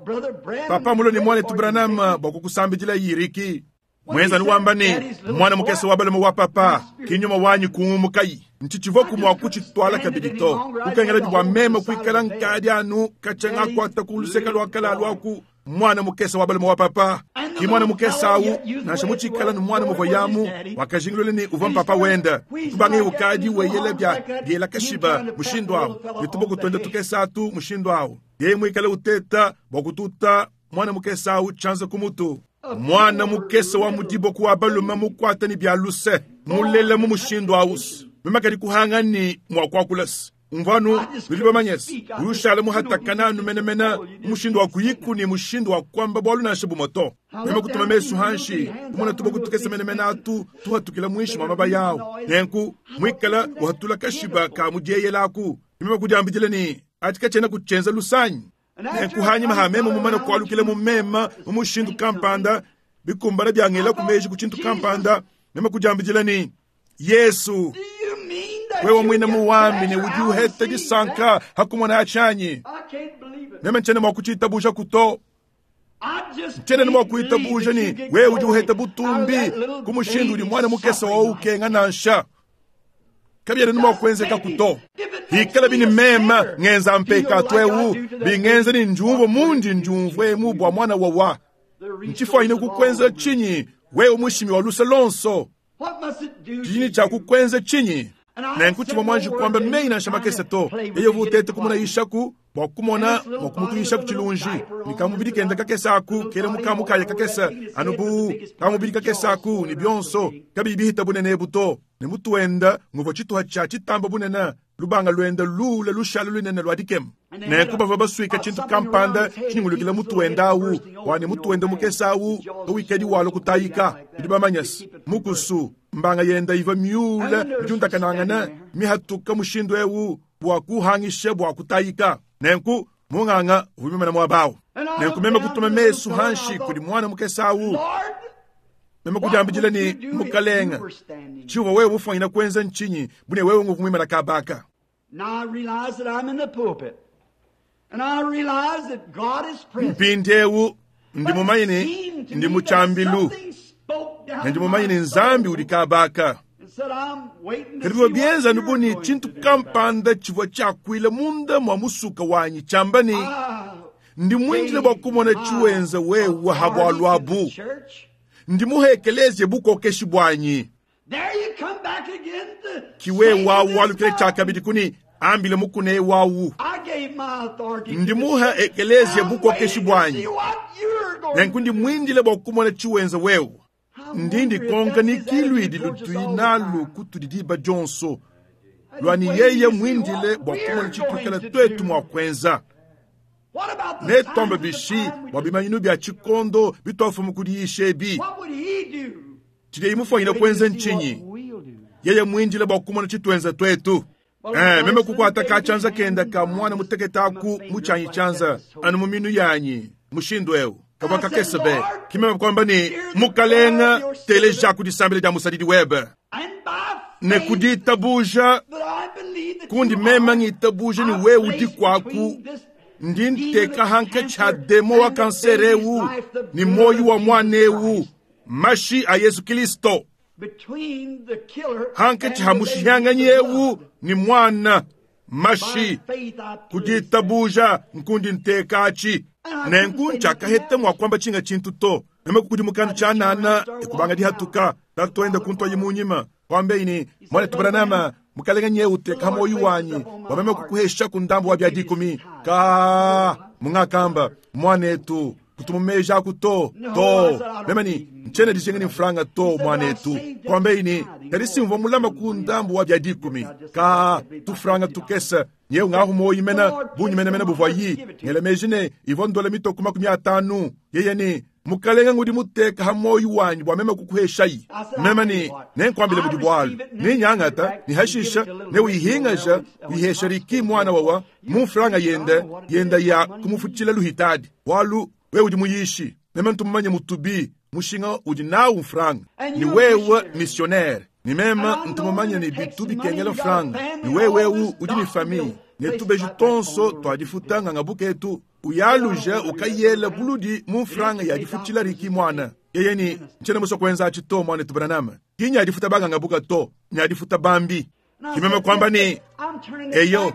papa mulue ne muanetu Branham bua kukusambidila yi Ricky. Muenza wamba ne, mwana mukese wa balume wa papa, ki nyuma wanyi kuumukayi. Ntshitshivuaku mua kutshituala kabidi to. Kukengelabi bua meme kuikala nkadi anu katshia ngakuata ku luseke lua kalalu aku Muana mukese wa balume wa papa, ki muana mukese au, nansha mutshikala ne muana muvua yamu, wakajingulula ne uvua mpapa wende. Kubangaye ukadi weyela bia biela kashiba mushindu au, ne tuboko tuende tukese atu mushindu au, yeye muikale uteta bua kututa muana mukese au tshianza ku mutu. Muana mukese wa mu diboko wa balume mukuata ne bia luse, mulela mu mushindu au, meme kadi kuhanga ne mua kuakula. Umvua anu, nudi bamanye se, udi ushala muhatakane anu menemene mu mushindu wa kuyiku ne mushindu wa kuamba bualu nansha bumue to. Meme kutuma mesu hanshi, kumona tuboko tukese menemene atu tuhatukila muinshi mua mabaya au, nenku muikala uhatula kashiba ka mu dieyela aku. Meme kudiambidila ne, Atshi katshiena kutshienza luse anyi? Nenku hanyima ha meme mumane kualukila mu meme mu mushindu kampanda, bikumbana biangelaku meji ku tshintu kampanda, meme kudiambidila ne, Yesu, wewe muine muwambi ne udi uheta disanka ha kumona atshi anyi? Meme ntshiena mua kutshitabuja kuto. Ntshiena ne mua kuitabuja ne wewe udi uheta butumbi ku mushindu udi muana mukese wa ukenga nansha. Kabiena ne mua kuenzeka kuto. Hikala bini meme ngenza mpekatu eu, bingenza ne ndiumvua mundi ndiumvua emu bua muana wawa. Ntshifuanyine kukuenza tshinyi wewe mushimi wa luse lonso? Tshidi tshia kukwenza tshinyi? Nenku tshivua muanji kuamba meyi nansha makese to. Yeye uvua uteta kumona Yishaku. Bua kumona mua kumutuyishaku tshilunji, ne kamubidi kende kakese aku kele mu kamukaya kakese, anu bu kamubidi kakese aku, ne bionso kabiyi bihita bunene ebu to, ne mutu wenda nguvua tshituha tshia tshitamba bunene, lubanga luenda luule lushala lunene lua dikema. Nenku bavua basuika tshintu kampanda tshinyungulukila mutu wenda awu, bua ne mutu wenda mukese awu kawikadi walua kutayika. Nudi bamanye se, mukusu, mbanga yenda ivua miule midiundakanangane, mihatuka mushindu eu bua kuhangisha bua kutayika. Nenku munganga uvua mimana muaba awu. Nenku meme kutuma mesu hanshi kudi muana mukese awu, meme kudiambidila ne, Mukalenga, tshiuvua wewe ufuanyina kuenza ntshinyi bu ne wewe nguvua muimana kabaka? Now I realize that I'm in the pulpit. And I realize that God is present. Mpindieu ndi mumanye ne ndi mu tshiambilu, ne ndi mumanye ne Nzambi udi kabaka. Kadi bivua bienza anu bu ne tshintu kampanda tshivua tshiakuila munda mua musuka wanyi tshiamba ne, Ndi muindile bua kumona tshiwenza wewe ha bualu abu. Ndi muhe ekeleziya bukokeshi buanyi. Ki wewe wawu walukile tshiakabidi kuni ambile mukuna wawu. Ndi muhe ekeleziya bukokeshi buanyi. Nenku ndi muindile bua kumona tshiwenza wewe. Ndi ndikonka ni kiluidi lutui nalu kutudi diba dionso, lua ni yeye muindile bua kumona tshituikala tuetu mua kuenza. Netuambe bishi bua bimanyinu bia tshikondo bituafumu kudiyisha ebi? Tshidiye mufuanyine kuenza ntshinyi? Yeye muindile bua kumona tshituenza tuetu. Meme kukuata ka tshianza kenda ka muana mutekete aku mu tshianyi tshianza, anu mu minu yanyi mushindu eu kavua kakese be. Ki meme kuamba ne, Mukalenga, teleja ku disambila dia musadidi webe ne ku ditabuja kundi meme ngitabuja ne wewe udi kuaku. Ndi nteka hankatshi ha demo wa kansere eu ne muoyo wa muana eu, mashi a Yesu Kristo, hankatshi ha mushihanganyi eu ne muana, mashi. Ku ditabuja nkundi nteka atshi. Nenku ntshiakaheta mua kuamba tshinga tshintu to. Meme kukudimuka tshianana ekubanga dihatuka. Tatuende kuntuayi munyima, kuambeyi ne, Muanetu Branham, Mukalenga nyeye uteka muoyo wanyi bua meme kukuhesha ku ndambu wa bia dikumi. Ka mungakamba, muanetu, kutumu meji aku to to. Meme ni ntshiena dijinga ne mfranga to, muanetu. Kuambeyi ne, kadi simvua mulama ku ndambu wa bia dikumi. Ka tufranga tukese nyeye ngahu muoyo mena bungi menemene buvua yi ngela meji ne ivua ndola mitoko 50. Yeye ne, Mukalenga ngudi muteka ha muoyo wanyi bua meme kukuheshayi. Meme ne nenkuambile budi bualu ne nyangata ne hashisha ne uyihingaja uyihesha Riki muana wawa mu mfranga yende yenda ya kumufutshila luhitadi, bualu wewe udi muyishi, meme ntumumanye mutubi mushinga udi nawu mfranga, ne wewe missionnaire, ne meme ntumumanye ne bitu bikengela mfranga, ne wewe eu udi ne famille, ne tubeji tonso tua difuta nganga buketu uyaluja ukayela buludi mu mfranga ya difutshila Riki muana. Yeye ni ntshiena musue kuenza atshi to, muanetu Branham. Ki nya difuta banganga buka to, nya difuta bambi. Ki meme kuamba ne, eyo,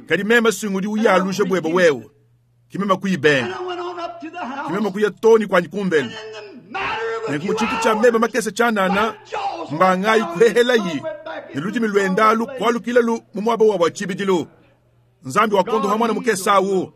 kadi meme sungudi uyaluja buebe wewe. Ki meme kuyibenga. Ki meme kuya to ni kuanyi kumbelu. Nenku mu tshintu tshia meba makese tshianana, mbangayi kuhehelayi, ne ludimi luendalu kualukilalu mu muaba wabu wa tshibidilu. Nzambi wakondoha muana mukese awu.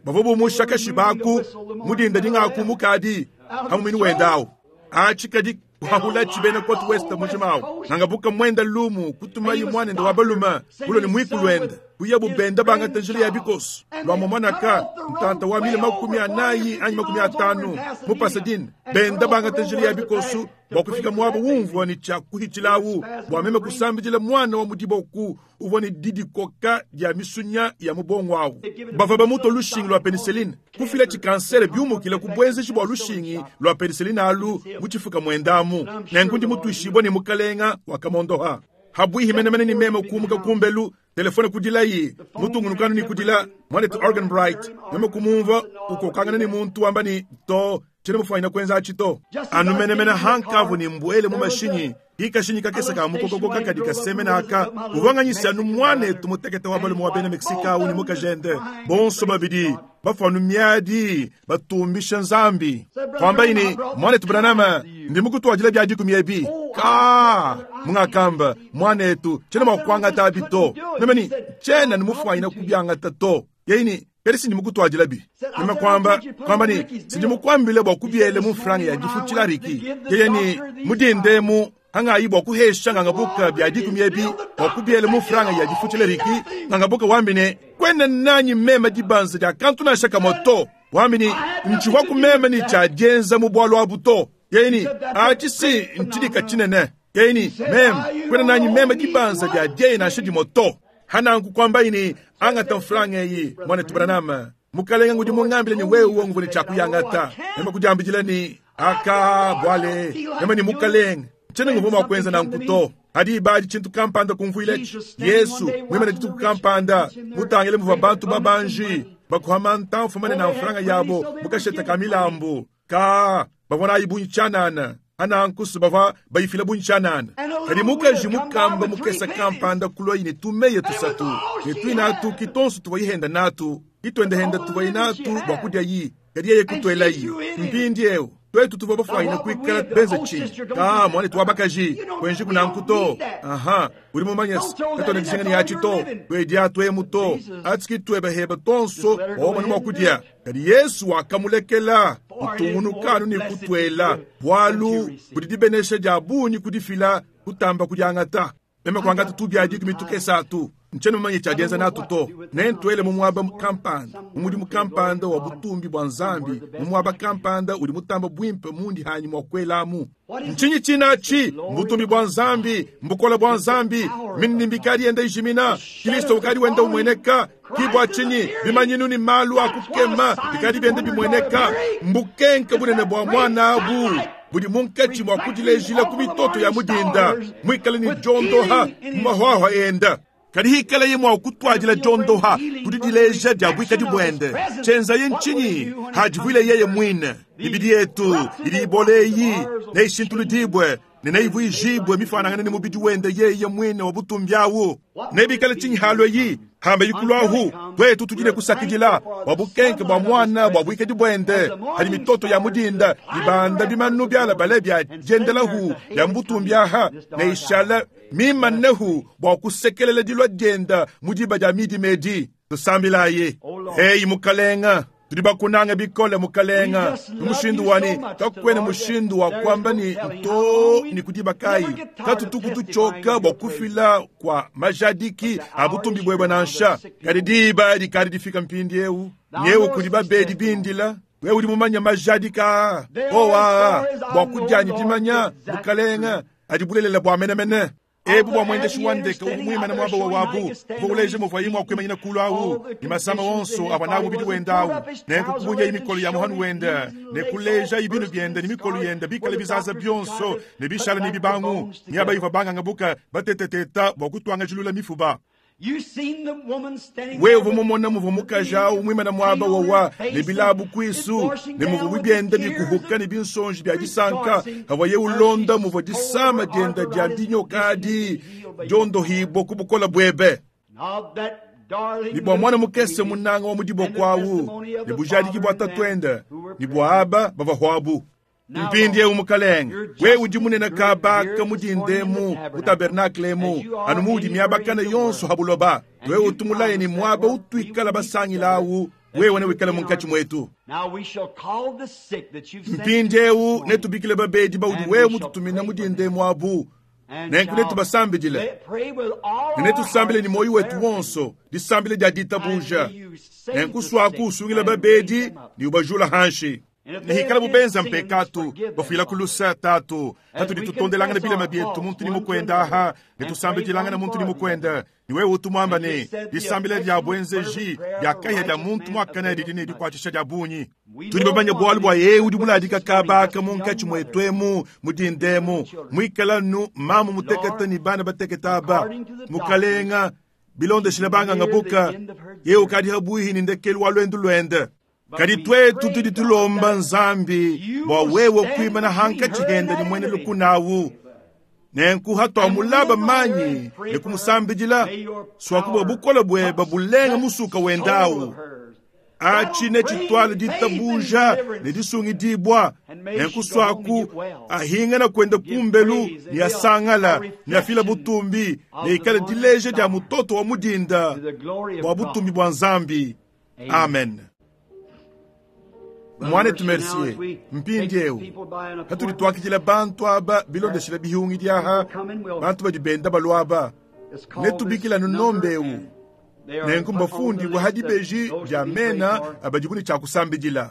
Bavua bumusha kashibaku mudinda dingaku mukadi hamumini wendawu. Atshi kadi kuhahula tshibena kotu west mujimawu. Ngangabuka mwenda lumu kutumayi muanende wa balume kulo ne mwiku lwenda. Kuya bubenda bangata njila ya bikoso. Lua momwanaka ntanta wa mile 40 anyi 50 mu Pasadena. Benda bangata njila ya bikoso bua kufika muaba umvua ne tshia kuhitshilawu bua meme kusambidila mwana wa mudiboku uvua ne didikoka dia misunya ya mubongo awu. Bavua bamutua lushingi lua penicilline kufila tshikansere biumukila ku buenzeji bua lushingi lua penicilline alu mu tshifuka muendamu. Nenku ndi mutuishibue ne mukalenga wakamondoha. Habuihi menemene ni meme kumuka kumbelu, telefone kudilayi, mutungunukanu ni kudila mwanetu Arganbright. Meme kumumva ukokangana ni muntu wamba ni to. Tshiena mufwanyine kwenza aci to. Anu menemene hankavwa ne mbwele mu mashinyi, ki kashinyi kakese ka mukokoko kakadi kasemena aka, uvwa nganyisha anu mwanetu mutekete wa balume wa bena Mexique awu ne mukajende, bonso babidi bafwanu miadi batumbisha Nzambi. Kwambayi ne, Mwanetu Branham, ndi mukutwadila bya dikumi ebi. Kaa, mungakamba, mwanetu, tshiena mwa kuangata abi to. Meme ne, Tshiena ne mufwanyine kubiangata to. Yeye ne, Kadi sindi mukutwadilabi. Meme kwamba, kwamba ne, Sindi mukwambile bwa kubyele mu mfranga ya difutshila Ricky. Yeye ne, Mudinde emu, hangayi bwa kuhesha ngangabuka bya dikumi ebi bwa kubyele mu mfranga ya difutshila Ricky. Ngangabuka wambi ne, Kwena nanyi meme dibanza dia kantu nansha kamwe to. Wambi ne, Ntshivwa kumeme ne tshia dienza mu bwalu abu to. Yeye ne, Atshi si ntshidika tshinene. Yeye ne, Meme, kwena nanyi meme dibanza dia dieyi nansha dimwe to. Hananku kwambayi ne, Angata mfranga eyi, mwanetu Branham. Mukalenga ngudi mungambile ne wewe nguvua ne tshia kuyangata. Meme kudiambidila ne, Aka, bwale, meme ne mukalenga, ntshiena nguvua mua kuenza nanku to. Hadi ibadi tshintu kampanda kumvuiletshi. Yesu, muimane dituku kampanda, mutangile muvua bantu babanji bakuhama ntamfu manene a mfranga yabo mu kasheta ka milambu. Ka, bavua nayi bungi tshianana. Hananku se bavua bayifila bungi tshianana. Kadi mukaji mukamba mukese kampanda kuluayi ne tumeya tusatu, ne tuine atu ki tonso tuvua yihenda natu, ki tuendehenda tuvuayi natu bua kudiayi, kadi yeye kutuelayi. Mpindieu, tuetu tuvua bafuanyine kuikala benze tshinyi? Ka, muanetu wa bakaji, kuenjiku nanku to. Aha, udi mumanye se, katuena dijinga ne atshi to. Tuedia tuemu to. Atshi ki tueba heba tonso bua wamona mua kudia. Kadi Yesu wakamulekela utungunuka anu ne kutuela, bualu budi dibenesha dia bungi kudifila kutamba kudiangata. Meme kuangata tubia dikumi tukese atu, ntshiena mumanye tshia dienza natu to. Nentuele mu muaba kampanda, mu mudimu kampanda wa butumbi bua Nzambi, mu muaba kampanda udi mutamba buimpe mundi hanyi mua kuelamu. Ntshinyi tshinatshi? Mbutumbi bua Nzambi, mbukole bua Nzambi. Mindimbi ikadi yenda ijimina, Kristo ukadi wenda umueneka. Ki bua tshinyi bimanyinu ne malu a kukema bikadi bienda bimueneka. Mbukenke bunene bua muana abu budi munkatshi mua kudilejila ku mitoto ya mudinda, muikale ne diondoha mu mahuahua enda. Kadi hikalaye mua kutuadila diondoha ku didileja dia buikadi buende, tshienzaye ntshinyi? Hadivuile yeye muine. Mibidi yetu idi ibola eyi neishintuludibue ne neivuijibue mifuanangane ne mubidi wende yeye muine wa butumbi awu. Nebikale tshinyi halua eyi? Hamba ikuluahu, tuetu tudi ne kusakidila bua bukenke bua muana bua buikadi buende. Hadi mitoto ya mudinda ibanda bimanu bialabale bia diendelahu bia mu butumbi aha, neishala mimanehu bua kusekelela dilua dienda mu diba dia midima edi. Tusambilayi. Eyi Mukalenga, tudi bakunange bikole Mukalenga, mu mushindu wa ne kakuena mushindu wa kuamba ne to ne ku diba kayi. Katutuku tutshioka bua kufila kua majadiki a butumbi buebe nansha. Kadi diba dikadi difika mpindieu, nyewu kudi babedi bindila. Wewe udi mumanye majadiki aa, owu aa, bua kudianyi dimanya, Mukalenga, adi bulelela bua menemene. Ebu bua muendeshi wa ndeke uvua muimane muaba wa wabu, uvua uleja muvuaye mua kuimanyina kulu au ne masama onso avua nawu mubidi wende au. Nenku kubunyaye mikolo ya muhanu wende ne kulejaye binu biende ne mikolo yende bikale bizaza bionso ne bishala ne bibangu miaba ivua bangangabuka bateteteta bua kutuangajilula mifuba. Wewe uvua mumona muvua mukaji au muimane muaba wawa ne bilabu kuisu ne muvua bienda bikuhuka ne binsonji bia disanka pavuaye ulonda muvua disama dienda dia dinyoka adi diondohibua ku bukole buebe. Ne bua muana mukese munanga wa mu diboko au ne bujadiki bua tatuende ne bua aba bavua huabu. Mpindieu Mukalenge, wewe udi munene kabaka mu dinda emu mu tabernakle emu, anu muudi miabakane yonso ha buloba. Wewe utu mulaye ne muaba utuikala basangila awu, wewe newikale munkatshi muetu. Mpindieu netubikile babedi baudi wewe mututumina mu dinda emu abu, nenku netubasambidile ne netusambile ne muoyo wetu wonso disambila dia ditabuja. Nenku suaku usungila babedi ne ubajula hanshi. Ne hikalabu benza mpekatu, bafuilaku luse, Tatu. Patudi tutondelangana bilema bietu muntu ne mukuende aha, ne tusambidilangana muntu ne mukuende, ne wewe utu muamba ne, disambila dia buenzeji dia kahia dia muntu muakane didi ne dikuatshisha dia bungi. Tudi bamanye bualu bua yeye udi muladika kaba aka munkatshi muetu emu mu dinda emu, muikala nu mamu mutekete ne bana batekete aba. Mukalenga, bilondeshile banganga buka, yeye ukadi habuihi ne ndekelu wa luendu luende. Kadi tuetu tudi tulomba Nzambi bua wewe kuimana hankatshi hende ne muena lukuna awu. Nenku hatuamulaba manyi ne kumusambidila, suaku bua bukole bueba bulenga musuka wendawu. Atshi netshituale ditabuja ne disungidibua, nenku suaku ahingana kuenda kumbelu ne asangala ne afila butumbi ne ikale dileja dia mutoto wa mudinda bua butumbi bua Nzambi. Amen. Mwanetu Mercier, mpindiewu hatudi tuakidila bantu aba bilondeshile bihungi diaha, bantu badi benda balua aba netubikila nunombe ewu nenku mbafundibue ha dibeji dia mena abadibu ne tshia kusambidila.